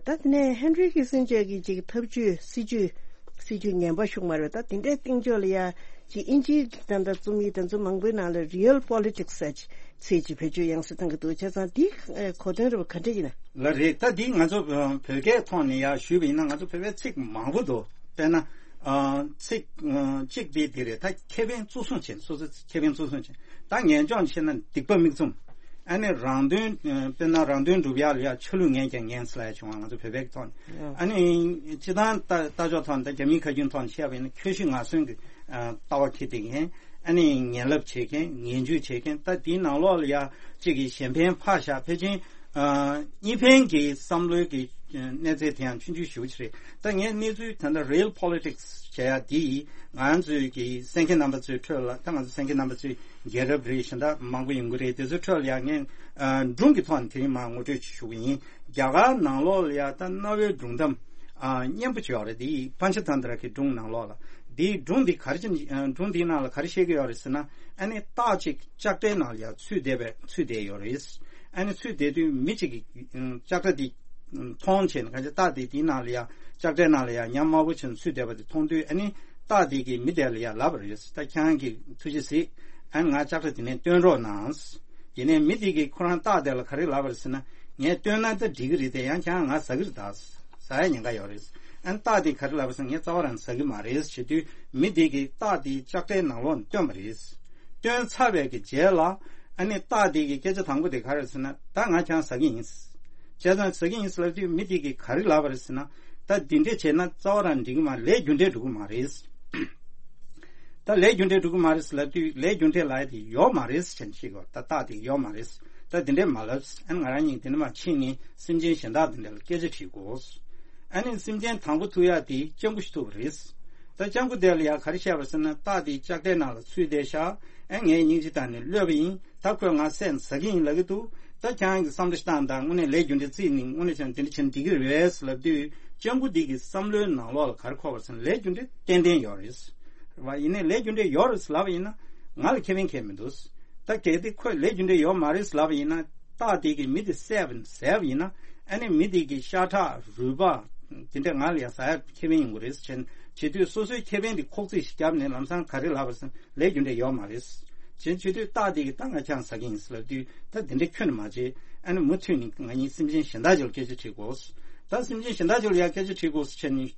ད་དེ་ནས་ཧན་རི་ཀི་སིན་ཇར་གྱི་ཅིག་ཐབས་ཇུས་སྲིད་ཇུས་སྲིད་ཇུས་ངན་པ་ཤུགས་མ་རེད། ད་དེ་འདྲའི་སྟེང་ཕྱོགས་ལ་ཡ་ཅིག་དབྱིན་ཇིའི་གི་ད་ལྟ་རྩོམ་ཡིག་དེ་ཚོ་མང་པོའི་ནང་ལ་Real Politics་ཟེར་ཅིག་ཚིག་ཅིག་བེད་སྤྱོད་ཡང་སེ་བཏང་གི་འདུག་བྱས་ཙང་འདི་ཨེ་གོ་དོན་རེ་བ་ག་འདྲ་ཡིན་ན། ལགས་རེད། ད་འདི་ང་ཚོ་ཨ་བོད་སྐད་ཐོག་ནས་ཡར་ཞུས་པ་ཡིན་ན། ང་ཚོ་བོད་པའི་ཚིག་མང་པོ་འདུག་དཔེར་ན་ཨ་ཚིག་ཨ་གཅིག་དེ་འདི་རེད། ད་ཁེ་ཕན་གཙོ་བཟུང་བྱེད། སོ་སོའི་ཁེ་ཕན་གཙོ་བཟུང་བྱེད། ད་ངན་ཕྱོགས་བཤད་ན་སྡིག་པ་མིག་བཙུམ། ཨ་ནི་རང་དོན་ཨ་དཔེར་ན་རང་དོན་སྒྲུབ་ཡག་ལ་ཡ་ཆ་ལུགས་ངན་ཀྱང་ངན་ཟེར་ཡ་བྱུང་བ། ང་ཚོ་བོད་པའི་ཐོག་ནས། ཨ་ནི་སྤྱིར་བཏང་ལྟ་ལྟ་ཕྱོགས་ཐོག་ནས། ད་རྒྱ་མིའི་ཁ་རྒྱུན་ཐོག་ནས་བཤད་པ་ཡིན་ན། ཁྱོད་ཤི་ང་གསོན་གྱི་ཨ་ལྟ་བ་འཁྱེར་བསྡད་མཁན། ཨ་ནི་ངན་ལབ་བྱེད་མཁན། ངན་ཇུས་བྱེད་མཁན། ད་དེའི་ནང་ལོགས་ལ་ཡ་གཅིག་གིས་གཞན་ཕན་ཕར་བཞག་ཕལ་ཆེར་ཨ་གཉིས་ཕན་གྱི་བསམ་བློའི་གི་གནས་ཚད་དེ་ཡང་ཆུང་ཆུང་ཞེ་པོ་ཅིག་རེད། ད་ངས་གནས་ཚུལ་ད་ལྟ་real politics བྱེད་ཡ་འདི་ང་ཚོའི་གི་གསན་མཁན་རྣམ་པ་ཚོའི་ཁྲོད་ལ། ད་ང་ཚོ་གསན་མཁན་རྣམ་པ་ཚོའི་རྒྱལ་རབས་རེད། གཞན་དག་མང་པོ་ཡོང་གི་རེད། དེ་ཚོའི་ཁྲོད་ལ་ཡ་ངས་ཨ་སྒྲུང་གི་ཐོག་ནས་དེ་རིང་མར་ངོ་སྤྲོད་ཅིག་ཞུ་གི་ཡིན། རྒྱ་གར་ནང་ལོགས་ལ་ཡ་ད་གནའ་བོའི་སྒྲུང་གཏམ་ཨ་སྙན་པོ་ཅིག་ཡོད་རེད། འདི་པན་ཆ་ཏན་ཏྲ་གི་སྒྲུང་ནང་ལོགས་ལ། འདིའི་སྒྲུང་འདི་ག་རེ་བྱས་ནས་ཨ་སྒྲུང་འདིའི་ནང་ལ་ག་རེ་བཤད་ཀྱི་ཡོད་རེད་ཟེར་ན། ཨ་ནི་སྟག་ཅིག་ལྕགས་དྲའི་ནང་ལ་ཡ་ཚུད་བསྡད་པའི་ཚུད་བསྡད་ཡོད་རེད། ཨ་ནི་ཚུད་བསྡད་དུས་མི་གཅིག་གིས་ཨ་ལྕགས་དྲ་འདི་མཐོང་བྱས་ནས། གང་ཅི་སྟག་དེ་དེའི་ནང་ལ་ཡ་ལྕགས་དྲའི་ནང་ལ་ཡ་ཉམས་དམར་པོ་བྱས་ནས་ཚུད་བསྡད་པ་དེ་མཐོང་དུས། ཨ་ནི་སྟག་དེ་གིས་མི་དེ་ལ་ཡ་ལབ་པ་རེད། ད་ཁྱེད་རང་གིས་ཐུགས་རྗེ་གཟིགས། ཨ་ནི་ང་ལྕགས་དྲ་དེ་ནས་བཏོན་རོགས་གནང་། ཡིན་ནའི་མི་དེ་གིས་ཁོ་རང་སྟག་དེ་ལ་ག་རེ་ལབ་པ་རེད་ཟེར་ན། ངས་བཏོན་ན་ད་འགྲིག་གི་རེད་དེ། ཡང་ཁྱེད་རང་ང་ཟ་གི་རེད་ད། ཟ་ཡ་ཉེན་ཁ་ཡོད་རེད། ཨ་ནི་སྟག་དེས་ག་རེ་ལབ་པ་ཟེར་ན། ངས་རྩ་བ་རང་ཟ་གི་མ་རེད་ཟེར་དུས། མི་དེ་གིས་སྟག་དེ་ལྕགས་དྲའི་ནང་ལོགས་ནས་བཏོན་པ་རེད། བཏོན་ཚར་བའི་གི་རྗེས་ལ། ཨ་ནི་སྟག་དེ་གི་སྐད་ཆ་དང་པོ་དེ་ག་རེ་ཟེར་ན། ད་ང་ཁྱེད་རང་ཟ་གི་ཡིན། བྱས་ཙང་ཟ་གི་ཡིན་ཟེར་ལབ་དུས། མི་དེ་གིས་ག་རེ་ལབ་པ་རེད་ཟེར་ན། ད་འདི་འདྲས་བྱས་ན་རྩ་བ་རང་འགྲིག་གི་མ། ལས་རྒྱུ་འབྲས་འགྲོ་གི་མ་རེད། ད་ལས་རྒྱུ་འབྲས་འགྲོ་གི་མ་རེད་ཟེར་ལབ་དུས། ལས་རྒྱུ་འབྲས་ལབ་ཡ་དེ་ཡོད་མ་རེད་ཟེར་བྱས་ནས་བཤད་ཀྱི་ཡོད། ད་སྟག་དེ་ཡོད་མ་རེད། ད་དེ་འདྲས་མ་ལབ། ཨ་ནི་ང་རང་གཉིས་དེ་འདྲ་མ་ཕྱིན་ནས་སེམས་ཅན་གཞན་དག་དེ་འདྲ་ལ་སྐད་ཆ་དྲིས་དགོས། ཨ་ནི་སེམས་ཅན་དང་པོ་ཐུག་ཡ་དེ་སྤྱང་ཀི་ཞིག་ཐུག་པ་རེད། ད་སྤྱང་ཀི་དེ་ལ་ཡ་ག་རེ་བཤད་པ་ཟེར་ན། སྟག་དེ་ལྕགས་དྲའི་ནང་ལ་ཚུད་བསྡད་ཤག་ཨ་ངས་སྙིང་རྗེ་བཏང་ནས་གློད་པ་ཡིན། ད་ཁོས་ང་བསད་ནས་ཟ་གི་ཡིན་ལབ་ཀྱི་འདུག་ད་ཁྱེད་རང་གིས་བསམ་བློ་ཞིག་བཏང་དང་། དངོས་གནས་ལས་རྒྱུ་འབྲས་བརྩིས་ནས་དངོས་གནས་བྱས་ན་དེ་འདྲ་བྱས་ན་འགྲིག་གི་རེད་ཟེར་ལབ་དུས། སྤྱང་ཀི་འདི་གི་བསམ་བློའི་ནང་ལོགས་ལ་ག་རེ་འཁོར་བ་ཟེར་ན། ལས་རྒྱུ་འབྲས་ཏན་ཏན་ཡོད་རེད། རེད་བ། ཡིན་ནའི་ལས་རྒྱུ་འབྲས་ཡོད་རེད་ཟེར་ལབ་པ་ཡིན་ན། ང་ལ་ཁེ་ཕན་གང་ཡང་མི་འདུག་ད་གལ་ཏེ་ཁོས་ལས་རྒྱུ་འབྲས་ཡོད་མ་རེད་ཟེར་ལབ་པ་ཡིན་ན། སྟག་དེ་གིས་མི་དེ་བསད་པ་ཡིན། བསད་པ་ཡིན་ན། ཨ་ནི་མི་དེ་གི་ཤ་ཁྲག་རུས་པ་དེ་འདྲ་ང་ལ་ཡ་ཟ་ཡ་ཁེ་ཕན་ཡོང་གི་རེད་ཟེར་བྱེད་དུས། སོ་སོའི་ཁེ་ཕན་དེ་ཁོག་རྩིས་ཤིག་བརྒྱབ་ནས་ལམ་སང་ག་རེ་ལབ་པ་ཟེར་ན། ལས་རྒྱུ་འབྲས་ཡོད་མ་རེད་ཟེར་བྱེད་དུས། སྟག་དེ་གིས་ད་ང་ཁྱེད་རང་ཟ་གི་ཡིན་ཟེར་ལབ་དུས། ད་དེ་འདྲ་ཁྱོན་ནས་མ་བྱེད། ཨ་ནི་མུ་མཐུད་ནས་ང་གཉིས་སེམས་ཅན་གཞན་དག་ཅིག་ལ་སྐད་ཆ་དྲིས་དགོས། ད་སེམས་ཅན་གཞན་དག་ཅིག་ལ་ཡ་སྐད་ཆ་དྲིས་དགོས་ཟེར་བྱས་ནས་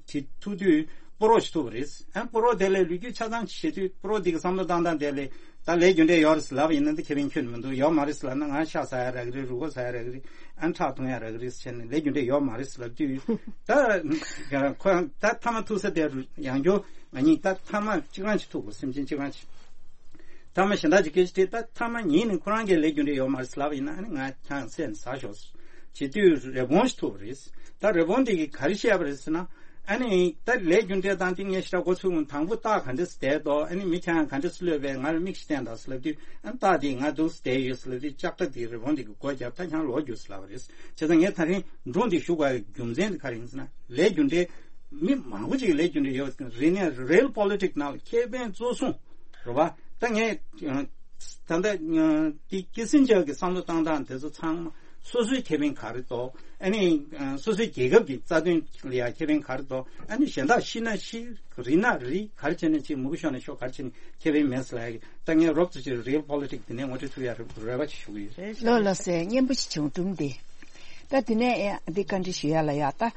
དྲིས་ཐུག་དུས། ཕོ་རོག་ཞིག་ཐུག་པ་རེད། ཨ་ཕོ་རོག་དེ་ལས་ལོ་རྒྱུས་ཆ་ཚང་ཅིག་བཤད་དུས། ཕོ་རོག་དེ་གི་བསམ་བློ་བཏང་སྟངས་དེ་ལས། ད་ལས་རྒྱུ་འབྲས་ཡོད་རེད་ཟེར་ལབ་པ་ཡིན་ན་ད་ཁེ་ཕན་ཁྱོན་ནས་མི་འདུག་ཡོད་མ་རེད་ཟེར་ལབ་ན། ང་ཤ་ཟ་ཡ་རག་གི་རེད། རུས་ཁོག་ཟ་ཡ་རག་གི་རེད། ཨ་ཁྲག་འཐུང་ཡ་རག་གི་རེད་ཟེར་བྱས་ནས། ལས་རྒྱུ་འབྲས་ཡོད་མ་རེད་ཟེར་ལབ་དུས། ད་ཁོ་ད་མཐའ་མ་ཐུག་ས་དེ་ཡང་བསྐྱར་ང་གཉིས་ད་མཐའ་མ་གཅིག་རང་ཅིག་ཐུག་དགོས། སེམས་ཅན་གཅིག་རང་ཅིག་མཐའ་མ་གཞན་དག་ཅིག་སྐད་ཆ་དྲིས། ད་མཐའ་མ་ཉིད་ནས་ཁོ་རང་གིས་ལས་རྒྱུ་འབྲས་ཡོད་མ་རེད་ཟེར་ལབ་པ་ཡིན་ན། ཨ་ནི་ང་ཁྱེད་རང་བསད་ནས་ཟ་ཤོག་ཟེར་བྱེད་དུས། རི་བོང་ཞིག་ཐུག་པ་རེད། ད་རི་བོང་དེ་གིས་ག་རེ་བཤད་པ་རེད་ཟེར་ན། ཨ་ནི་ད་ལས་རྒྱུ་འབྲས་དང་དེ་ངས་ཞེ་དྲག་མགོ་ཚོས་ཀྱི་མི་འདུག་དང་པོ་སྟག་ག་འདྲས་སེ་བསྡད་འདུག་ཨ་ནི་མི་ཁྱེད་རང་ག་འདྲས་སེ་གློད་པས། ང་ལ་མིག་ཞིག་བསྟན་དང་ཟེར་ལབ་དུས། ཨ་ནི་སྟག་དེས་ང་འདུག་སེ་བསྡད་ཡོད་ཟེར་ལབ་དུས། ལྕགས་དྲ་དེས་རི་བོང་དེ་གི་མགོ་བརྒྱབ། ད་ཁྱེད་རང་ལོག་རྒྱུགས་ཟེར་ལབ་པ་རེད། བྱས་ཙང་ངས་ད་རིང་སྒྲུང་འདི་ཞུ་དགོས་པའི་རྒྱུ་མཚན་དེ་ག་རེ་ཡིན་ཟེར་ན། ལས་རྒྱུ་འབྲས་མི་མང་པོ་ཅིག་གིས་ལས་རྒྱུ་འབྲས་ཡོད་རེད། ནས་real politics ནང་ལ་ཁེ་ཕན་གཙོ་བཟུང་རེད་བ། ད་ངས་ད་ལྟ་འདི་ཀི་སིན་ཇར་གྱི་བསམ་བློ་བཏང་སྟངས་དེ་ཚོ་ཚང་མ། སོ་སོའི་ཁེ་ཕན་ག་རེ་འདུག་ཨ་ནི་སོ་སོའི་རྒྱལ་ཁབ་ཀྱི་རྩ་དོན་ལ་ཡང་ཁེ་ཕན་ག་རེ་འདུག་ཨ་ནི་གཞན་དག་ཤི་ན་ཤི། རིལ་ན་རིལ། ག་རེ་བྱས་ན་བྱེད། མུ་གེ་ཤོར་ན་ཤོར། ག་རེ་བྱས་ན་ཁེ་ཕན་མེད་ཟེར་ལབ་ཡ་གི། ད་ངས་རོབ་ཙམ་ཅིག་real politics འདི་ནས་ངོ་སྤྲོད་ཐུབ་ཡ་རེ་རེ་བ་ཅིག་ཞུ་གི་ཡོད། ལགས་ལགས་སེ། སྙན་པོ་ཞིག་བྱུང་། སྒྲུང་འདི། ད་དེ་ནས་ཨེ་འདི་བཀའ་འདྲི་ཞུ་ཡ་ལ་ཡ། ད་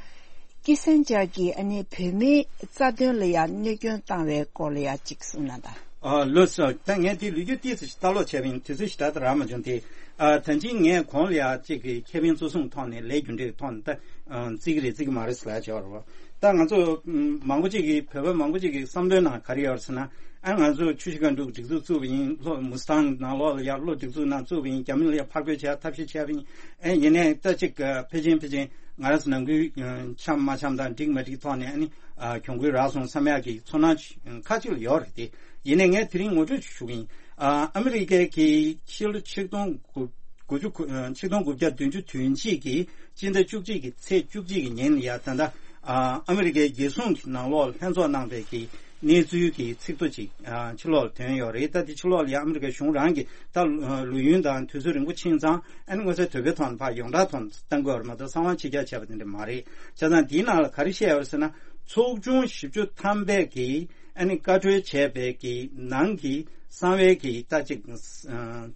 ཀི་སན་ཇར་གྱིས་ཨ་ནི་བོད་མིའི་རྩ་དོན་ལ་ཡ་གནོད་སྐྱོན་བཏང་བའི་སྐོར་ལ་ཡ་ཅིག་གསུངས་ན་ད། ཨ་ལགས་སོ། ད་ངས་དེ་ལོ་རྒྱུས་ཏོག་ཙམ་ཞིག་ལྟ་ཀློག་བྱས་པ་ཡིན། དུས་ཚོད་ཞིག་ད་ལྟ་རག་མ་བྱུང་སྟེ། ཨ་ད་གིན་ངས་གོང་ལ་ཡ་གཅིག་གི་ཁེ་ཕན་གཙོ་བཟུང་ཐོག་ནས། ལས་རྒྱུ་འབྲས་ཐོག་ནས་ད་ཨ་བརྩི་གི་རེད་བརྩི་གི་མ་རེད་ཟེར་ལབ་བྱས་པ་རེད་བ། ད་ང་ཚོ་ཨམ་མང་པོ་ཅིག་གིས། བོད་པ་མང་པོ་ཅིག་གི་བསམ་བློའི་ནང་ག་རེ་ཡོད་རེད་ཟེར་ན། ཨ་ང་ཚོ་ཆུ་བཞི་སྒང་དྲུག་སྒྲིག་འཛུགས་བཙུགས་པ་ཡིན། ལྷོ་མུ་སི་ཐང་ནང་ལོགས་ལ་ཡ་ལྷོ་སྒྲིག་འཛུགས་ནང་བཙུགས་པ་ཡིན། རྒྱ་མི་ལ་ཡ་ཕར་རྒོལ་བྱས། ཐབས་ཤེས་བྱས་པ་ཡིན། ཨེ་ཡིན་ནའི་ད་ཅིག་ཨ་ཕལ་ཆེར་ཕལ་ཆེར་ང་རང་ཚོ་ནང་ཁུལ་ཨ་འཆམ་མ་འཆམ་དང་འགྲིག་མ་འགྲིག་ཐོག་ནས། ཨ་ནི་ཨ་གྱོང་གུན་རག་སོང་བསམ་ཡག་གི་ཚོར་སྣང་ཁ་ཅིག་ལ་ཡོད་རེད་དེ། ཡིན་ནའི་ངས་དེ་རིང་ངོ་སྤྲོད་ཞུ་གི་ཡིན། ཨ་ཨ་མི་རི་ཀའི་གི་ཕྱི་ལོ་ཆིག་སྟོང་དགུ་དགུ་བཅུ་གོ་ཨ་ཆིག་སྟོང་དགུ་བརྒྱ་བདུན་ཅུ་དོན་གཅིག་གི་སྤྱི་ཟླ་བཅུ་གཅིག་གི་ཚེས་བཅུ་གཅིག་གི་ཉིན་ལ་ཡ། ད་ལྟ་ཨ་ཨ་མི་རི་ཀའི་རྒྱལ་སྲུང་གི་ནང་ལོགས་ལྷན་ཚོགས་གནང་བའི་གི་གནས་ཚུལ་གྱི་ཚིག་ཐོ་ཅིག་ཨ་ཕྱི་ལོགས་ལ་ཐོན་ཡོད་རེད། ད་དེ་ཕྱི་ལོགས་ལ་ཡ་ཨ་མི་རི་ཀའི་གཞུང་རང་གིས་ད་ལོ་ཡུན་དང་དུས་ཚོད་རིང་པོ་ཕྱིན་ཙང་། ཨ་ནི་མངོན་གསལ་དོད་པོའི་ཐོག་ནས་ཕར་ཡོངས་གྲགས་ཐོག་ནས་བཏང་དགོས་པ་རེད་མ་གཏོགས། གསང་བ་ཕྱི་རྒྱག་བྱས་པ་དེ་འདྲ་མ་རེད། བྱས་ཙང་དེའི་ནང་ལ་ག་རེ་བཤད་ཡོད་ཟེར་ན། ཚོགས་ཆུང་བཞི་བཅུ་ཐམ་པས་ཀྱིས་ ཨ་ནི་བཀའ་འཁྲོལ་བྱས་པའི་གི་ནང་གི་གསང་བའི་གི་ད་ཅིག་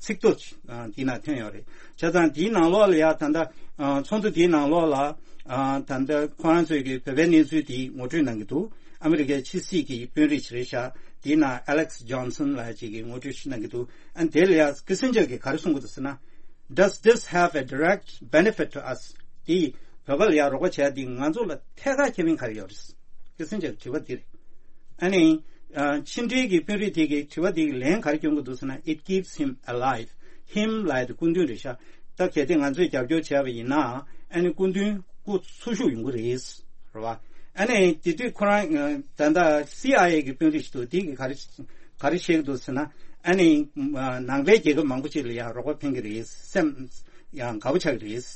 ཚིག་ཐོ་འདི་ན་ཐོན་ཡོད་རེད། བྱས་ཙང་འདིའི་ནང་ལོགས་ལ་ཡ་ད་ལྟ་ཚོགས་འདུ་འདིའི་ནང་ལོགས་ལ་ད་ལྟ་ཁོ་རང་ཚོས་གི་བོད་པའི་གནས་ཚུལ་འདི་ངོ་སྤྲོད་གནང་གི་འདུག་ཨ་མི་རི་ཀའི་ཕྱི་སྲིད་ཀྱི་དཔོན་རིགས་ཅིག་རེད་ཤག་འདིའི་ནང་Alex Johnson་ལ་ཅིག་གི་ངོ་སྤྲོད་ཞིག་གནང་གི་འདུག་ཨ་ནི་དེ་ལ་ཡ་ཀི་སིན་ཇར་གྱིས་ག་རེ་གསུང་གི་འདུག་ཟེར་ན། Does this have a direct benefit to us? འདི་བོད་པ་ལ་ཡ་རོགས་པ་བྱས་འདི་ང་ཚོ་ལ་ཐད་ཀར་ཁེ་ཕན་ག་རེ་ཡོད་རེད། ཀི་སིན་ཇར་གྱི་དྲི་བ་འདི་རེད། ཨ་ནི། ཕྱི་འབྲེལ་གྱི་དཔོན་རིགས་དེ་གི་དྲི་བ་དེ་གི་ལན་ག་རེ་སྐྱོན་གྱི་འདུག་ཟེར་ན། It keeps him alive. Him་ལབ་ཡ་དེ་སྐུ་མདུན་རེད་ཤག་ད་གལ་ཏེ་ང་ཚོས་རྒྱབ་སྐྱོར་བྱས་པ་ཡིན་ན་ཨ་ནི་སྐུ་མདུན་སྐུ་འཚོ་བཞུགས་ཡོང་གི་རེད། རེད་བ། ཨ་ནི་དེ་དུས་ཁོ་རང་ད་ལྟ་སི་ཨའི་ཨེ་གི་དཔོན་རིགས་ཤིག་འདུག་དེ་གི་ག་རེ་ག་རེ་བཤད་ཀྱི་འདུག་ཟེར་ན། ཨ་ནི་ནང་པའི་རྒྱལ་ཁབ་མང་པོ་ཅིག་ལ་ཡང་རོགས་པ་ཕན་གྱི་རེད། སེམས་ཡང་དགའ་པོ་ཆགས་ཀྱི་རེད།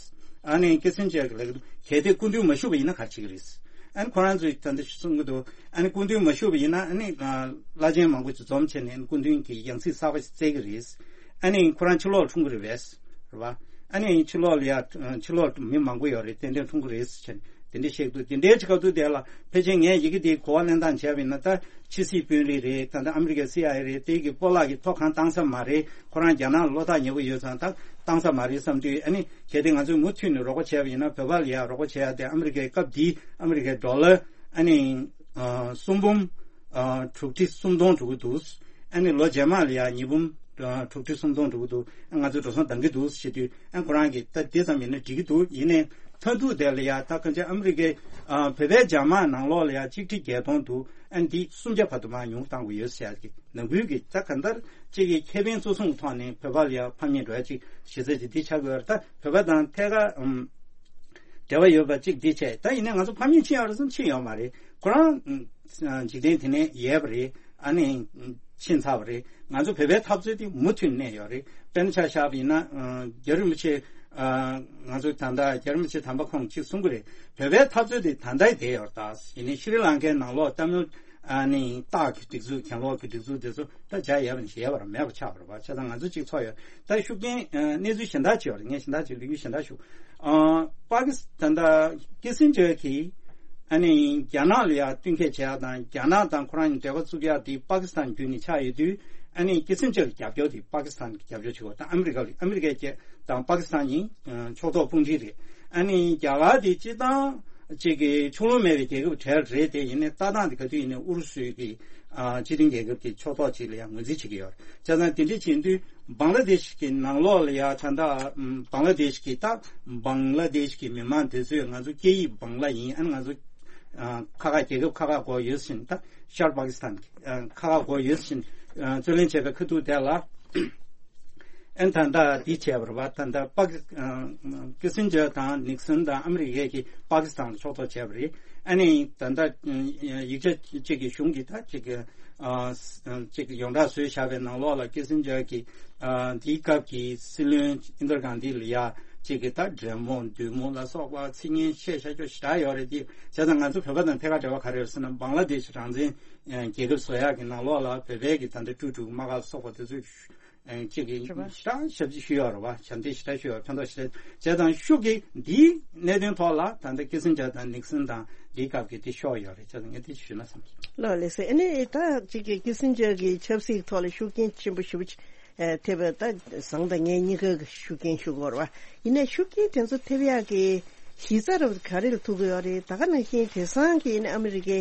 ཨ་ནི་ཀི་སིན་ཇར་གྱིས་ལབ་ཀྱི་འདུག་གལ་ཏེ་སྐུ་མདུན་མ་བཞུགས་པ་ཡིན་ན་ག་རེ་བྱེད་ཀྱི་རེད། ཨ་ནི་ཁོ་རང་ཚོས་ད་ལྟ་གསུང་གི་འདུག་ཨ་ནི་སྐུ་མདུན་མ་བཞུགས་པ་ཡིན་ན་ཨ་ནི་བླ་ཆེན་མང་པོ་ཅིག་འཛོམས་བྱས་ནས་སྐུ་མདུན་གྱི་ཡང་སྲིད་གསར་པ་ཞིག་བཙལ་གྱི་རེད། ཨ་ནི་ཁོ་རང་ཕྱི་ལོགས་འཁྲུངས་ཀྱི་རེད་པས། རེད་བ། ཨ་ནི་ཕྱི་ལོགས་ལ་ཡ་ཕྱི་ལོགས་མི་མང་པོ་ཡོད་རེད། ཏན་ཏན་འཁྲུངས་ཀྱི་རེད་ཟེར་བྱས་ནས་དེ་འདྲ་བཤད་ཀྱི་འདུག་དེ་འདྲའི་ཆེད་སྐབས་དུས་དེ་ལ་ཕལ་ཆེར་ངས་ཡི་གེ་དེའི་གོ་བ་ལེན་སྟངས་བྱས་པ་ཡིན་ན། ད་ཕྱི་སྲིད་དཔོན་རིགས་རེད། ད་ལྟ་ཨ་མི་རི་ཀའི་སི་ཨའི་ཨེ་རེད། དེ་གི་སྤོ་ལགས་ཀྱི་ཐོ་གང་བཏང་ས་མ་རེད། ཁོ་རང་རྒྱ་ནག་ལ་བློ་ཐག་ཉེ་པོ་ཡོད་ཙང་ད་བཏང་ས་མ་རེད་བསམ་དུས། ཨ་ནི་གལ་ཏེ་ང་ཚོས་མུ་མཐུད་ནས་རོགས་པ་བྱས་པ་ཡིན་ན། བོད་པ་ལ་ཡ་རོགས་པ་བྱེད་ཡ་དེ་ཨ་མི་རི་ཀའི་སྐབས་འདིའི་ཨ་མི་རི་ཀའི་ཌོ་ལར་ཨ་ནི་ཨ་གསུམ་འབུམ་ཨ་དྲུག་ཁྲི་སུམ་སྟོང་འགྲོ་གི་འདུག་ཨ་ནི་ལོ་རྗེས་མ་ལ་ཡ་ཉིས་འབུམ་ཨ་དྲུག་ཁྲི་སུམ་སྟོང་འགྲོ་གི་འདུག་ཨ་ང་ཚོས་འགྲོ་སོང་འདང་གི་འདུག་ཟེར་དུས། ཨ་ཁོ་རང་གིས་ད་དེ་ཙམ་ཡིན་ན་འགྲིག་གི་འདུག་ཡིན་ནའི་མཐའ་ཐུག་དེ་ལ་ཡ་ད་གང་ཅི་ཨ་མི་རི་ཀའི་ཨ་བོད་པའི་རྒྱ་དམག་ནང་ལོགས་ལ་ཡ་གཅིག་ཁྲི་བརྒྱད་སྟོང་འདུག་ཨ་ནི་འདི་སུམ་བརྒྱ་བར་དུ་མར་ཉུང་བཏང་དགོས་ཡོད་ཟེར་ཡ་གི་ནང་ཁུལ་གྱི་ད་གང་ལྟར་གཅིག་གི་ཁེ་ཕན་གཙོ་བཟུང་གི་ཐོག་ནས་བོད་པ་ལ་ཡ་ཕམ་ཉེས་འགྲོ་ཡ་གཅིག་གཞི་རྩ་གཅིག་འདི་ཆགས་དགོས་ཡ་རེད། ད་བོད་པ་དང་ཐད་ཀར་ཨམ་འབྲེལ་བ་ཡོད་པ་གཅིག་འདི་བྱས། ད་ཡིན་ནའི་ང་ཚོ་ཕམ་ཉེས་ཕྱིན་ཡོད་རེད་བསམ། ཕྱིན་ཡོད་མ་རེད། ཁོ་རང་ཨམ་འཇིག་རྟེན་དེ་ནས་ཡལ་བ་རེད། ཨ་ནི་ཕྱིན་ཚར་བ་རེད། ང་ཚོ་བོད་པའི་འཐབ་རྩོད་དེ་མུ་མཐུད་གནས་ཡོད་རེད། དཔེར་ན་ཆ་བཞག་པ་ཡིན་ན་ཨ་རྒྱལ་བ་རིན་པོ་ཆེ་ཨ་ང་ཚོ་ད་ལྟ་རྒྱལ་བ་རིན་པོ་ཆེ་དམ་པ་ཁོང་གཅིག་གསུང་གི་རེད། བོད་པའི་འཐབ་རྩོད་དེ་ད་ལྟ་བསྡད་ཡོད་རེད། ད་ཡིན་ནའི་ཤྲི་ལང་ཀའི་ནང་ལོགས་ཏ་མིལ་ཨ་ནི་སྟག་གི་སྒྲིག་འཛུགས། གྱེན་ལོག་གི་སྒྲིག་འཛུགས་དེ་ཚོ་ད་བྱ་ཡལ་བ་ནས་ཡལ་བ་ར་མེད་པ་ཆགས་པ་རེད་པ། བྱས་ཙང་ང་ཚོ་གཅིག་ཚོགས་ཡོད། ད་ཤུགས་རྐྱེན་ཨ་གནས་ཚུལ་གཞན་དག་ཅིག་ཡོད་རེད། ངས་གཞན་དག་ཅིག་ལོ་རྒྱུས་གཞན་དག་ཞུ། ཨ་པ་ཀི་སི་ད་ལྟ་ཀི་སིན་ཇར་གྱིས་ཨ་ནི་རྒྱ་ནག་ལ་ཡ་བསྟུན་མཁས་བྱས་ཡ་དང་། རྒྱ་ནག་དང་ཁོ་རང་གཉིས་འབྲེལ་བ་བཙུགས་ཡ་དེ་པ་ཀི་སི་ཐན་བརྒྱུད་ནས་ཆགས་ཡོད་དུས། ཨ་ནི་ཀི་སིན་ཇར་གྱི་རྒྱབ་སྐྱོར་དེ་པ་ཀི་སི་ཐན་གྱི་རྒྱབ་སྐྱོར་བྱེད་དགོས། ད་ཨ་མི་རི་ཀ་ལ། ཨ་མི་རི་ཀའི་རྒྱལ་དང་པ་ཀི་སི་ཐན་གཉིས་ཕྱོགས་གཏོགས་དཔུང་སྒྲིག་རེད། ཨ་ནི་རྒྱ་གར་དེ་སྤྱིར་བཏང་གཅིག་གི་ཕྱོགས་ལྷུང་མེད་པའི་རྒྱལ་ཁབ་གྲས་རེད་དེ། ཡིན་ནའི་ལྟ་སྟངས་དེ་ག་དུས་ཡིན་ནའི་ཨུ་རུ་སུའི་གི་ཨ་སྤྱི་མཐུན་རྒྱལ་ཁབ་ཀྱི་ཕྱོགས་གཏོགས་ཅིག་ལ་ཡང་ངོས་འཛིན་བྱེད་ཀྱི་ཡོད་རེད། བྱས་ཙང་དེ་འདྲ་བྱེད་དུས་བང་ལ་དེ་ཤི་གི་ནང་ལོགས་ལ་ཡ་ད་ལྟ་བང་ལ་དེ་ཤི་གི་ད་བང་ལ་དེ་ཤི་གི་མི་མང་དེ་ཚོས་ང་ཚོ་སྐད་ཡིག་བང་ལ་ཡིན། ཨ་ནི་ང་ཚོ་ཨ་ཁ་ཁ་རྒྱལ་ཁབ་ཁ་ཁ་སྒོ་ཡོད་བཞིན། ད་ཤར་པ་ཀི་སི་ཐན་གྱི་ཨ་ཁ་ཁ་སྒོ་ཡོད་བཞིན་ཨ་རྩོད་ལེན་བྱས་པའི་ཁ་ཐུག་དེ་ལ། ཨན་ད་ལྟ་འདི་བྱས་པ་རེད་པ། ད་ལྟ་པ་ཀི་ཨ་ཀི་སིན་ཇར་དང་ནིག་སན་དང་ཨ་མི་རི་ཀའི་གི་པ་ཀི་སི་ཐན་ལ་ཕྱོགས་གཏོགས་བྱས་པ་རེད། ཨ་ནི་ད་ལྟ་ཡིག་ཆ་གཅིག་གི་གཞུང་གི་ད་གཅིག་གི་ཨ་གཅིག་གི་ཡོངས་གྲགས་བཟོས་བཞག་པའི་ནང་ལོགས་ལ་ཀི་སིན་ཇར་གྱིས་ཨ་འདིའི་སྐབས་ཀྱི་སྲིད་བློན་ཨིན་དྲ་གྷན་དྷི་ལ་ཡ་གཅིག་གི་ད་འདྲེ་མོ་བདུད་མོ་ལ་སོགས་པ་ཚིག་ངན་བཤད་བཞག་རྒྱུ་ཞེ་དྲག་ཡོད་རེད། དེ་བྱས་ཙང་ང་ཚོ་བོད་པ་དང་ཐད་ཀར་འབྲེལ་བ་ག་རེ་ཡོད་ཟེར་ན། བང་ལ་དེ་ཤི་རང་བཙན་རྒྱལ་ཁབ་བཟོ་ཡག་གི་ནང་ལོགས་ལ་བོད་པའི་གི་ད་ལྟ་ཀྲུའུ་ཀྲུའུ་དམག་སྒར་ལ་སོགས་པ་དེ་ཚོས་ཨ་གཅིག་གིས་རེད་པ། ཞེ་དྲག་ཞབས་ཕྱི་ཞུས་ཡོད་རེད་པ། ཞབས་འདེགས་ཞེ་དྲག་ཞུས་ཡོད། ཕན་ཐོགས་ཞེ་དྲག་བྱས་ཙང་ཤུགས་ཀྱིས་འདིའི་གནད་དོན་ཐོག་ལ་ད་ལྟ་ཀི་སིན་ཇར་དང་ནིག་སན་དང་འདིའི་སྐབས་ཀྱི་དེ་ཤོར་ཡོད་རེད། བྱས་ཙང་ངས་དེ་ཞུས་ན་བསམ་གྱི། ལགས་ལགས་སེ། ཨ་ནི་ད་གཅིག་གི་ཀི་སིན་ཇར་གྱི་ཆབ་སྲིད་ཐོག་ལ་ཤུགས་རྐྱེན་ཆེན་པོ་ཞེ་པོ་ཅིག་ཨ་ཐེབས་པ་ད་བཟང་དང་ངན་གཉིས་ཀ་གི་ཤུགས་རྐྱེན་ཞུ་དགོས་རེད་པ། ཡིན་ནའི་ཤུགས་རྐྱེན་དེ་ཚོ་ཐེབས་ཡག་གི་གཞི་རྩ་རབ་ག་རེ་ལ་ཐུག་གི་ཡོད་རེད། ད་ག་ནང་བཞིན་དེང་སང་གི་ཨ་ནི་ཨ་མི་རི་ཀའི་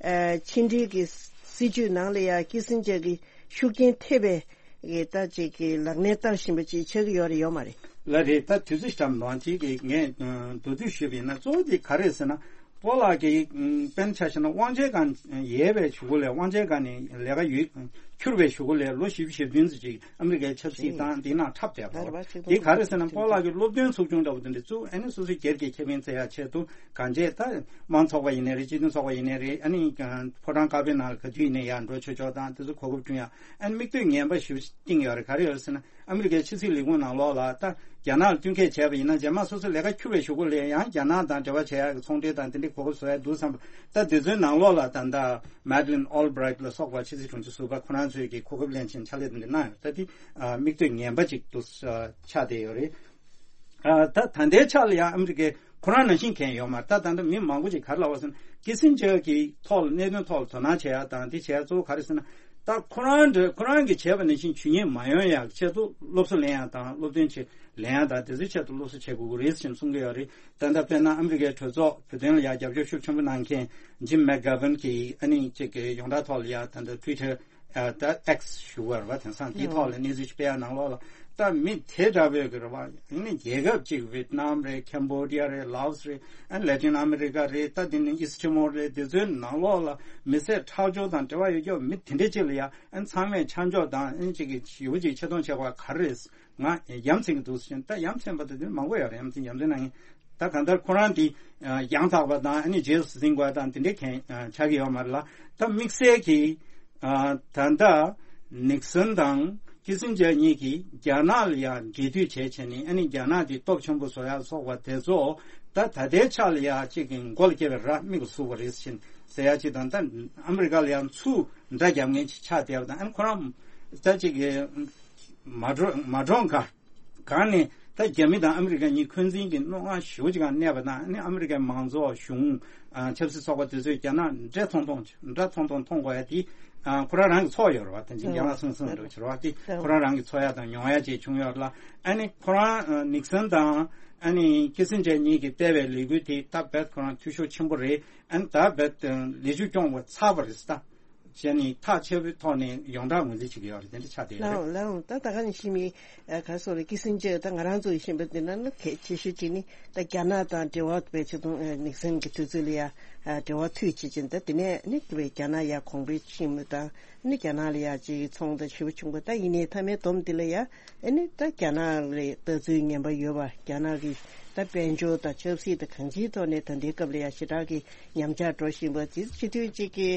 ཨ་ཕྱི་འབྲེལ་གྱི་སྲིད་ཇུས་ནང་ལ་ཡ་ཀི་སིན་ཇར་གྱི་ཤུགས་རྐྱེན་ཐེབས་པའི་གི་ད་ཅིག་གི་ལག་ལེན་བསྟར་བཞིན་པ་ཅིག་ཆགས་ཀྱི་ཡོད་རེད་ཡོད་མ་རེད། ལགས་རེད། ད་དུས་ཚོད་ཞིག་འགྲམ་ནང་ཅིག་གི་ངས་མདོར་བསྡུས་ཞུས་པ་ཡིན་ན། གཙོ་བོ་དེ་ག་རེ་རེད་ཟེར་ན། སྤོ་ལགས་ཀྱིས་དཔེར་ན་ཆ་བཞག་ན་དབང་ཆེན་སྒང་ཡལ་བའི་གཞུག་གུ་ལས། དབང་ཆེན་སྒང་ནས་ལས་ཀ་ཡོད་འཁྱུར་བའི་གཞུག་གུ་ལས་ལོ་བཞི་བཅུ་ཞེ་བདུན་ཙམ་ཅིག་ཨ་མི་རི་ཀའི་ཆབ་སྲིད་དང་འདི་ནང་འཁྲབ་བསྡད་པ་རེད། དེ་ག་རེ་ཟེར་ན། སྤོ་ལགས་ཀྱིས་སློབ་སྟོན་ཚོགས་ཆུང་འདྲ་པོ་དེ་འདྲ་བཙུགས། ཨ་ནི་སོ་སོའི་སྒེར་གྱི་ཁེ་ཕན་བཙལ་ཡག་ཆེད་དུ་གང་བྱས། ད་དམངས་ཚོགས་པ་ཡིན་ནའི་རེད། སྤྱི་མཐུན་ཚོགས་པ་ཡིན་ནའི་རེད། ཨ་ནི་ཕོ་བྲང་དཀར་པོའི་ནང་ལ་ག་དུས་ཡིན་ནའི་ཡར་འགྲོ་ཆོག་ཆོག་དང་དེ་ཚོ་གོ་སྐབས་བསྐྲུན་ཡག་ཨ་ནི་མིག་ལྟོས་ངན་པ་ཞེ་པོ་བཏིང་ཡོད་རེད། ག་རེ་ཡོད་ཟེར་ན། ཨ་མི་རི་ཀའི་ཕྱི་སྲིད་ལས་ཁུངས་ནང་ལོགས་ལ་ད་རྒྱ་ནག་ལ་བསྟུན་མཁས་བྱས་པ་ཡིན་ན། རྗེས་མ་སོ་སོ་ལས་ཀ་འཁྱུར་བའི་གཞུག་གུ་ལ་ཡང་རྒྱ་ནག་དང་འབྲེལ་བ་བྱེད་ཡག་གི་ཚོང་འབྲེལ་དང་དེ་འདྲའི་གོ་སྐབས་བཟོ་ཡག་འདུག་བསམ་པ། ད་དེ་ཚོའི་ནང་ལོགས་ལ་ད་ལྟ་Madeleine Albright་ལ་སོགས་པ་ཕྱི་སྲིད་དྲུང་ཆེ་ཟུར་པ་ཁོ་རང་ཚོས་ཀྱི་གོ་སྐབས་ལེན་བྱས་ཕྱག་ལས་དེ་འདྲ་གནང་ཡོད། ད་དེ་ཨ་མིག་ལྟོས་ངན་པ་ཅིག་ཏུ་ཨ་ཆགས་བསྡད་ཡོད་རེད། ཨ་ད་ད་ལྟའི་ཆ་ལ་ཡང་ཨ་མི་རི་ཀས་ཁོ་རང་ནང་བཞིན་མཁན་ཡོད་མ་རེད། ད་ད་ལྟ་མི་མང་པོ་ཅིག་ག་རེ་ལབ་པ་ཟེར་ན། ཀི་སིན་ཇར་གྱི་ཐོག་ལ་གནད་དོན་ཐོག་ལ་དོ་སྣང་བྱེད་ཡ་དང་དེ་བྱེད་ཡ་གཙོ་བོ་ག་རེ་ཟེར་ན། ད་ཁོ་རང་འདྲ་ཁོ་རང་གིས་བྱས་པ་ནང་བཞིན་ཇུས་ཉེས་མ་ཡོང་ཡ་ཆེད་དུ་སློབ་གསོ་ལེན་ཡ་དང་སློབ་སྟོན་བྱེད་ལེན་ཡ་དང་དེ་ཚོའི་ཆེད་དུ་སློབ་གསོ་བྱེད་དགོས་ཀྱི་རེད་ཅེས་གསུང་གི་ཡོད་རེད། ད་ལྟ་དཔེར་ན་ཨ་མི་རི་ཀའི་གྲོས་ཚོགས་བོད་དོན་ལ་ཡ་རྒྱབ་སྐྱོར་ཤུགས་ཆེན་པོ་གནང་མཁན་ཇིམ་མེག་གྷ་ཝན་གྱིས་ཨ་ནི་ཅིག་གི་ཡོངས་གྲགས་ཐོག་ལ་ཡ་ད་ལྟ་ཊུའི་ཊར་ད་ཨེག་སི་ཞུ་བར་བ་དེང་སང་དེའི་ཐོག་ལ་གནས་ཚུལ་ཞིག་སྤེལ་ཡ་ནང་ལོགས་ལ། ད་མི་དེ་འདྲ་བོས་ཀྱི་རེད་བ། ཨ་ནི་རྒྱལ་ཁབ་ཅིག་ཝེད་ནམ་རེད། ཁེམ་བོ་ཌི་ཡ་རེད། ལའོ་སི་རེད། ཨ་ནི་ལེ་ཏིན་ཨ་མི་རི་ཀ་རེད། ད་དེ་ནི་ཨིསི་ཊི་མོར་རེད། དེ་ཚོའི་ནང་ལོགས་ལ་མི་བསད་ཁྲག་སྦྱོར་དང་འབྲེལ་བ་ཡོད་ཀྱོག་མི་དེ་འདྲ་ཅིག་ལ་ཡ་ཨ་ནི་ཚང་མས་ཆ་འཇོག་དང་ཨ་ནི་ཅིག་གི་ཞེ་པོ་ཅིག་ཆེ་མཐོང་བྱེད་དགོས་པ་ག་རེ་རེད། ང་ཡ་མཚན་གྱི་འདུག་ཟེར་ན། ད་ཡ་མཚན་པ་དེ་དུས་མང་པོ་ཡོད་རེད། ཡ་མཚན་ཡ་མཚན་ནང་ད་གང་ལྟར་ཁོ་རང་དེ་ཡང་དག་པ་དང་ཨ་ནི་རྗེས་སུ་འཛིན་དགོས་དང་དེ་འདྲའི་མཁན་ཆགས་ཀྱི་ཡོད་མ་རེད་ལ། ད་དམིགས་བསལ་གྱིས་ད་ལྟ་ནིག་སན་དང་ཀི་སིན་ཇར་གཉིས་ཀྱིས་རྒྱ་ནག་ལ་ཡང་འབྲེལ་མཐུད་བྱས་བྱས་ནས་ཨ་ནི་རྒྱ་ནག་དེ་སྟོབས་ཆེན་པོ་བཟོ་ཡག་སོགས་པ་དེ་ཚོ་ད་ད་ལྟའི་ཆ་ལ་ཡ་གཅིག་གི་མགོ་ལ་སྐྱེས་པའི་ར་མིག་ལ་ཟུག་པ་རེད་ཟེར་ཡ་གཅིག་དང་། ད་ཨ་མི་རི་ཀ་ལ་ཡང་ཚུར་འདྲ་རྒྱབ་མཁན་ཅིག་ཆགས་བསྡད་པ་དང་། ཨ་ནི་ཁོ་རང་ད་གཅིག་གི་མ་འགྲོ་མ་འགྲོ་ག་གང་ནས་ད་རྒྱ་མི་དང་ཨ་མི་རི་ཀ་གཉིས་འཁོན་འཛིན་གྱི་རྣོ་ངར་ཞེ་པོ་ཅིག་གང་གནས་པ་དང་། ཨ་ནི་ཨ་མི་རི་ཀའི་མང་གཙོ་གཞུང་ཆབ་སྲིད་ཚོགས་པ་དེ་ཚོས་རྒྱ་ནག་འདྲེ་མཐོང་མཐོང་འདྲ་མཐོང་མཐོང་མཐོང་དགོས་ཡ་དེ་ཁོ་རང་རང་གི་ཚོགས་ཡོད་རེད་བ། དེ་འཛིན་རྒྱ་ནག་སོང་སོང་འགྲོ་བྱེད་རེད་བ། དེ་ཁོ་རང་རང་གི་ཚོགས་ཡ་དང་མྱོང་ཡ་བཅས་བྱུང་ཡོད་རེད་ལ། ཨ་ནི་ཁོ་རང་ནིག་སན་དང་ཨ་ནི་ཁི་སིན་ཇར་གཉིས་ཀྱིས་སྤེལ་བའི་ལས་འགུལ་དེ་ད་རྦད་ཁོ་རང་འཐུས་ཤོར་ཆེན་པོ་རེད། ཨ་ནི་ད་རྦད་ལས་འཇུག་སྐྱོང་བ་ཚར་བ་རེད་ད། བྱས་ནས་ཐག་ཆོད་པོའི་ཐོག་ནས་ཡོངས་གྲགས་ངོས་འཛིན་བྱེད་ཀྱི་ཡོད་རེད། དེ་འདྲ་ཆགས་བསྡད་ཡོད་རེད། ལའོ་ལའོ། ད་ད་ག་ནས་ཤི་མི་ག་སོགས་ལ་ཀི་སིན་ཇར་ད་ང་རང་ཚོ་ཡིན་ཤེས་པ་འདི་ན་ནི་གལ་ཆེ་ཤོས་ཅིག་ནི་ད་རྒྱ་ནག་དང་འབྲེལ་བ་བེད་སྤྱོད་གཏོང་ནིག་སན་གྱི་དུས་ཚོད་ལ་ཡ་འབྲེལ་བ་མཐུད་བྱེད་ཀྱིན། ད་དེ་ནས་ནི་རྒྱ་ནག་ཡ་གོང་འཕེལ་ཕྱིན་མི་དང་ནི་རྒྱ་ནག་ལ་ཡ་ཅིག་ཚོང་དང་ཞེ་པོ་བྱུང་པ། ད་ཡིན་ནའི་མཐའ་མའི་སྡོམ་འདི་ལ་ཡ་ཨ་ནི་ད་རྒྱ་ནག་ལ་ལྟ་ཚུལ་ངན་པ་ཡོད་པ། རྒྱ་ནག་གི་ད་དཔལ་འབྱོར་དང་ཆབ་སྲིད་དང་གང་ཅིའི་ཐོག་ནས་ད་ལྟའི་སྐབས་ལ་ཡ་ཞེ་དྲག་གི་ཉམས་ཆག་འགྲོ་བཞིན་པ་དེ་སྤྱི་འཐུས་གཅིག་གི་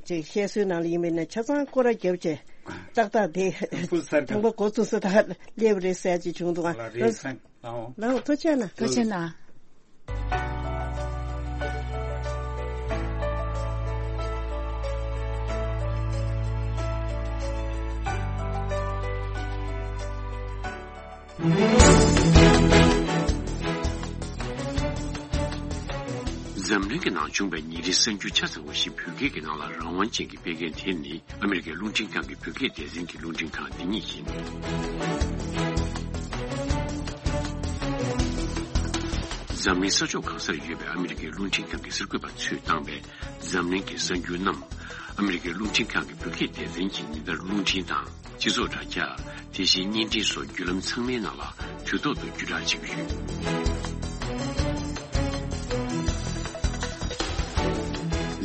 ཅིག་བཤད་སྲོལ་ནང་ལ་ཡིན་པས་ན་ཆ་ཚང་སྐོར་ར་བརྒྱབ་བྱས་ཏག་ཏག་དེ་ཕུ་སར་ཐང་པ་འགོ་བཙུགས་ས་ད་སླེབས་རེད་ཟེར་ཅིག་བྱུང་འདུག་ཨ་ལ་རེད་སང་ལའོ། ལའོ་ཐུགས་རྗེ་གནང་། ཐུགས་རྗེ་གནང་། འཛམ་གླིང་གི་ནང་བྱུང་བའི་ཉིན་རེའི་གསར་འགྱུར་ཆ་ཚང་བ་ཞིག་བོད་སྐད་ཀྱི་ནང་ལ་རང་དབང་ཅན་གྱིས་སྤེལ་མཁན་དེ་ནི་ཨ་མི་རི་ཀའི་རླུང་འཕྲིན་ཁང་གི་བོད་སྐད་སྡེ་ཚན་གྱི་རླུང་འཕྲིན་ཁང་འདི་ཉིད་ཡིན། འཛམ་གླིང་ས་ཕྱོགས་གང་སར་ཡོད་པའི་ཨ་མི་རི་ཀའི་རླུང་འཕྲིན་ཁང་གི་གསར་འགོད་པ་ཚོས་བཏང་བའི་འཛམ་གླིང་གི་གསར་འགྱུར་རྣམས་ཨ་མི་རི་ཀའི་རླུང་འཕྲིན་ཁང་གི་བོད་སྐད་སྡེ་ཚན་གྱིས་ཉིན་ལྟར་རླུང་འཕྲིན་དང་། སྤྱི་ཚོགས་དྲ་རྒྱ། དེ་བཞིན་བརྙན་འཕྲིན་སོགས་བརྒྱུད་ལམ་ཚང་མའི་ནང་ལ་དུས་ཐོག་ཏུ་བརྒྱུད་བསྒྲགས་བྱེད་ཀྱི་ཡོད།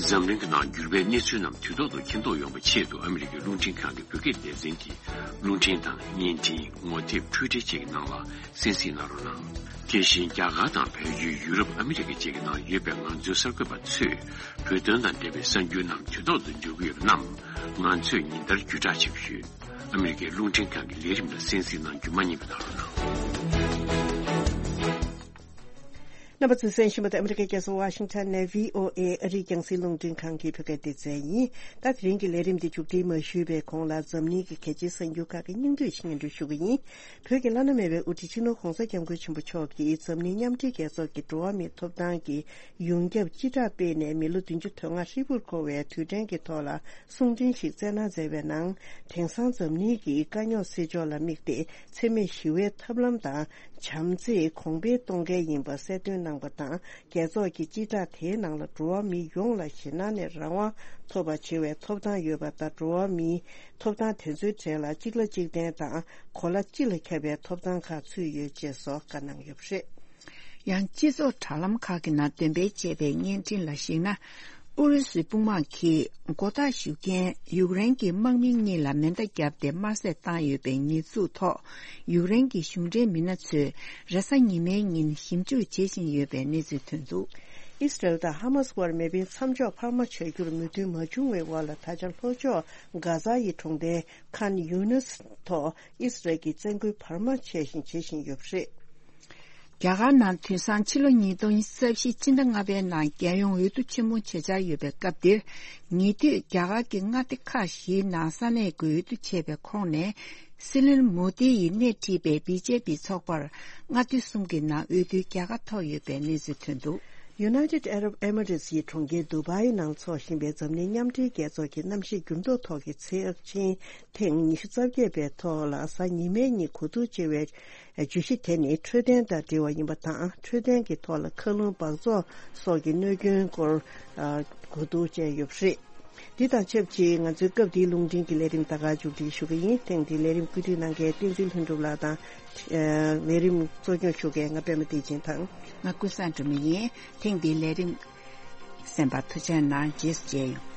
འཛམ་གླིང་གི་ནང་འགྱུར་བའི་གནས་ཚུལ་རྣམས་དུས་ཐོག་ཏུ་མཁྱེན་རྟོགས་ཡོང་བའི་ཆེད་དུ་ཨ་མི་རི་ཀའི་རླུང་འཕྲིན་ཁང་གི་བོད་སྐད་སྡེ་ཚན་གྱི་རླུང་འཕྲིན་དང་བརྙན་འཕྲིན། ངོ་དེབ། འཕྲུལ་འཕྲིན་བཅས་ཀྱི་ནང་ལ་གསན་གཟིགས་གནང་རོགས་གནང་། དེ་བཞིན་རྒྱ་གར་དང་བལ་ཡུལ། ཡུ་རོབ། ཨ་མི་རི་ཀ་བཅས་ཀྱི་ནང་ཡོད་པའི་ང་ཚོའི་གསར་འགོད་པ་ཚོས་བོད་དོན་དང་འབྲེལ་བའི་གསར་འགྱུར་རྣམས་དུས་ཐོག་ཏུ་འབྱོར་གྱི་ཡོད་པ་རྣམས་ང་ཚོས་ཉིན་ལྟར་བརྒྱུད་བསྒྲགས་བྱེད་ཀྱི་ཡོད། ཨ་མི་རི་ཀའི་རླུང་འཕྲིན་ཁང་གི་ལས་རིམ་ལ་གསན་གཟིགས་གནང་རྒྱུ་མ་བསྙེལ་བ་གནང་རོགས་གནང་། རྣམ་པ་ཚོས་གསན་བཞིན་པ་དེ་ཨ་མི་རི་ཀའི་རྒྱལ་ས་ཝ་ཤིང་ཊོན་ནས་བྷི་ཨོ་ཨེ་ཨ་རིའི་རྒྱང་སྲིང་རླུང་འཕྲིན་ཁང་གི་བོད་སྐད་སྡེ་ཚན་ཡིན། ད་དེ་རིང་གི་ལས་རིམ་འདི་མཇུག་སྒྲིལ་མ་ཞུས་པའི་གོང་ལ་འཛམ་གླིང་གི་གལ་ཆེའི་གསར་འགྱུར་ཁག་གི་སྙིང་བསྡུས་ཤིག་སྙན་སྒྲོན་ཞུ་གི་ཡིན། བོད་ཀྱི་བླ་ན་མེད་པའི་དབུ་ཁྲིད་སྤྱི་ནོར་༧གོང་ས་༧སྐྱབས་མགོན་ཆེན་པོ་མཆོག་གིས་འཛམ་གླིང་མཉམ་འབྲེལ་རྒྱལ་ཚོགས་ཀྱི་འགྲོ་བ་མིའི་ཐོབ་ཐང་གི་ཡོངས་ཁྱབ་སྤྱི་བསྒྲགས་སྤེལ་ནས་མི་ལོ་བདུན་ཅུ་དོན་ལྔ་ཧྲིལ་པོར་འཁོར་བའི་དུས་དྲན་གྱི་ཐོག་ལ་གསུང་འཕྲིན་ཞིག་བསྩལ་གནང་མཛད་པའི་ནང་། དེང་སང་འཛམ་གླིང་གི་དཀའ་རྙོག་སེལ་ཕྱོགས་ལ་དམིགས་ཏེ་འཚེ་མེད་ཞི་བའི་ཐབས་ལམ་དང་བྱམས་བརྩེ་གོང་འཕེལ་གཏོང་གལ་ཡིན་པ་གསལ་སྟོན་གནང་པ་དང་། རྒྱལ་ཚོགས་ཀྱི་སྤྱི་བསྒྲགས་དེའི་ནང་ལ་འགྲོ་བ་མི་ཡོངས་ལ་ཞེད་སྣང་ནས་རང་དབང་ཐོབ་པ་བྱེད་པའི་ཐོབ་ཐང་ཡོད་པ་དང་། འགྲོ་བ་མིའི་ཐོབ་ཐང་དེ་ཚོའི་གྲས་ལ་གཅིག་ལ་གཅིག་བརྟེན་དང་གོ་ལ་སྤྱི་ལ་ཁྱབ་པའི་ཐོབ་ཐང་ཁག་ཚུད་ཡོད་ཅེས་སོགས་བཀའ་གནང་ཡོད་པ་རེད། ཡང་སྤྱི་ཚོགས་དྲ་ལམ་ཁག་གི་ནང་འདོན་སྤེལ་བྱས་པའི་བརྙན་འཕྲིན་ལ་གཞིགས་ན། ཨུ་རུ་སུའི་དཔུང་དམག་གིས་མགོ་བཏགས་ཞུ་མཁན་ཡུཀ་རེན་གྱི་དམག་མི་གཉིས་ལ་མེ་མདའ་བརྒྱབ་སྟེ་དམར་གསོད་བཏང་ཡོད་པའི་ཉེས་འཛུགས་ཐོག་ཡུཀ་རེན་གྱི་གཞུང་འབྲེལ་མི་སྣ་ཚོས་རེས་གཟའ་ཉི་མའི་ཉིན་ཞིབ་འཇུག་བྱེད་བཞིན་ཡོད་པའི་གནས་ཚུལ་ཐོན་འདུག་ཨི་སི་རལ་དང་ཧ་མ་སི་དབར་མེ་འཕེན་མཚམས་འཇོག་འཕར་མ་བྱ་རྒྱུར་མོས་མཐུན་མ་བྱུང་བའི་འོག་ལ། ད་ཆ་ལྷོ་ཕྱོགས་གྷ་ཛ་ཡི་གྲོང་རྡལ་ཁཱན་ཡུ་ནིས་ཐོག་ཨི་སི་རལ་གྱིས་བཙན་རྒོལ་བར་མ་ཆད་བཞིན་བྱེད་བཞིན་ཡོད་པ་རེད། རྒྱ་གར་ནང་དུས་སང་ཕྱི་ལོ་ཉིས་སྟོང་ཉི་ཤུ་རྩ་བཞི་ཕྱི་ཟླ་ལྔ་པའི་ནང་རྒྱལ་ཡོངས་འོས་བསྡུ་ཆེན་མོ་བྱེད་འཆར་ཡོད་པའི་སྐབས་འདིར། ཉེ་དུས་རྒྱ་གར་གྱི་མངའ་སྡེ་ཁག་བཞིའི་ནང་ས་གནས་ཀྱི་འོས་བསྡུ་བྱས་པའི་ཁོངས་ནས། སྲིད་བློན་མོ་དི་ཡིས་སྣེ་ཁྲིད་པའི་བི་ཇེ་པི་ཚོགས་པར་མངའ་སྡེ་གསུམ་གྱི་ནང་འོས་བསྡུའི་རྒྱལ་ཁ་ཐོབ་ཡོད་པའི་གནས་ཚུལ་ཐོན་འདུག། United Arab Emirates ཡི་གྲོང་ཁྱེར་དུ་བྷའི་ནང་འཚོགས་བཞིན་པའི་འཛམ་གླིང་མཉམ་འབྲེལ་རྒྱལ་ཚོགས་ཀྱི་གནམ་གཤིས་འགྱུར་ལྡོག་ཐོག་གི་ཚེགས་ཆེན་ཐེངས་ཉི་ཤུ་རྩ་བརྒྱད་པའི་ཐོག་ལ་གཟའ་ཉི་མའི་ཉིན་གོ་བསྡུར་བྱས་པའི་བརྗོད་གཞི་དེ་ནི་འཕྲོད་བསྟེན་དང་འབྲེལ་བ་ཡིན་པ་དང་། འཕྲོད་བསྟེན་གྱི་ཐོག་ལ་མཁའ་རླུང་འབག་བཙོག་སོགས་ཀྱི་གནོད་སྐྱོན་སྐོར་གོ་བསྡུར་བྱས་ཡོད་པ་རེད། འདི་དང་ཆབས་ཅིག་ང་ཚོའི་སྐབས་འདིའི་རླུང་འཕྲིན་གྱི་ལས་རིམ་ད་ག་མཇུག་སྒྲིལ་ཞུ་གི་ཡིན། ཐེངས་འདིའི་ལས་རིམ་བཀོད་སྒྲིག་གནང་མཁན་བསྟན་འཛིན་ལྷུན་གྲུབ་ལགས་དང་། ལས་རིམ་གཙོ་སྐྱོང་ཞུ་མཁན་ང་པད་མ་བདེ་ཆེན་དང་། ང་ཀུན་བཟང་སྒྲོལ་མ་ཡིན། ཐེངས་འདིའི་ལས་རིམ་གསན་པར་ཐུགས་རྗེ་གནང་། རྗེས་སུ་མཇལ་ཡོང་།